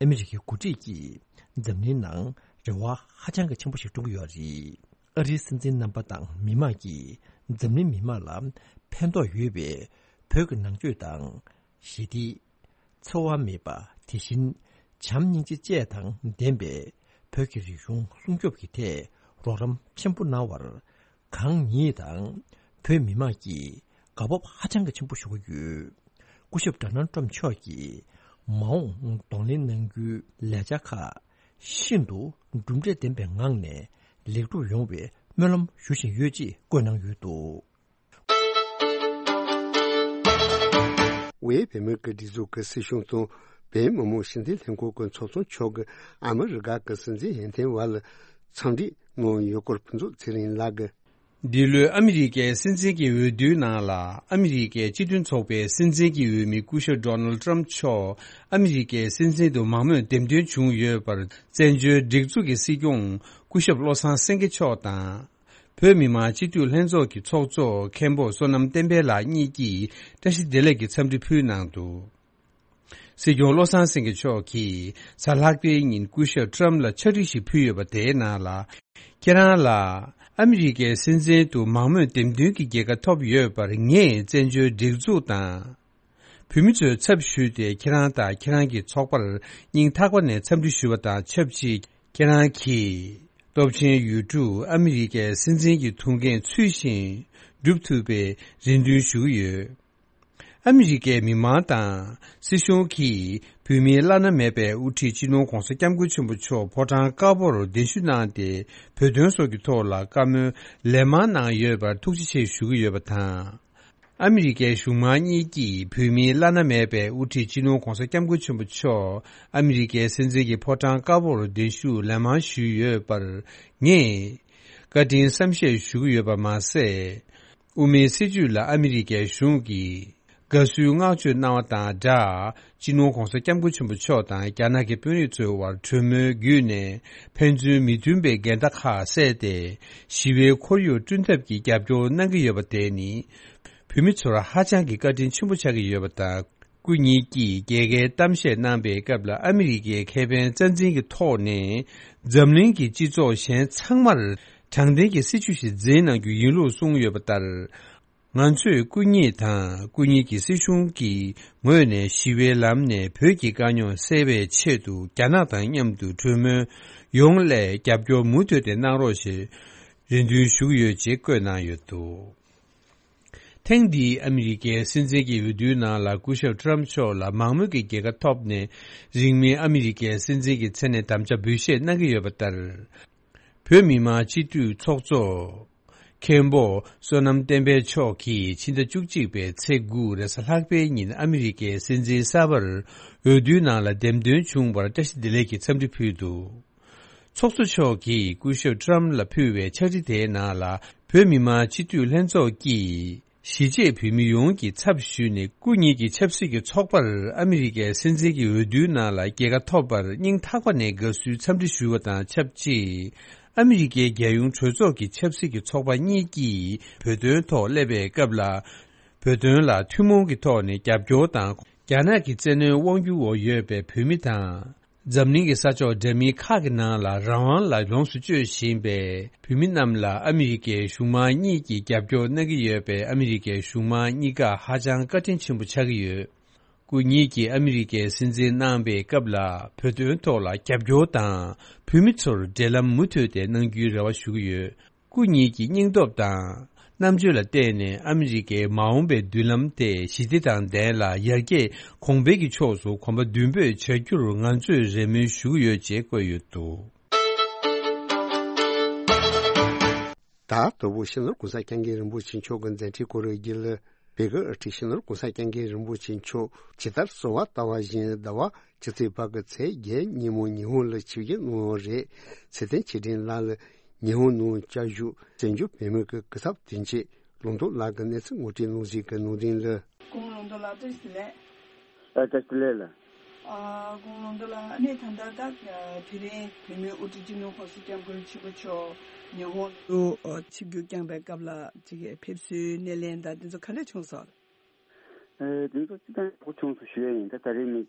ཨ་མི་རི་ཀའི་འགོ་ཁྲིད་ཀྱིས་འཛམ་གླིང་ནང་རེ་བ་ཧ་ཅང་གི་ཆེན་པོ་ཞིག་བསྐྲུན་གྱི་ཡོད་རེད། ཨ་རིའི་སྲིད་འཛིན་རྣམ་པ་དང་མི་མང་གིས་འཛམ་གླིང་མི་མང་ལ་ཕན་ཐོགས་ཡོད་པའི་བོད་ཀྱི་ནང་ཆོས་དང་ཞི་བདེ། འཚེ་བ་མེད་པ། དེ་བཞིན་བྱམས་སྙིང་རྗེ་བཅས་དང་ལྡན་པའི་བོད་ཀྱི་རིག་གཞུང་སྲུང་སྐྱོབ་ཀྱི་ཐད་རོགས་རམ་ཆེན་པོ་གནང་བར། གང་ཉིད་དང་བོད་མི་མང་གིས་དགའ་སྤོབས་ཧ་ཅང་གི་ཆེན་པོ་ཞུ་གི་ཡོད། སྐུ་ཞབས་ཌོ་ནལ་ཊམ་མཆོག་གིས་མ་འོངས་གདོང་ལེན་གནང་རྒྱུའི་ལས་འཆར་ཁག་ཤིན་ཏུ་གྲུབ་འབྲས་ལྡན་པའི་ངང་ནས་ལེགས་གྲུབ་ཡོང་བའི་སྨོན་ལམ་ཞུ་བཞིན་ཡོད་ཅེས་བཀོད་གནང་ཡོད་འདུག། ཝེ་བོད་མིའི་སྒྲིག་འཛུགས་ཀྱི་སྲིད་གཞུང་དང་བོད་མི་མང་སྤྱི་འཐུས་ལྷན་ཁང་གི་ཚོགས་གཙོ་མཆོག་གིས་ཨ་མི་རི་ཀ་གི་སྲིད་འཛིན་ཡོན་ཏན་བར་ལ་འཚམས་འདྲི་གནང་ཡོད་སྐོར་ཕུན་ཚོགས་ཚེ་རིང་ལགས་ཀྱིས། འདི་ལོའི་ཨ་མི་རི་ཀའི་སྲིད་འཛིན་གྱི་འོས་བསྡུའི་ནང་ལ་ཨ་མི་རི་ཀའི་སྤྱི་མཐུན་ཚོགས་པའི་སྲིད་འཛིན་གྱི་འོས་མི་སྐུ་ཞབས་ཌོ་ནལ་ཊམ་མཆོག་ཨ་མི་རི་ཀའི་སྲིད་འཛིན་དུ་མང་མོས་འདེམས་ཐོན་བྱུང་ཡོད་པར་བཙན་བྱོལ་སྒྲིག་འཛུགས་ཀྱི་སྲིད་སྐྱོང་སྐུ་ཞབས་བློ་བཟང་སེང་གེ་མཆོག་དང་། བོད་མི་མང་སྤྱི་འཐུས་ལྷན་ཚོགས་ཀྱི་ཚོགས་གཙོ་མཁན་པོ་བསོད་ནམས་བསྟན་འཕེལ་ལགས་གཉིས་ཀྱིས་བཀྲ་ཤིས་བདེ་ལེགས་ཀྱི་འཚམས་འདྲི་ཕུལ་གནང་འདུག། སྲིད་སྐྱོང་བློ་བཟང་སེང་གེ་མཆོག་གིས་གཟའ་ལྷག་པའི་ཉིན་སྐུ་ཞབས་ཊམ་ལ་ཕྱག་བྲིས་ཤིག་ཕུལ་ཡོད་པ་དེའི་ནང་ལ། ཁྱེད་རང་ལ་ཨ་མི་རི་ཀའི་སྲིད་འཛིན་དུ་མང་མོས་འདེམས་ཐོན་གྱི་རྒྱལ་ཁ་ཐོབ་ཡོད་པར་ངས་བཙན་བྱོལ་སྒྲིག་འཛུགས་དང་། བོད་མི་ཚོའི་ཚབ་ཞུས་ཏེ་ཁྱེད་རང་དང་ཁྱེད་རང་གི་ཚོགས་པར་སྙིང་ཐག་པ་ནས་འཚམས་འདྲི་ཞུ་བ་དང་ཆབས་ཅིག་ཁྱེད་རང་གིས་སྟོབས་ཆེན་ཡུལ་གྲུ་ཨ་མི་རི་ཀའི་སྲིད་འཛིན་གྱི་ཐུགས་འགན་ཚུལ་བཞིན་སྒྲུབ་ཐུབ་པའི་རེ་འདུན་ཞུ་གི་ཡོད། ཨ་མི་རི་ཀའི་མི་མང་དང་སྲིད་གཞུང་གིས་བོད་མིའི་བླ་ན་མེད་པའི་དབུ་ཁྲིད་སྤྱི་ནོར་༧གོང་ས་༧སྐྱབས་མགོན་ཆེན་པོ་མཆོག་ཕོ་བྲང་དཀར་པོར་གདན་ཞུ་གནང་སྟེ་བོད་དོན་སོགས་ཀྱི་ཐོག་ལ་བཀའ་མོལ་ལན་མང་གནང་ཡོད་པར་ཐུགས་རྗེ་ཆེ་ཞུ་གི་ཡོད་པ་དང་། ཨ་མི་རི་ཀའི་གཞུང་མང་གཉིས་ཀྱིས་བོད་མིའི་བླ་ན་མེད་པའི་དབུ་ཁྲིད་སྤྱི་ནོར་༧གོང་ས་༧སྐྱབས་མགོན་ཆེན་པོ་མཆོག་ཨ་མི་རི་ཀའི་སྲིད་འཛིན་གྱི་ཕོ་བྲང་དཀར་པོར་གདན་ཞུ་ལན་མང་ཞུས་ཡོད་པར་ངས་བཀའ་དྲིན་བསམ་ཤེས་ཞུ་གི་ཡོད་པ་མ་ཟད། དབུ་མའི་སྲིད་བྱུས་ལ་ཨ་མི་རི་ཀའི་གཞུང་གིས་དགའ་བསུའི་བསྔགས་བརྗོད་གནང་བ་དང་སྦྲགས། སྤྱི་ནོར་༧གོང་ས་༧སྐྱབས་མགོན་ཆེན་པོ་མཆོག་དང་རྒྱ་ནག་གི་དཔོན་རིགས་ཚོའི་དབར་གྲོས་མོལ་བརྒྱུད་ནས་ཕན་ཚུན་མི་མཐུན་པའི་འགལ་ཟླ་ཁག་བསལ་ཏེ། ཞི་བའི་ཁོར་ཡུག་བསྐྲུན་ཐབས་ཀྱི་རྒྱབ་སྐྱོར་གནང་གི་ཡོད་པ་དེ་ནི། བོད་མི་ཚོར་ཧ་ཅང་གི་བཀའ་དྲིན་ཆེན་པོ་ཆགས་ཀྱི་ཡོད་པ་དང་། སྐུ་ཉིད་ཀྱིས་རྒྱལ་ཁའི་གཏམ་བཤད་གནང་པའི་སྐབས་ལ་ཨ་མི་རི་ཀའི་ཁེ་ཕན་རྩ་འཛིན་གྱི་ཐོག་ནས་འཛམ་གླིང་གི་སྤྱི་ཚོགས་གཞན་ཚང་མར་དྲང་བདེན་གྱི་སྲིད་བྱུས་ཤིག་འཛིན་གནང་རྒྱུ་ཡིན་ལུགས་གསུངས་ཡོད་པ་ལྟར། ང་ཚོས་སྐུ་ཉིད་དང་སྐུ་ཉིད་ཀྱི་སྲིད་གཞུང་གི་ངོས་ནས་ཞི་བའི་ལམ་ནས་བོད་ཀྱི་དཀའ་རྙོག་སེལ་བའི་ཆེད་དུ་རྒྱ་ནག་དང་མཉམ་དུ་གྲོས་མོལ་ཡོང་སླད་རྒྱབ་སྐྱོར་མུ་མཐུད་དེ་གནང་རོགས་ཞེས་རེ་འདུན་ཞུ་གི་ཡོད་ཅེས་བཀོད་གནང་ཡོད་འདུག། ཐེངས་འདིའི་ཨ་མི་རི་ཀའི་སྲིད་འཛིན་གྱི་འོས་བསྡུའི་ནང་ལ་སྐུ་ཞབས་ཊམ་མཆོག་ལ་མང་མོས་ཀྱི་རྒྱལ་ཁ་ཐོབ་ནས་རིང་མིན་ཨ་མི་རི་ཀའི་སྲིད་འཛིན་གྱི་མཚན་ནས་དམ་བཅའ་འབུལ་བཞེས་གནང་གི་ཡོད་པ་ལྟར། བོད་མི་མང་སྤྱི་འཐུས་ཚོགས་གཙོ་མཁན་པོ་བསོད་ནམས་བསྟན་འཕེལ་མཆོག་གིས་ཕྱི་ཟླ་བཅུ་གཅིག་པའི་ཚེས་དགུ་རེས་གཟའ་ལྷག་པའི་ཉིན་ཨ་མི་རི་ཀའི་སྲིད་འཛིན་གསར་པར་འོས་བསྡུའི་ནང་ལ་འདེམས་ཐོན་བྱུང་བར་བཀྲ་ཤིས་བདེ་ལེགས་ཀྱི་འཚམས་འདྲི་ཕུལ་འདུག། ཚོགས་གཙོ་མཆོག་གིས་སྐུ་ཞབས་ཊམ་ལ་ཕུལ་བའི་ཕྱག་བྲིས་དེའི་ནང་ལ་བོད་མི་མང་སྤྱི་འཐུས་ལྷན་ཚོགས་ཀྱིས། གཞིས་བྱེས་བོད་མི་ཡོངས་ཀྱི་ཚབ་ཞུས་ནས་སྐུ་ཉིད་ཀྱི་ཆབ་སྲིད་ཀྱི་ཚོགས་པར་ཨ་མི་རི་ཀའི་སྲིད་འཛིན་གྱི་འོས་བསྡུའི་ནང་ལ་རྒྱལ་ཁ་ཐོབ་པར་སྙིང་ཐག་པ་ནས་དགའ་བསུའི་འཚམས་འདྲི་ཞུ་བ་དང་ཆབས་ཅིག། ཨ་མི་རི་ཀའི་རྒྱལ་ཡོངས་གྲོས་ཚོགས་ཀྱི་ཆབ་སྲིད་ཀྱི་ཚོགས་པ་གཉིས་ཀྱིས་བོད་དོན་ཐོག་སླེབས་པའི་སྐབས་ལ། བོད་དོན་ལ་ཐུན་མོང་གི་ཐོག་ནས་རྒྱབ་སྐྱོར་དང་རྒྱ་ནག་གི་བཙན་གནོན་དབང་སྒྱུར་འོག་ཡོད་པའི་བོད་མི་དང་། འཛམ་གླིང་གི་ས་ཕྱོགས་འདྲ་མིན་ཁག་གི་ནང་ལ་རང་དབང་ལ་ལོངས་སུ་སྤྱོད་བཞིན་པའི་བོད་མི་རྣམས་ལ་ཨ་མི་རི་ཀའི་གཞུང་མང་གཉིས་ཀྱིས་རྒྱབ་སྐྱོར་གནང་གི་ཡོད་པས་ཨ་མི་རི་ཀའི་གཞུང་མང་གཉིས་ཀ་ཧ་ཅང་བཀའ་དྲིན་ཆེན་པོ་ཆགས་ཀྱི་ཡོད། སྐུ་ཉིད་ཀྱིས་ཨ་མི་རི་ཀའི་སྲིད་འཛིན་གནང་པའི་སྐབས་ལ་བོད་དོན་ཐོག་ལ་རྒྱབ་སྐྱོར་དང་བོད་མི་ཚོར་འབྲེལ་ལམ་མུ་མཐུད་དེ་གནང་རྒྱུའི་རེ་བ་ཞུ་གི་ཡོད། སྐུ་ཉིད་ཀྱི་སྙིང་སྟོབས་དང་རྣམ་དཔྱོད་ལ་བརྟེན་ནས་ཨ་མི་རི་ཀའི་མ་འོངས་པའི་མདུན་ལམ་དེ་ཞི་བདེ་དང་ལྡན་ལ་ཡར་རྒྱས་གོང་འཕེལ་གྱི་ཕྱོགས་སུ་གོམ་པ་མདུན་སྤོས་བྱ་རྒྱུར་ང་ཚོས་རེ་སྨོན་ཞུ་གི་ཡོད་ཅེས་བཀོད་ཡོད་འདུག། ད་དོ་བོ་སྤྱི་ནོར་༧གོང་ས་༧སྐྱབས་མགོན་རིན་པོ་ཆེ་མཆོག་གི་མཛད་འཕྲིན་སྐོར་བརྗོད་ལ། བོད་ཀྱི་དབུ་ཁྲིད་སྤྱི་ནོར་༧གོང་ས་༧སྐྱབས་མགོན་རིན་པོ་ཆེ་མཆོག་ཇི་ལྟར་གསོལ་བ་བཏབ་པ་བཞིན་ཟླ་བ་ཕྱི་ཚེས་བར་གྱི་ཚེས་བརྒྱད་ཉིན་མོ་ཉི་ཧོང་ལ་ཆིབས་བསྒྱུར་གནང་བ་རེད། ཚེ་བརྟན་ཆོས་སྒྲོན་ལགས་ལ་ཉི་ཧོང་ནང་བཅའ་བཞུགས་བཙན་བྱོལ་བོད་མི་གི་སྐུ་ཚབ་དོན་གཅོད་ལུང་རྟོགས་ལགས་ཀྱིས་གནས་ཚུལ་ངོ་སྤྲོད་གནང་གཟིགས་ཀྱི་གནང་དོན་ལ། སྐུ་ངོ་ལུང་རྟོགས་ལགས་བཀྲ་ཤིས་བདེ་ལེགས། ཨ་བཀྲ་ཤིས་བདེ་ལེགས་ལགས། ཨ་སྐུ་ངོ་ལུང་རྟོགས་ལགས། ཨ་ནི་ད་ལྟ་ད་དེ་རིང་བོད་མིའི་དབུ་ཁྲིད་སྤྱི་ནོར་༧གོང་ས་༧སྐྱབས་མགོན་ཆེན་པོ་མཆོག་ཉི་ཧོང་དུ་ཆིབས་བསྒྱུར་བསྐྱངས་པའི་སྐབས་ལ་ཅིག་ཕེབས་བསུའི་སྣེ་ལེན་དང་དེ་ཚོ་ག་འདྲ་བྱུང་སོང་། ཨེ་དེ་ཚོ་སྤྱི་བཏང་ཡག་པོ་བྱུང་སོང་ཞུ་ཡ་ཡིན། ད་ད་རེས་ནི་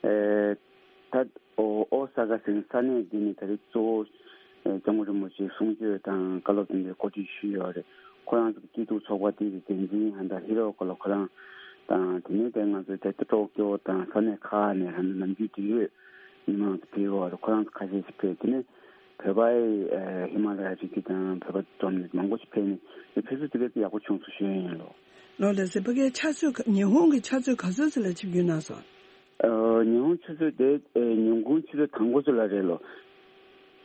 ཨེ་ད་ཨོ་ཨོ་ས་ཀ་ཟེར་ས་གནས་འདི་ནི་ད་རེས་གཙོ་བོ་ཨེ་སྐྱབས་མགོན་རིན་པོ་ཆེའི་གསུང་ཆོས་དང་བཀའ་སློབ་དེ་འདྲའི་གོ་སྒྲིག་ཞུས་ཡོད་རེད། ཁོ་རང་ཚོ་གི་སྐྱིད་སྡུག་ཚོགས་པ་དེ་གི་འགན་འཛིན་ཧན་ད་ཧི་རོ་ཀོ་ལ་ཁོ་རང་ དང་། དེ་ནས་དེ་ང་ཚོའི་དེ་ལྟ་ཊོ་ཀྱོ་དང་ས་གནས་ཁག་ནས་ཧ་ནམ་རྒྱུན་དུ་ཡོད་མི་མང་དུ་ཕེབས་ཡོད་རེད། ཁོ་རང་ཚོ་ཁ་ཤས་ཤིག་ཕེབས། དེ་ནས་བོད་པའི་ཨ་ཧི་མ་ལ་ཡ་རི་རྒྱུད་དང་བོད་པ་འཛོམས་ནས་མང་པོ་ཞིག་ཕེབས་ནས་དེ་ཕེབས་བསུ་དེ་བས་ཡག་པོ་བྱུང་སོང་ཞུ་ཡ་ཡིན་ལོ། ལོ་ལགས་སེ། ཕ་གིའི་ཆུ་ཚོད་ཉི་ཧོང་གི་ཆུ་ཚོད་ག་ཚོད་ཙམ་ལ་ཆིབས་བསྒྱུར་གནང་སོང་། ཨ། ཉི་ཧོང་ཆུ་ཚོད་དེ་ཨ་ཉིན་གུང་ཆུ་ཚོད་དང་པོ་ཚོད་ལ་རེད་ལོ།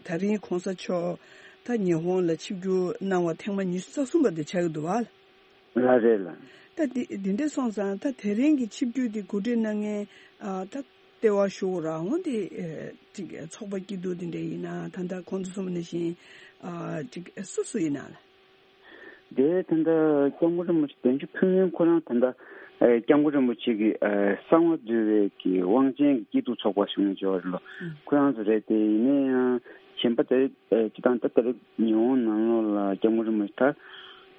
ད་རིང་གོང་ས་མཆོག་ད་ཉི་ཧོང་ལ་ཆིབས་བསྒྱུར་གནང་བ་ཐེངས་མ་ཉི་ཤུ་རྩ་གསུམ་པ་དེ་ཆགས་ཀྱི་འདུག་བ། ལགས་རེད་ལགས། ད་འདི་འདི་འདྲ་སོང་ཙང་ད་དེ་རིང་གི་ཆིབས་བསྒྱུར་འདི་གོ་སྒྲིག་གནང་མཁན་ཨ་ད་ལྟེ་བ་ཞུ་རང་དབང་འདི་ཨ་ཅིག་ཚོགས་པ་སྐྱིད་སྡུག་འདི་འདྲ་ཡིན་ན་ད་ལྟ་གོང་དུ་གསུངས་པ་ནང་བཞིན་ཨ་ཅིག་སུ་སུ་ཡིན་ན་ལགས། དེ་ད་ལྟ་སྐྱབས་མགོན་རིན་པོ་ཆེ་གདན་ཞུ་ཕུལ་མཁན་ཁོ་རང་ད་ལྟ་ཨ་སྐྱབས་མགོན་རིན་པོ་ཆེ་གི་ཨ་གསང་བ་འདུས་པའི་གི་དབང་ཆེན་གྱི་སྐྱིད་སྡུག་ཚོགས་པ་ཞུ་མཁན་ཅིག་ཡོད་རེད་ལོ། ཁོ་རང་ཚོ་རེད། དེ་ཡིན་ན་ཡང་གཞན་པ་དེ་ཨ་སྤྱི་བཏང་ད་ལྟ་རེད། ཉི་ཧོང་ནང་ལོགས་ལ་སྐྱབས་མགོན་རིན་པོ་ཆེ་ད་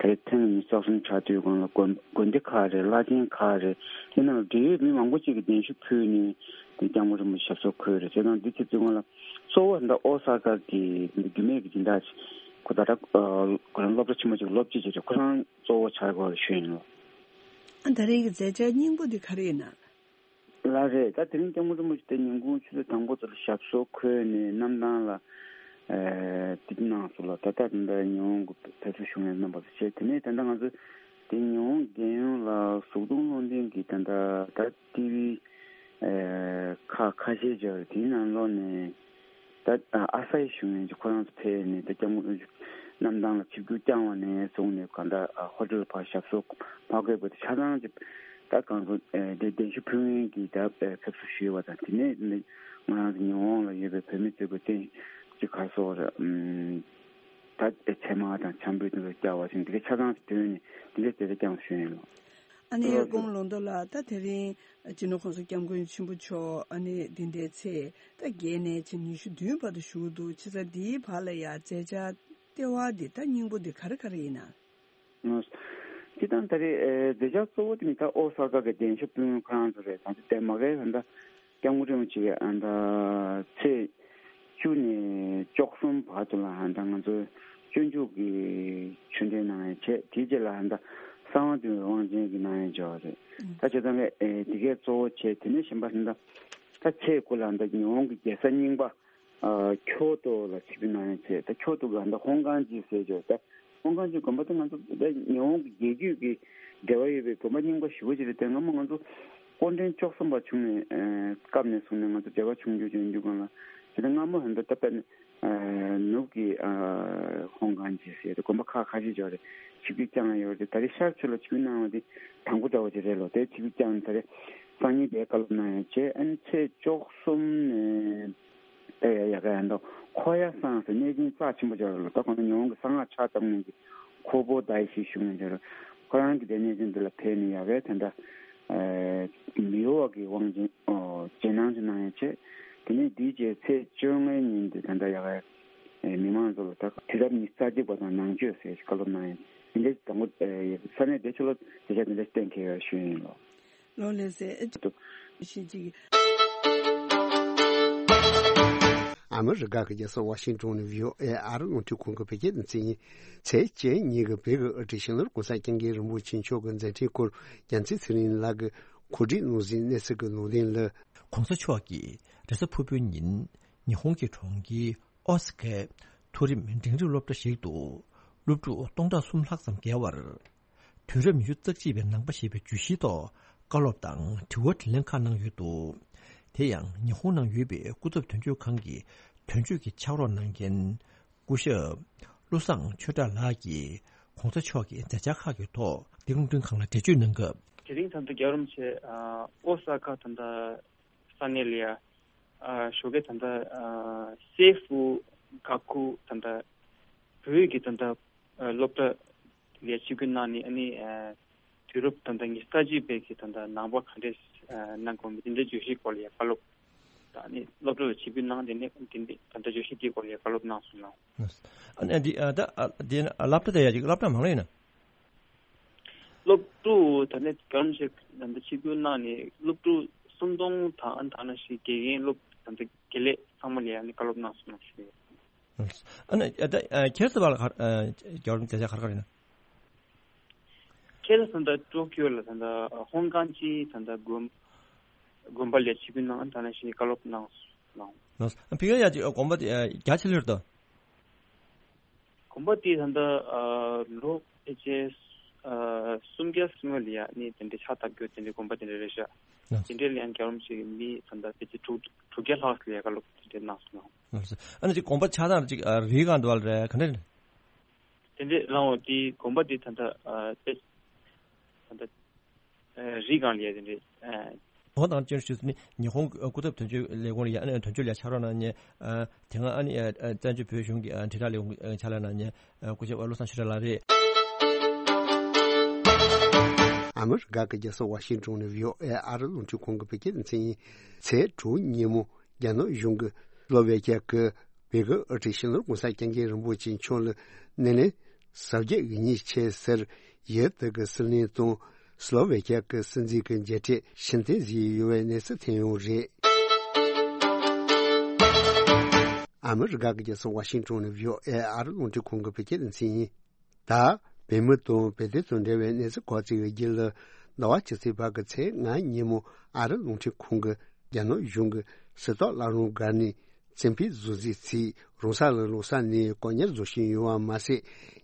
ད་རེས་ཐེངས་ཉི་ཤུ་རྩ་གསུམ་ཆགས་དུས་སྒང་ལ་དགོན་དགོན་སྡེ་ཁག་རེད། བླ་ཆེན་ཁག་རེད། དེ་ནང་ལ་འབྲེལ་ཡོད་མི་མང་པོ་ཅིག་གིས་གདན་ཞུ་ཕུལ་ནས་དེ་སྐྱབས་མགོན་རིན་པོ་ཆེ་ཞབས་སོར་འཁོད་རེད། བྱས་ཙང་འདི་ཚེ་བཙུན་ཁང་ལ་གཙོ་བོ་འདི་ཨོ་ས་ཀ་གི་འདི་རྒྱུད་སྨད་ཀྱི་སྦྱིན་བདག་ཅིག་ཁོ་ད་ལྟ་ཁོ་རང་སློབ་གྲྭ་ཆེན་མོ་ཅིག་སློབ་སྤྱི་ཅིག་རེད། ཁོ་རང་གཙོ་བོ་ཆགས་དགོས་ཞུས་ཡིན་ལོ། ཨ་ད་རེས་ཀྱི་མཛད་འཆར་སྙིང་པོ་འདི་ག་རེ་ཡིན་ན། ལགས་རེད། ད་དེ་རིང་སྐྱབས་མགོན་རིན་པོ་ཆེ་དེ་ཉིན་གུང་ཆུ་ཚོད་དང་པོ་ཚོ་ལ་ཞབས་སོར་འཁོད་ནས་གནམ་ཐང་ལ་ཨེ་དེ་གནང་སོང་ལ། ད་ལྟ་ད་ལྟ་ཉི་ཧོང་གི་ཕེབས་བསུ་ཞུ་མཁན་རྣམ་པ་ཚོ་བྱས། དེ་ནས་ད་ལྟ་ང་ཚོ་དེ་ཉི་ཧོང་རྒྱལ་ཡོངས་ལ་གཟུགས་མཐོང་བློ་ལྡན་གྱི་ད་ལྟ་ད་ཊི་ཝི་ཨེ་ཁག་ཁ་ཤས་ཅིག་ཡོད་རེད། དེའི་ནང་ལོགས་ནས་ད་ཨ་ས་ཡི་ཞུ་མཁན་ཅིག་ཁོ་རང་ཚོ་ཕེབས་ནས་ད་སྐྱབས་མགོན་གནམ་ཐང་ལ་ཆིབས་བསྒྱུར་བསྐྱངས་པ་ནས་བཟུང་ནས་གང་ལྟར་ཨ་ཧོ་ཊེལ་ཕར་ཞབས་སོར་མ་འཁོད་པ་དེ་ཆ་ཚང་ཅིག་ད་གང་ཚོ་ཨེ་དེ་གདན་ཞུ་ཕུལ་མཁན་གྱི་ད་ཨེ་ཕེབས་བསུ་ཞུས་པ་དང་། དེ་ནས་ནི་ང་རང་ཚོ་ཉི་ཧོང་ལ་ཡོད་པའི་བོད་མི་ཚོས་གི་རྟེན་གཅིག་ག་སོགས་རེད། ཨམ་ད་ཨེ་ཚལ་མ་དང་ཆང་ཕུད་དེ་ཚོ་བསྐྱལ་བ་བཞིན་དེ་གའི་ཆ་ཚང་ཞིག་བཏོན་ནས་དེ་འདྲའི་དེ་འདྲ་བསྐྱངས་ཞུས་ཡིན་ལོ། ཨ་ནི་སྐུ་ངོ་ལོ་ཏོ་ལགས། ད་དེ་རིང་སྤྱི་ནོར་༸གོང་ས་༸སྐྱབས་མགོན་ཆེན་པོ་མཆོག་ཨ་ནི་འདི་འདྲའི་ཚེས་ད་བརྒྱད་ནས་ཕྱིན་ཉི་ཤུ་བདུན་བར་དུ་བཞུགས་འདུག། ཕྱི་ཟླ་འདིའི་བར་ལ་ཡང་མཛད་འཆར་ལྟེ་བ་འདི་ད་སྙིང་པོ་འདི་ག་རེ་ག་རེ་ཡིན་ན། སྤྱིར་བཏང་ད་རེས་ཨེ་མཛད་འཆར་གཙོ་བོ་དེ་ནི་ད་ཨོ་ས་ཀ་གི་གདན་ཞུ་ཕུལ་མཁན་ཁོ་རང་ཚོ་རེད། ད་ལྟ་དེ་མ་གའི་ད་ལྟ་སྐྱབས་མགོན་རིན་པོ་ཆེ་གི་ཨ་ད་ཚེས་བཅུ་ནས་བཅུ་གསུམ་བར་དུ་ལ་ཨ་ད་ང་ཚོ་སྤྱོད་འཇུག་གི་ཆོས་འབྲེལ་གནང་ཡ་བྱས། དེའི་རྗེས་ལ་ཨ་ད་གསང་བ་འདུས་པའི་དབང་ཆེན་གྱི་གནང་ཡ་བྱས་པ་རེད། ད་བྱས་ཙང་ཨེ་དེ་གས་གཙོ་བོ་བྱས། དེ་ནས་གཞན་པ་ཨ་ད་ད་ཚེས་དགུ་ལ་ཨ་ད་ཉི་ཧོང་གི་རྒྱལ་ས་རྙིང་པ་ཨ་ཁྱོ་ཏོ་ལ་ཆིབས་བསྒྱུར་གནང་ཡ་བྱས། ད་ཁྱོ་ཏོ་གི་ཨ་ད་ཧོང་ཀང་ཅི་ཟེར་བྱས། ད་ཧོང་ཀང་ཅི་དགོན་པ་དེ་ང་ཚོ་ད་ཉི་ཧོང་གི་རྒྱལ་རྒྱུད་ཀྱི་འབྲེལ་བ་ཡོད་པའི་དགོན་པ་རྙིང་པ་ཞེ་པོ་ཅིག་རེད། དེ་སྔ་མོ་ང་ཚོ་སྐུ་ཕྲེང་བཅུ་གསུམ་པ་བྱུང་ནས་ཨ་སྐབས་ནས་བཟུང་ནས་ང་ཚོ་འབྲེལ་བ་བྱུང་རྒྱུ་བྱུང་རྒྱུ་སྒང་ལ་དེ་ད་སྔ་མོ་ཧན་ད་ད་དཔེར་ན་ཨ་ནུབ་ཀྱི་ཨ་ཧོང་ཀང་ཅི་ཟེར་དེ་དགོན་པ་ཁག་ཁ་ཤས་ཅིག་ཡོད་རེད། ཆིབས་བསྒྱུར་བསྐྱངས་ཡོད་རེད། ད་རེས་ཤར་ཕྱོགས་ལ་ཆིབས་བསྒྱུར་གནང་བ་དེ་དང་པོ་འདྲ་བོ་ཅིག་རེད་ལོ། དེ་ཆིབས་བསྒྱུར་བསྐྱངས་ནས་ད་རེས་སང་ཉིན་དེ་བཀའ་སློབ་གནང་ཡ་བྱས། ཨ་ནི་ཚེས་བཅུ་གསུམ་ནས་ཨེ་ཡ་ཡ་ག་ཡ་འདུག། ཁོ་ཡ་སང་ཟེར་གནས་ཆེན་རྩ་ཆེན་པོ་ཅིག་ཡོད་རེད་ལོ། ད་ཁོང་ཚོ་ཉི་ཧོང་གི་གསང་སྔགས་ཕྱག་བཏབ་མཁན་གྱི་ཁོ་བོ་ད་ཡི་ཤི་ཞུ་མཁན་ཅིག་ཡོད་རེད། ཁོ་རང་གི་དེ་གནས་ཆེན་འདི་ལ་ཕེབས་ནས་ཡ་གའི་དེ་འདྲ་ཨེ་མི་གཡོ་བ་གི་དབང་ཆེན་ཨོ་རྗེས་གནང་ཅིག་གནང་ཡ་བྱས། དེ་ནས་དེའི་རྗེས་ཚེས་བཅོ་ལྔའི་ཉིན་དེ་ད་ལྟ་ཡ་ག་ཨེ་མི་མང་ཚོ་ལ་ད་དུས་རབས་ཉི་ཤུ་རྩ་གཅིག་པ་དང་ནང་ཆོས་ཟེར་བཀའ་སློབ་གནང་ཡ་དེ་འདྲའི་དང་པོ་ཨེ་ས་གནས་དེ་ཚོ་ལ་དེ་ཆ་དེ་འདྲ་གཏན་འཁེལ་ཡོད་ཞུ་ཡིན་ལོ། ལོ་ལེ་སེ་ཨེ་ཅི་ཞིག་ཅིག། ཨ་མི་རི་ཀ་གི་རྒྱལ་ས་ཝ་ཤིང་ཏོན་ནས་བྷི་ཨོ་ཨེ་ཨ་རི་རླུང་འཕྲིན་ཁང་གི་བོད་སྐད་སྡེ་ཚན་ཡིན། ཚེས་བཅུ་གཉིས་ཀྱི་བོད་ཀྱི་དབུ་ཁྲིད་སྤྱི་ནོར་༸གོང་ས་༸སྐྱབས་མགོན་རིན་པོ་ཆེ་མཆོག་གི་མཛད་འཕྲིན་སྐོར་རྒྱལ་མཚན་ཚེ་རིང་ལགས་ཀྱིས་གོ་སྒྲིག་གནང་ཟིན་གནས་ཚུལ་གྱི་ལུང་འདྲེན་ལ། ༸གོང་ས་མཆོག་གིས་རེས་གཟའ་ཕུར་བུའི་ཉིན་ཉི་ཧོང་གི་གྲོང་ཁྱེར་ཨོ་ས་ཀའི་མཐོ་རིམ་འབྲིང་རིམ་སློབ་གྲྭ་ཞིག་ཏུ་སློབ་ཕྲུག་སྟོང་ཕྲག་གསུམ་ལྷག་ཙམ་བརྒལ་བར། དུས་རབས་ཉི་ཤུ་རྩ་གཅིག་པའི་ནང་པ་ཞེས་པའི་བརྗོད་གཞིའི་ཐོག་བཀའ་སློབ་དང་དྲི་བ་དྲིས་ལན་ཁག་གནང་ཡོད་འདུག། དེ་ཡང་ཉི་ཧོང་ནང་ཡོད་པའི་སྐུ་ཚབ་དོན་གཅོད་ཁང་གི་དོན་གཅོད་ཀྱི་ཕྱག་རོགས་གནང་མཁན་སྐུ་ཞབས་བློ་བཟང་ཆོས་གྲགས་ལགས་ཀྱིས་༸གོང་ས་མཆོག་གི་མཛད་འཆར་ཁག་གི་ཐོག་འདི་རླུང་འཕྲིན་ཁང་ལ་འགྲེལ་བརྗོད་གནང་སྐབས། དེ་རིང་ད་ལྟ་རྒྱལ་བ་རིན་པོ་ཆེ་ཨ་ཨོ་ས་ཀ་ད་ལྟ་ས་གནས་ལ་ཡ་ཨ་ཞོགས་ཀས་ད་ལྟ་ཨ་སེ་ཧྥུ་ག་ཁུ་ད་ལྟ་བོད་ཀྱི་ད་ལྟ་ཨ་སློབ་གྲྭ་ལ་ཆིབས་བསྒྱུར་གནང་ནས། ཨ་ནི་ཨ་དུས་རབས་ད་ལྟ་ཉི་ཤུ་རྩ་གཅིག་པའི་གི་ད་ལྟ་ནང་པ་ག་འདྲས་ཨ་གནང་དགོས་མིན་དེ་འདྲའི་བརྗོད་གཞིའི་སྐོར་ལ་ཡ་བཀའ་སློབ་དང་། ཨ་ནི་སློབ་གྲྭ་ལ་ཆིབས་བསྒྱུར་གནང་། དེ་ནས་དེ་འདི་ད་ལྟ་བརྗོད་གཞི་འདིའི་སྐོར་ལ་ཡ་བཀའ་སློབ་གནང་སོང་ལགས། ཨ་ནི་འདི་ཨ་ད་ཨ་འདི་ཨ་སློབ་གྲྭ་དེ་ཡ་ཅིག་སློབ་གྲྭ་མང་ལོས་ཡིན་ན། སློབ་ཕྲུག་ད་ནི་གང་ཞིག་ད་ལྟ་ཆིབས་བསྒྱུར་གནང་ནས་སློབ་ཕྲུག་སུམ་སྟོང་དང་ཨ་ནི་ད་ནང་བཞིན་དགེ་རྒན་སློབ་ད་ལྟ་དགེ་ལས་ཚང་མ་ལ་ཡ་ནི་བཀའ་སློབ་གནང་སོང་ལགས་ཞུ་ཡ། ཨ་ནི་ཨ་ད་ཨ་ཁྱེད་ཚོ་བ་ལ་ག་ཨ་རྒྱལ་བ་རིན་པོ་ཆེ་ག་རེ་ག་རེ་ཡིན་ན། དེ་ལ་ད་ལྟ་ཏོ་ཀིའོ་ལ་ད་ལྟ་ཧོང་ཀང་གི་ད་ལྟ་དགོན་དགོན་པ་ལ་ཆིབས་བསྒྱུར་གནང་། ད་ནང་བཞིན་བཀའ་སློབ་གནང་གནང་། ལགས་སོ། ཕ་གིར་ཡང་ཅིག་དགོན་པ་དེ་རྒྱ་ཆེ་ལོས་དང་། དགོན་པ་དེ་ད་ལྟ་ལོ་ཕལ་ཆེར་སུམ་བརྒྱ་སྔོན་ལ་ཡ་ནི་དེ་འདྲའི་ཕྱག་བཏབ་རྒྱུ་དེ་འདྲའི་དགོན་པ་དེ་འདྲ་རེད་ཤག། ལགས་སོ། དེ་འདྲའི་ལ་ཡང་རྒྱལ་རོམ་ཞིག་མི་ད་ལྟ་ཕལ་ཆེར་དྲུག་དྲུག་བརྒྱ་ལྷག་ལ་ཡ་བཀའ་སློབ་དེ་འདྲའི་གནང་སོང་། ལགས་སོ། ཨ་ནི་ཅིག་དགོན་པ་ཆགས་སྟངས་ཅིག་རིའི་སྒང་དུ་བ་ལ་རེད། ག་འདྲ་རེད། དེ་འདྲའི་རང་འོ་དེ་དགོན་པ་དེ་ད་ལྟ་ཨ་དཔེ་ད་ལྟ་ཨ་རི་སྒང་ལ་ཡ་དེ་འདྲའི་ཨ། ཁོང་དང་བཅར་ཞུས་ནི་ཉི་ཧོང་སྐུ་ཚབ་དོན་གཅོད་ལས་ཁུངས་ལ་ཡ་ཨ་ནི་དོན་གཅོད་ལ་ཡ་ཕྱག་རོགས་གནང་ནས་ཨ་དེ་སྔ་ཨ་ནི་ཨ་བཙན་བྱོལ་བོད་གཞུང་གི་ཨ་དྲིལ་བསྒྲགས་ལས་ཁུངས་ཕྱག་ལས་གནང་ནས་ཨ་སྐུ་ཞབས་བློ་བཟང་ཆོས་གྲགས་ལགས་རེད། ཨ་མི་རི་ཀ་གི་རྒྱལ་ས་ཝ་ཤིང་ཏོན་ནས་བྷི་ཨོ་ཨེ་ཨ་རི་རླུང་འཕྲིན་ཁང་གི་བོད་སྐད་སྡེ་ཚན་ཡིན། ཚེས་དྲུག་ཉིན་མོ་རྒྱ་ནག་གཞུང་གིས་སློ་ཝེ་ཁ་གི་བོད་ཀྱི་དབུ་ཁྲིད་སྤྱི་ནོར་གོང་ས་སྐྱབས་མགོན་རིན་པོ་ཆེ་མཆོག་ལ་སྣེ་ལེན་གཟབ་རྒྱས་ཡིན་ཉེས་ཆེ་ཟེར། ཡུལ་དེ་གི་སྲིད་བློན་དང་སློ་ཝེ་ཁ་གི་སྲིད་འཛིན་གྱི་མཇལ་འཕྲད་ཕྱིར་འཐེན་བཟོས་ཡོད་པའི་གནས་ཚུལ་ཐོན་ཡོད་རེད། ཨ་མི་རི་ཀ་གི་རྒྱལ་ས་ཝ་ཤིང་ཏོན་ནས་བྷི་ཨོ་ཨེ་ཨ་རི་རླུང་འཕྲིན་ཁང་གི་བོད་སྐད་སྡེ་ཚན་ཡིན། ད་བོད་མི་དང་བོད་དོན་དང་འབྲེལ་བའི་གནས་ཚུལ་གོ་རྩིས་ཀྱི་རྒྱུད་ལ། ཟླ་བ་ཕྱི་ཚེས་བར་གྱི་ཚེས་ལྔ་ཉིན་མོ་ཨ་རི་རླུང་འཕྲིན་ཁང་གིས་རྒྱ་ནག་གཞུང་གི་གསེར་རྟ་བླ་རུང་སྒར་ནས་བཙན་ཕེབས་བཟོ་རྩིས་ཚིག་རོང་ས་ལ་ལོག་ས་ནས་དཀོན་གཉེར་བཟོ་བཞིན་ཡོད་པ་མ་ཟད།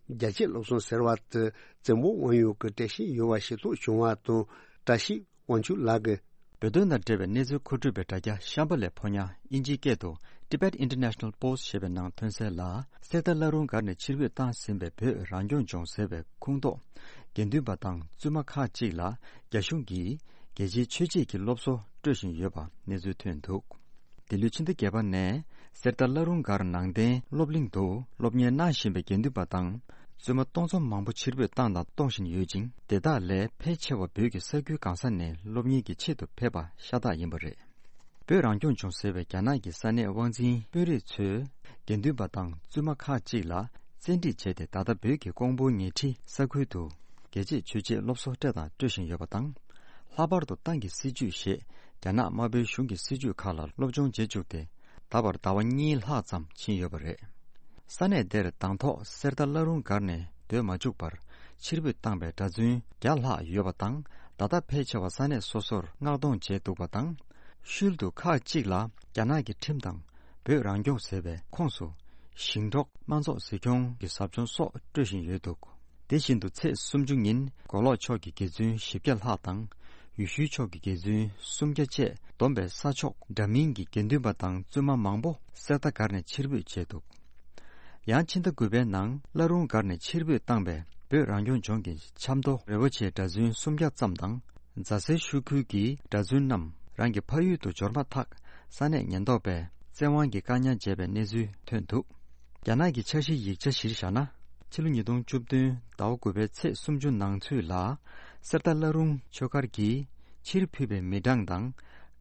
རྒྱལ་གཅེས་སློབ་གསོ་ཟེར་བ་དེ་བཙན་པོ་དབང་ཡོད་ཀྱི་བཀྲ་ཤིས་ཡོད་པ་ཤེས་རྟོགས་བྱུང་བ་དང་། བཀྲ་ཤིས་དབང་ཕྱུག་ལགས་ཀྱིས། བོད་དོན་དང་འབྲེལ་བའི་གནས་ཚུལ་མཁོ་སྤྲོད་པའི་དྲ་རྒྱ་ཤམ་བྷ་ལའི་ཕོ་ཉ་ཨིན་ཇིའི་སྐད་དུ་Tibet International Post ཞེས་པའི་ནང་ཐོན་གསལ་ལ། གསེར་རྟ་བླ་རུང་སྒར་ནས་ཕྱིར་འབུད་བཏང་ཟིན་པའི་བོད་རང་སྐྱོང་ལྗོངས་ཟེར་བའི་ཁུངས་གཏོགས་དགེ་འདུན་པ་དང་བཙུན་མ་ཁག་ཅིག་ལ་རྒྱ་གཞུང་གིས་རྒྱལ་སྤྱིའི་ཆོས་བྱེད་ཀྱི་སློབ་གསོ་སྤྲོད་བཞིན་ཡོད་པ་གནས་ཚུལ་ཐོན་འདུག། འདི་ལོའི་ཕྱི་ཟླ་བརྒྱད་པ་ནས་གསེར་རྟ་བླ་རུང་སྒར་ནང་བསྟན་སློབ་གླིང་དུ་སློབ་གཉེར་གནང་བཞིན་པའི་དགེ་འདུན་པ་དང་བཙུན་མ་གཏོང་ཚོམ་མང་པོ་ཕྱིར་འབུད་བཏང་དང་གཏོང་བཞིན་ཡོད་ཅིང་། དེ་དག་ལས་ཕལ་ཆེ་བ་བོད་ཀྱི་ས་ཁུལ་གང་ས་ནས་སློབ་གཉེར་གྱི་ཆེད་དུ་ཕེབས་པ་ཤ་སྟག་ཡིན་པ་རེད། བོད་རང་སྐྱོང་ལྗོངས་ཟེར་བའི་རྒྱ་ནག་གི་ས་གནས་དབང་འཛིན་དཔོན་རིགས་ཚོས་དགེ་འདུན་པ་དང་བཙུན་མ་ཁག་ཅིག་ལ་བཙན་ཁྲིད་བྱས་ཏེ། ད་ལྟ་བོད་ཀྱི་ཀོང་པོ་ཉེ་འཁྲིས་ས་ཁུལ་དུ་རྒྱལ་གཅེས་ཆོས་བྱེད་སློབ་གསོ་སྤྲད་དང་སྤྲོད་བཞིན་ཡོད་པ་དང་། ལྷག་པར་དུ་ཏང་གི་སྲིད་ཇུས་ཞེས་རྒྱ་ནག་དམར་པོའི་གཞུང་གི་སྲིད་ཇུས་ཁག་ལ་སློབ་སྦྱོང་བྱེད་བཅུག་སྟེ། ད་བར་ཟླ་བ་གཉིས་ལྷག་ཙམ་ཕྱིན་ཡོད་པ་རེད། ས་གནས་དེར་དང་ཐོག་གསེར་རྟ་བླ་རུང་སྒར་ནས་སྡོད་མ་བཅུག་པར་ཕྱིར་འབུད་བཏང་པའི་གྲྭ་བཙུན་བརྒྱ་ལྷག་ཡོད་པ་དང་། ད་ལྟ་ཕལ་ཆེ་བ་ས་གནས་སོ་སོར་མངགས་གཏོང་བྱས་འདུག་པ་དང་། ཤུལ་དུ་ཁག་ཅིག་ལ་རྒྱ་ནག་གི་ཁྲིམས་དང་བོད་རང་སྐྱོང་ཟེར་བའི་ཁོངས་སུ་ཞིང་འབྲོག་དམངས་ཚོགས་གཟིགས་སྐྱོང་གི་ཟབ་སྦྱོང་སོགས་སྤྲོད་བཞིན་ཡོད་འདུག། དེ་བཞིན་དུ་ཚེས་སུམ་ཅུ་ཉིན་མགོ་ལོག་ཕྱོགས་ཀྱི་དགེ་བཙུན་བཞི་བརྒྱ་ལྷག་དང་། ཡུལ་ཤུལ་ཕྱོགས་ཀྱི་དགེ་བཙུན་སུམ་བརྒྱ་བཅས་བསྡོམས་པའི་ས་ཕྱོགས་འདྲ་མིན་གྱི་དགེ་འདུན་པ་དང་བཙུན་མ་མང་པོ་གསེར་རྟ་སྒར་ནས་ཕྱིར་འབུད་བྱས་འདུག། ཡང་ཕྱི་ཟླ་དགུ་པའི་ནང་བླ་རུང་སྒར་ནས་ཕྱིར་འབུད་བཏང་པའི་བོད་རང་སྐྱོང་ལྗོངས་ཀྱི་ཆབ་མདོ་རི་བོ་ཆེའི་གྲྭ་བཙུན་སུམ་བརྒྱ་ཙམ་དང་། རྫ་སེར་ཤོད་ཁུལ་གྱི་གྲྭ་བཙུན་རྣམས་རང་གི་ཕ་ཡུལ་དུ་འབྱོར་མ་ཐག་ས་གནས་ཉེན་རྟོག་པས་བཙན་དབང་གིས་བཀག་ཉར་བྱས་པའི་གནས་ཚུལ་ཐོན་འདུག། རྒྱ་ནག་གི་འཆར་གཞིའི་ཡིག་ཆ་གཞིར་བཞག་ན། ཕྱི་ལོ་ཉིས་སྟོང་བཅུ་བདུན་ཟླ་བ་དགུ་པའི་ཚེས་སུམ་ཅུ་ནང་ཚུད་ལ་གསེར་རྟ་བླ་རུང་ཆོས་སྒར་གྱིས་ཕྱིར་ཕུལ་བའི་མི་གྲངས་དང་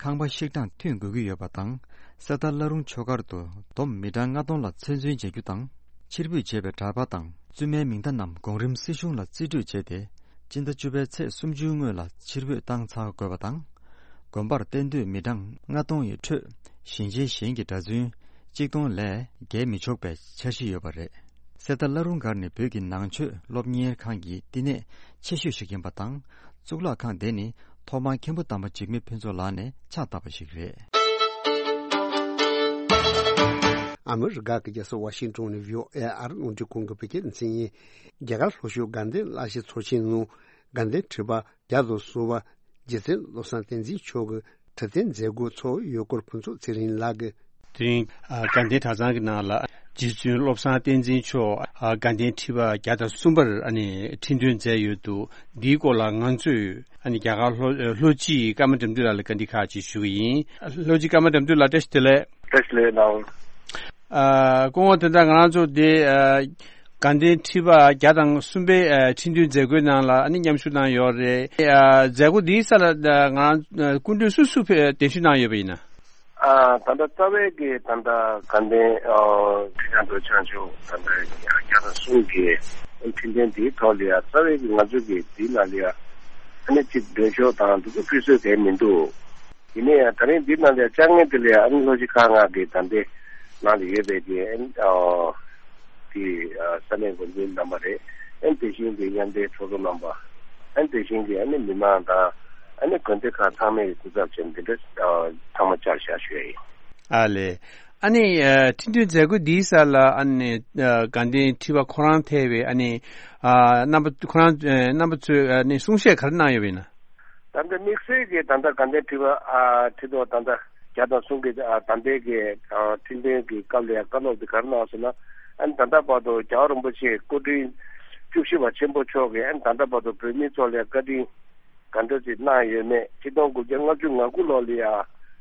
ཁང་པ་བཤིག་གྲངས་ཐོན་དགོས་ཀྱི་ཡོད་པ་དང་། གསེར་རྟ་བླ་རུང་ཆོས་སྒར་དུ་བསྡོམས་མི་གྲངས་ལྔ་སྟོང་ལ་ཚོད་འཛིན་བྱ་རྒྱུ་དང་། ཕྱིར་འབུད་བྱས་པའི་གྲྭ་པ་དང་བཙུན་མའི་མིང་བརྡ་རྣམས་གོང་རིམ་སྲིད་གཞུང་ལ་རྩིས་སྤྲོད་བྱས་ཏེ། སྤྱི་ཟླ་བཅུ་པའི་ཚེས་སུམ་ཅུའི་སྔོན་ལ་ཕྱིར་འབུད་བཏང་ཚར་དགོས་པ་དང་། དགོན་པར་གཏན་སྡོད་མི་གྲངས་ལྔ་སྟོང་ཡི་ཁྲོད་ཞིང་ཆེན་གཞན་གྱི་གྲྭ་བཙུན་གཅིག་སྟོང་ལས་བརྒལ་མི་ཆོག་པའི་འཆར་གཞི་ཡོད་པ་རེད། གསེར་རྟ་བླ་རུང་སྒར་ནི་བོད་ཀྱི་ནང་ཆོས་སློབ་གཉེར་ཁང་གི་བསྟི་གནས་ཆེ་ཤོས་ཤིག་ཡིན་པ་དང་། གཙུག་ལག་ཁང་དེ་ནི་ཐོག་མར་མཁན་པོ་དམ་པ་འཇིགས་མེད་ཕུན་ཚོགས་ལགས་ནས་ཕྱག་བཏབ་པ་ཞིག་རེད། ཨ་མི་རི་ཀ་གི་རྒྱལ་ས་ཝ་ཤིང་ཏོན་ནས་བྷི་ཨོ་ཨེ་ཨ་རི་རླུང་འཕྲིན་ཁང་གི་བོད་སྐད་སྡེ་ཚན་ཡིན། རྒྱ་གར་ལྷོ་ཕྱོགས་དགའ་ལྡན་བླ་གཞི་ཚོགས་ཆེན་ནང་དགའ་ལྡན་ཁྲི་པ་བརྒྱ་དང་ཟུར་པ་རྗེ་བཙུན་བློ་བཟང་བསྟན་འཛིན་མཆོག་གིས་ཁྲི་སྟོན་མཛད་སྒོ་ཚོགས་ཡོད་སྐོར་ཕུན་ཚོགས་ཚེ་རིང་ལགས་ཀྱིས། དེ་རིང་ཨ་དགའ་ལྡན་གྲྭ་ཚང་གི་ནང་ལ་རྗེ་བཙུན་བློ་བཟང་བསྟན་འཛིན་མཆོག་ཨ་དགའ་ལྡན་ཁྲི་པ་བརྒྱ་དང་གསུམ་པར་ཨ་ནི་ཁྲི་འདོན་མཛད་ཡོད་འདུག། འདིའི་སྐོར་ལ་ང་ཚོས་ཨ་ནི་རྒྱ་གར་ལྷོ་ལྷོ་སྤྱི་ཀརྨ་དགྲ་འདུལ་ལགས་ལ་བཀའ་འདྲི་ཁག་ཅིག་ཞུ་གི་ཡིན། ལྷོ་སྤྱི་ཀརྨ་དགྲ་འདུལ་ལགས་བཀྲ་ཤིས་བདེ་ལེགས། བཀྲ་ཤིས་བདེ་ལེགས་གནང་། ཨ་སྐུ་ངོ། དེ་ལྟར་ང་རང་ཚོ་འདི་ཨ་དགའ་ལྡན་ཁྲི་པ་བརྒྱ་དང་གསུམ་པའི་ཨ་ཁྲི་འདོན་མཛད་སྒོའི་ནང་ལ་ཨ་ནི་མཉམ་ཞུགས་གནང་ཡོད་རེད། ཨ་མཛད་སྒོ་འདིའི་ས་ལ་ཨ་ང་རང་ཨ་སྐུ་མགྲོན་སུ་སུ་ཕེ་གདན་ཞུ་གནང་ཡོད་པ་ཡིན་ན། ཨ་ད་ལྟ་རྩ་བའི་གི་ད་ལྟ་དགའ་ལྡན་ཨ་ཁྲི་བྱང་དུ་བྱང་ཆུབ་ད་ལྟ་བརྒྱ་དང་གསུམ་གི་ཁྲི་འདོན་འདིའི་ཐོག་ལ་ཡ་རྩ་བའི་གི་ང་ཚོ་གི་འདི་ལ་ལ་ཡ་ཨ་ནི་གཅིག་མགྲོན་ཤོག་དང་འདི་ཚོ་ཕུལ་སྲོལ་གང་མི་འདུག། ཡིན་ན་ཡང་ད་རིང་འདི་ནང་ལ་བཅར་མཁན་དེ་ལ་ཨ་ནི་ལྷོ་སྤྱི་ཁག་ལྔ་གི་ད་ལྟའི་ནང་ལ་ཡོད་པའི་གི་ཨ་ནི་ཨ་དེ་ཨ་ས་གནས་འགོ་འཛིན་རྣམ་པ་རེད། ཨ་ནི་དེ་བཞིན་གྱི་མཉམ་འབྲེལ་ཚོགས་གཙོ་རྣམ་པ། ཨ་ནི་དེ་བཞིན་གྱི་ཨ་ནི་མི་མང་དང་ཨ་ནི་དགོན་སྡེ་ཁག་ཚང་མའི་སྐུ་ཚབ་བྱས་འདི་འདྲ་ཨ་ཚང་མ་བཅར་བཞག་ཞུ་ཡ་ཡིན། ཨ་ལས། ཨ་ནི་ཨ་ཁྲིམས་མཐུན་མཛད་སྒོ་འདིའི་སར་ལ་ཨ་ནི་ཨ་དགའ་ལྡན་ཁྲི་པ་ཁོ་རང་ཐེ་བའི་ཨ་ནི་ཨ་རྣམ་པ་ཁོ་རང་ཨ་རྣམ་པ་ཚོས་ཨ་ནི་གསུང་བཤད་ག་རེ་གནང་ཡོད་པ་ཡིན་ན། ད་ལྟ་དམིགས་བསལ་གྱི་ད་ལྟ་དགའ་ལྡན་ཁྲི་པ་ཨ་ཁྲི་ཐོག་ད་ལྟ་བརྒྱ་དང་གསུམ་གྱི་ཨ་ད་ལྟའི་གི་ཨ་ཁྲིམས་དོན་གྱི་སྐབས་ལ་ཡང་བཀའ་སློབ་འདི་ག་རེ་གནང་སོང་ན། ཨ་ནི་ད་ལྟ་བར་དུ་རྒྱལ་བ་རིན་པོ་ཆེ་སྐུ་ཕྲེང་བཅུ་བཞི་པ་ཆེན་པོ་མཆོག་གིས་ཨ་ནི་ད་ལྟ་བར་དུ་བོད་མི་ཚོ་ལ་བཀའ་དྲིན་ག་འདྲ་ཅིག་གནང་ཡོད་མེད། ཆིག་སྟོང་དགུ་བརྒྱ་ལྔ་བཅུ་ང་དགུ་ལོ་ལ་ཡང་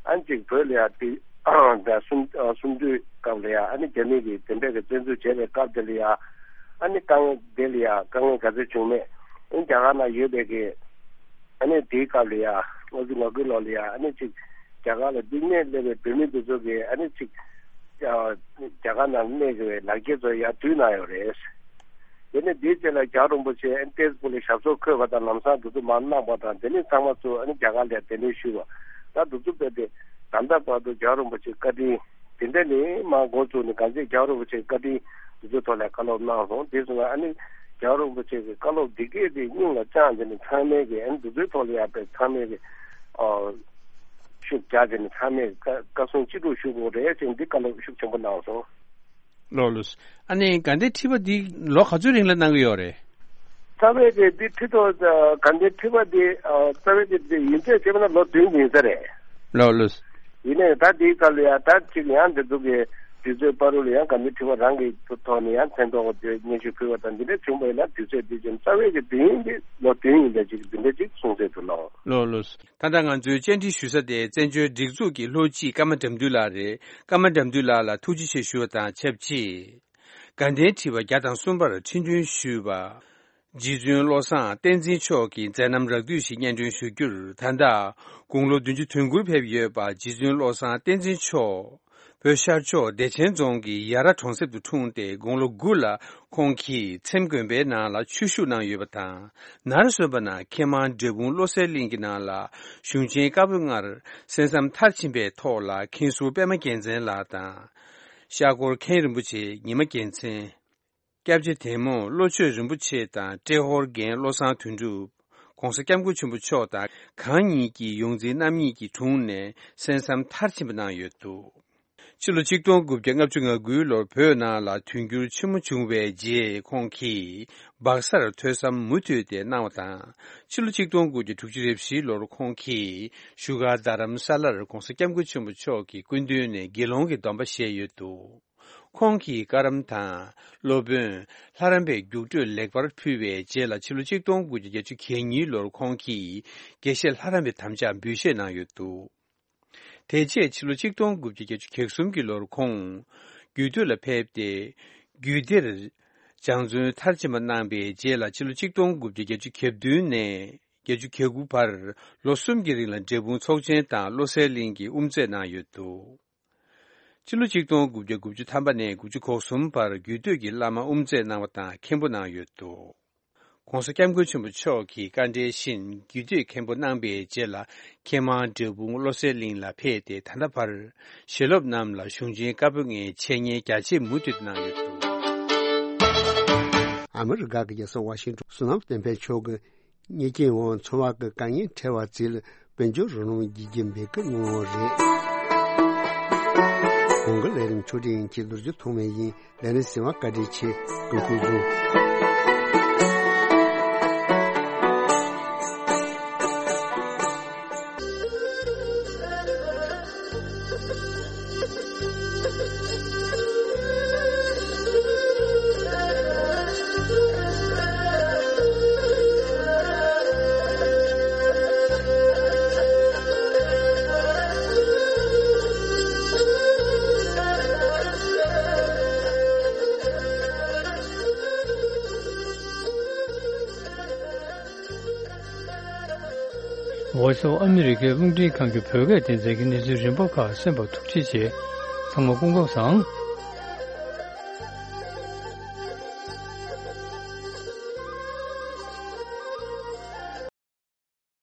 ཨ་ནི་ཅིག་བོད་ལ་ཡང་དེ་ད་གསུམ་གསུམ་བསྡུས་སྐབས་ལ་ཡང་ཨ་ནི་རྒྱ་མི་གིས་དེ་འདྲ་གི་བཙན་འཛུལ་བྱས་པའི་སྐབས་དེ་ལ་ཡང་ཨ་ནི་དཀའ་ངལ་དེ་ལ་ཡང་དཀའ་ངལ་ག་ཚོད་བྱུང་མེད། ཨ་ནི་རྒྱ་གར་ནང་ཡོད་པའི་གི་ཨ་ནི་དེའི་སྐབས་ལ་ཡང་ལྔ་བཅུ་ང་དགུ་ལོ་ལ་ཡང་ཨ་ནི་ཅིག་རྒྱ་གར་ལ་སྡུག་བསྔལ་སླེབས་པའི་བོད་མི་འདི་ཚོ་གིས་ཨ་ནི་ཅིག་ཨ་རྒྱ་གར་ནང་གནས་དགོས་པའི་ལག་འཁྱེར་ཚོ་ཡར་བསྡུས་གནང་ཡོད་རེད། དེ་ནས་དེའི་རྗེས་ལ་རྒྱལ་བ་རིན་པོ་ཆེ་ཨ་ནི་ཏེས་པུ་ལ་ཞབས་སོར་འཁོད་པ་དང་ལམ་སང་འདི་ཚོ་མར་གནང་པ་དང་། དེ་ནས་ཚང་མ་ཚོ་ཨ་ནི་རྒྱ་གར་ལ་གདན་འདྲེན་ཞུས་པ། ད་འདི་ཚོ་རྦད་དེ་ད་ལྟ་བར་དུ་རྒྱལ་བ་རིན་པོ་ཆེའི་བཀའ་དྲིན་དེ་འདྲ་ནས་མར་འགོ་བཙུགས་ནས་གང་ཅི་རྒྱལ་བ་རིན་པོ་ཆེའི་བཀའ་དྲིན་འདི་ཚོའི་ཐོག་ལ་བཀའ་སློབ་གནང་སོང་། དེ་སོང་ན་ཨ་ནི་རྒྱལ་བ་རིན་པོ་ཆེ་གི་བཀའ་སློབ་འདི་གས་དེ་སྙིང་ལ་བཅངས་བྱས་ནས་ཚང་མས་ཀྱི་ཨ་ནི་འདི་ཚོའི་ཐོག་ལ་ཡར་བས་ཚང་མས་ཀྱི་ཨ་ཤུགས་རྒྱག་བྱས་ནས་ཚང་མས་བཀའ་བཀའ་གསུང་ཅི་སྒྲུབ་ཞུ་དགོས་རེད་ཅེས་འདི་བཀའ་སློབ་ཤུགས་ཆེན་པོ་གནང་སོང་། ལགས་ལགས། ཨ་ནི་དགའ་ལྡན་ཁྲི་པ་འདི་ལོ་ག་ཚོད་རིང་ལ་གནང་གི་ཡོད་རེད། རྩ་བའི་དེ་འདི་ཁྲི་ཐོག་དགའ་ལྡན་ཁྲི་པ་འདི་རྩ་བའི་དེ་འདི་ཡིན་ཚད་བྱས་པ་ན་ལོ་བདུན་ཡིན་ས་རེད། ལགས་ལགས། ཡིན་ནའི་ད་འདིའི་སྐབས་ལ་ཡང་ད་ཅིག་ཡང་འདི་ཚོ་གི་དུས་ཚོད་བར་དུ་ལ་ཡང་དགའ་ལྡན་ཁྲི་པ་རང་གི་ཐོག་ནས་ཡང་མཚན་ཐོག་སྙན་ཞུ་ཕུལ་བ་དང་འདི་འདྲ་བྱུང་བ་ཡིན་ན་དུས་ཚོད་འདི་ཅིག་རྩ་བའི་གི་འདི་ཡིན་འདི་ལོ་བདུན་ཡིན་པ་ཅིག་འདི་འདྲ་ཅིག་གསུངས་ཚད་དུ་ལགས། ལགས་ལགས། ད་ལྟ་ང་ཚོའི་བཅར་འདྲི་ཞུ་ས་དེ་བཙན་བྱོལ་སྒྲིག་འཛུགས་ཀྱི་ལྷོ་སྤྱི་ཀརྨ་དགྲ་འདུལ་ལགས་རེད། ཀརྨ་དགྲ་འདུལ་ལགས་ལ་ཐུགས་རྗེ་ཆེ་ཞུ་བ་དང་ཆབས་ཅིག་དགའ་ལྡན་ཁྲི་པ་བརྒྱ་དང་གསུམ་པར་ཁྲི་འདོན་ཞུས་པ། རྗེ་བཙུན་བློ་བཟང་བསྟན་འཛིན་མཆོག་གི་མཛད་རྣམ་རགས་བསྡུས་ཤིག་སྙན་སྒྲོན་ཞུ་རྒྱུར། ད་ལྟ་དགུང་ལོ་བདུན་ཅུ་དོན་དགུར་ཕེབས་ཡོད་པ་རྗེ་བཙུན་བློ་བཟང་བསྟན་འཛིན་མཆོག་བོད་ཤར་ཕྱོགས་བདེ་ཆེན་རྫོང་གི་ཡ་ར་གྲོང་གསེབ་ཏུ་འཁྲུངས་ཏེ་དགུང་ལོ་དགུ་ལ་ཁོང་གིས་ཚེམ་དགོན་པའི་ནང་ལ་ཆོས་ཞུགས་གནང་ཡོད་པ་དང་། ནར་སོན་པ་ན་མཁས་མང་འབྲས་སྤུངས་བློ་གསལ་གླིང་གི་ནང་ལ་གཞུང་ཆེན་བཀའ་པོད་ལྔར་གསན་བསམ་མཐར་ཕྱིན་པའི་ཐོག་ལ་མཁན་ཟུར་པད་མ་རྒྱལ་མཚན་ལགས་དང་། ཤར་སྒོར་མཁན་རིན་པོ་ཆེ་ཉི་མ་རྒྱལ་མཚན། སྐྱབས་རྗེ་དེ་མོ་བློ་ཆོས་རིན་པོ་ཆེ་དང་ཏྲེ་ཧོར་རྒན་བློ་བཟང་དོན་གྲུབ། ༸གོང་ས་༸སྐྱབས་མགོན་ཆེན་པོ་མཆོག་དང་གང་ཉིད་ཀྱི་ཡོངས་འཛིན་རྣམ་གཉིས་ཀྱི་དྲུང་ནས་གསན་བསམ་མཐར་ཕྱིན་པ་གནང་ཡོད་འདུག་ཕྱི་ལོ་ཆིག་སྟོང་དགུ་བརྒྱ་ལྔ་བཅུ་ང་དགུའི་ལོར་བོད་ནང་ལ་དུས་འགྱུར་ཆེན་མོ་བྱུང་བའི་རྗེས་ཁོང་གིས་སྦག་སར་ཐོས་བསམ་མུ་མཐུད་དེ་གནང་བ་དང་། ཕྱི་ལོ་ཆིག་སྟོང་དགུ་བརྒྱ་དྲུག་ཅུ་རེ་བཞིའི་ལོར་ཁོང་གིས་བཞུགས་སྒར་རྡ་རམ་ས་ལར་༸གོང་ས་༸སྐྱབས་མགོན་ཆེན་པོ་མཆོག་གི་སྐུ་མདུན་ནས་དགེ་སློང་གི་སྡོམ་པ་བཞེས་ཡོད་འདུག་ཁོང་གིས་བཀའ་རམས་དང་སློབ་དཔོན་ལྷ་རམས་པའི་རྒྱུགས་སྤྲོད་ལེགས་པར་ཕུལ་བའི་རྗེས་ལ་ཕྱི་ལོ་ཆིག་སྟོང་དགུ་བརྒྱ་བརྒྱད་ཅུ་གྱ་གཉིས་ལོར་ཁོང་གིས་དགེ་བཤེས་ལྷ་རམས་པའི་དམ་བཅའ་འབུལ་བཞེས་གནང་ཡོད་འདུག་དེ་རྗེས་ཕྱི་ལོ་ཆིག་སྟོང་དགུ་བརྒྱ་བརྒྱད་ཅུ་གྱ་གསུམ་གྱི་ལོར་ཁོང་རྒྱུད་སྟོད་ལ་ཕེབས་ཏེ། རྒྱུད་སྡེར་སྦྱང་བརྩོན་མཐར་ཕྱིན་པ་གནང་བའི་རྗེས་ལ་ཕྱི་ལོ་ཆིག་སྟོང་དགུ་བརྒྱ་བརྒྱད་ཅུ་གྱ་བདུན་ནས་བརྒྱད་ཅུ་གྱ་དགུ་བར་ལོ་གསུམ་གྱི་རིང་ལ་འབྲས་སྤུངས་ཚོགས་ཆེན་དང་བློ་གསལ་གླིང་གི་དབུ་མཛད་གནང་ཡོད་འདུག་ཕྱི་ལོ་ཆིག་སྟོང་དགུ་བརྒྱ་དགུ་བཅུ་ཐམ་པ་ནས་དགུ་བཅུ་གོ་གསུམ་བར་རྒྱུད་སྟོད་ཀྱི་བླ་མ་དབུ་མཛད་གནང་བ་དང་མཁན་པོ་གནང་ཡོད་འདུག ༸གོང་ས་༸སྐྱབས་མགོན་ཆེན་པོ་མཆོག་གི་བཀའ་འབྲེལ་བཞིན་རྒྱུད་སྟོད་མཁན་པོ་གནང་པའི་རྗེས་ལ་མཁས་མང་འབྲས་སྤུངས་བློ་གསལ་གླིང་ལ་ཕེབས་ཏེ། ད་ལྟ་བར་ཞལ་སློབ་རྣམས་ལ་གཞུང་ཆེན་བཀའ་པོད་ལྔའི་འཆད་ཉན་རྒྱ་ཆེ་མུ་མཐུད་གནང་ཡོད་འདུག་ཨ་མི་རི་ཀ་གི་རྒྱལ་ས་ཝ་ཤིང་ཏོན། བསོད་ནམས་བསྟན་འཕེལ་མཆོག་གི་ཉེས་ཅན་འོག་འཚོ་བ་གི་དཀའ་ངལ་འཕྲད་པ་ཚོ་ལ་དཔལ་འབྱོར་རོགས་རམ་བགྱིད་རྒྱུ་འབོད་སྐུལ་གནང་བ་རེད། གོང་གི་ལས་རིམ་ཕྱོགས་སྒྲིག་ཡིན་གྱི་ལོ་རྒྱུས་ཐོག་མའི་ཡིན། ལས་རིམ་གསན་པར་བཀའ་དྲིན་ཆེ། སྐུ་ཁམས་བཟང་། ཝོ་ཡི་སི་ཨོཕ་ཨ་མི་རི་ཀའི་རླུང་འཕྲིན་ཁང་གི་བོད་སྐད་སྡེ་ཚན་གྱི་གནས་ཚུལ་རིམ་པ་ཁག་གསན་པར་ཐུགས་རྗེ་ཆེ། ཚང་མ་སྐུ་ཁམས་བཟང་།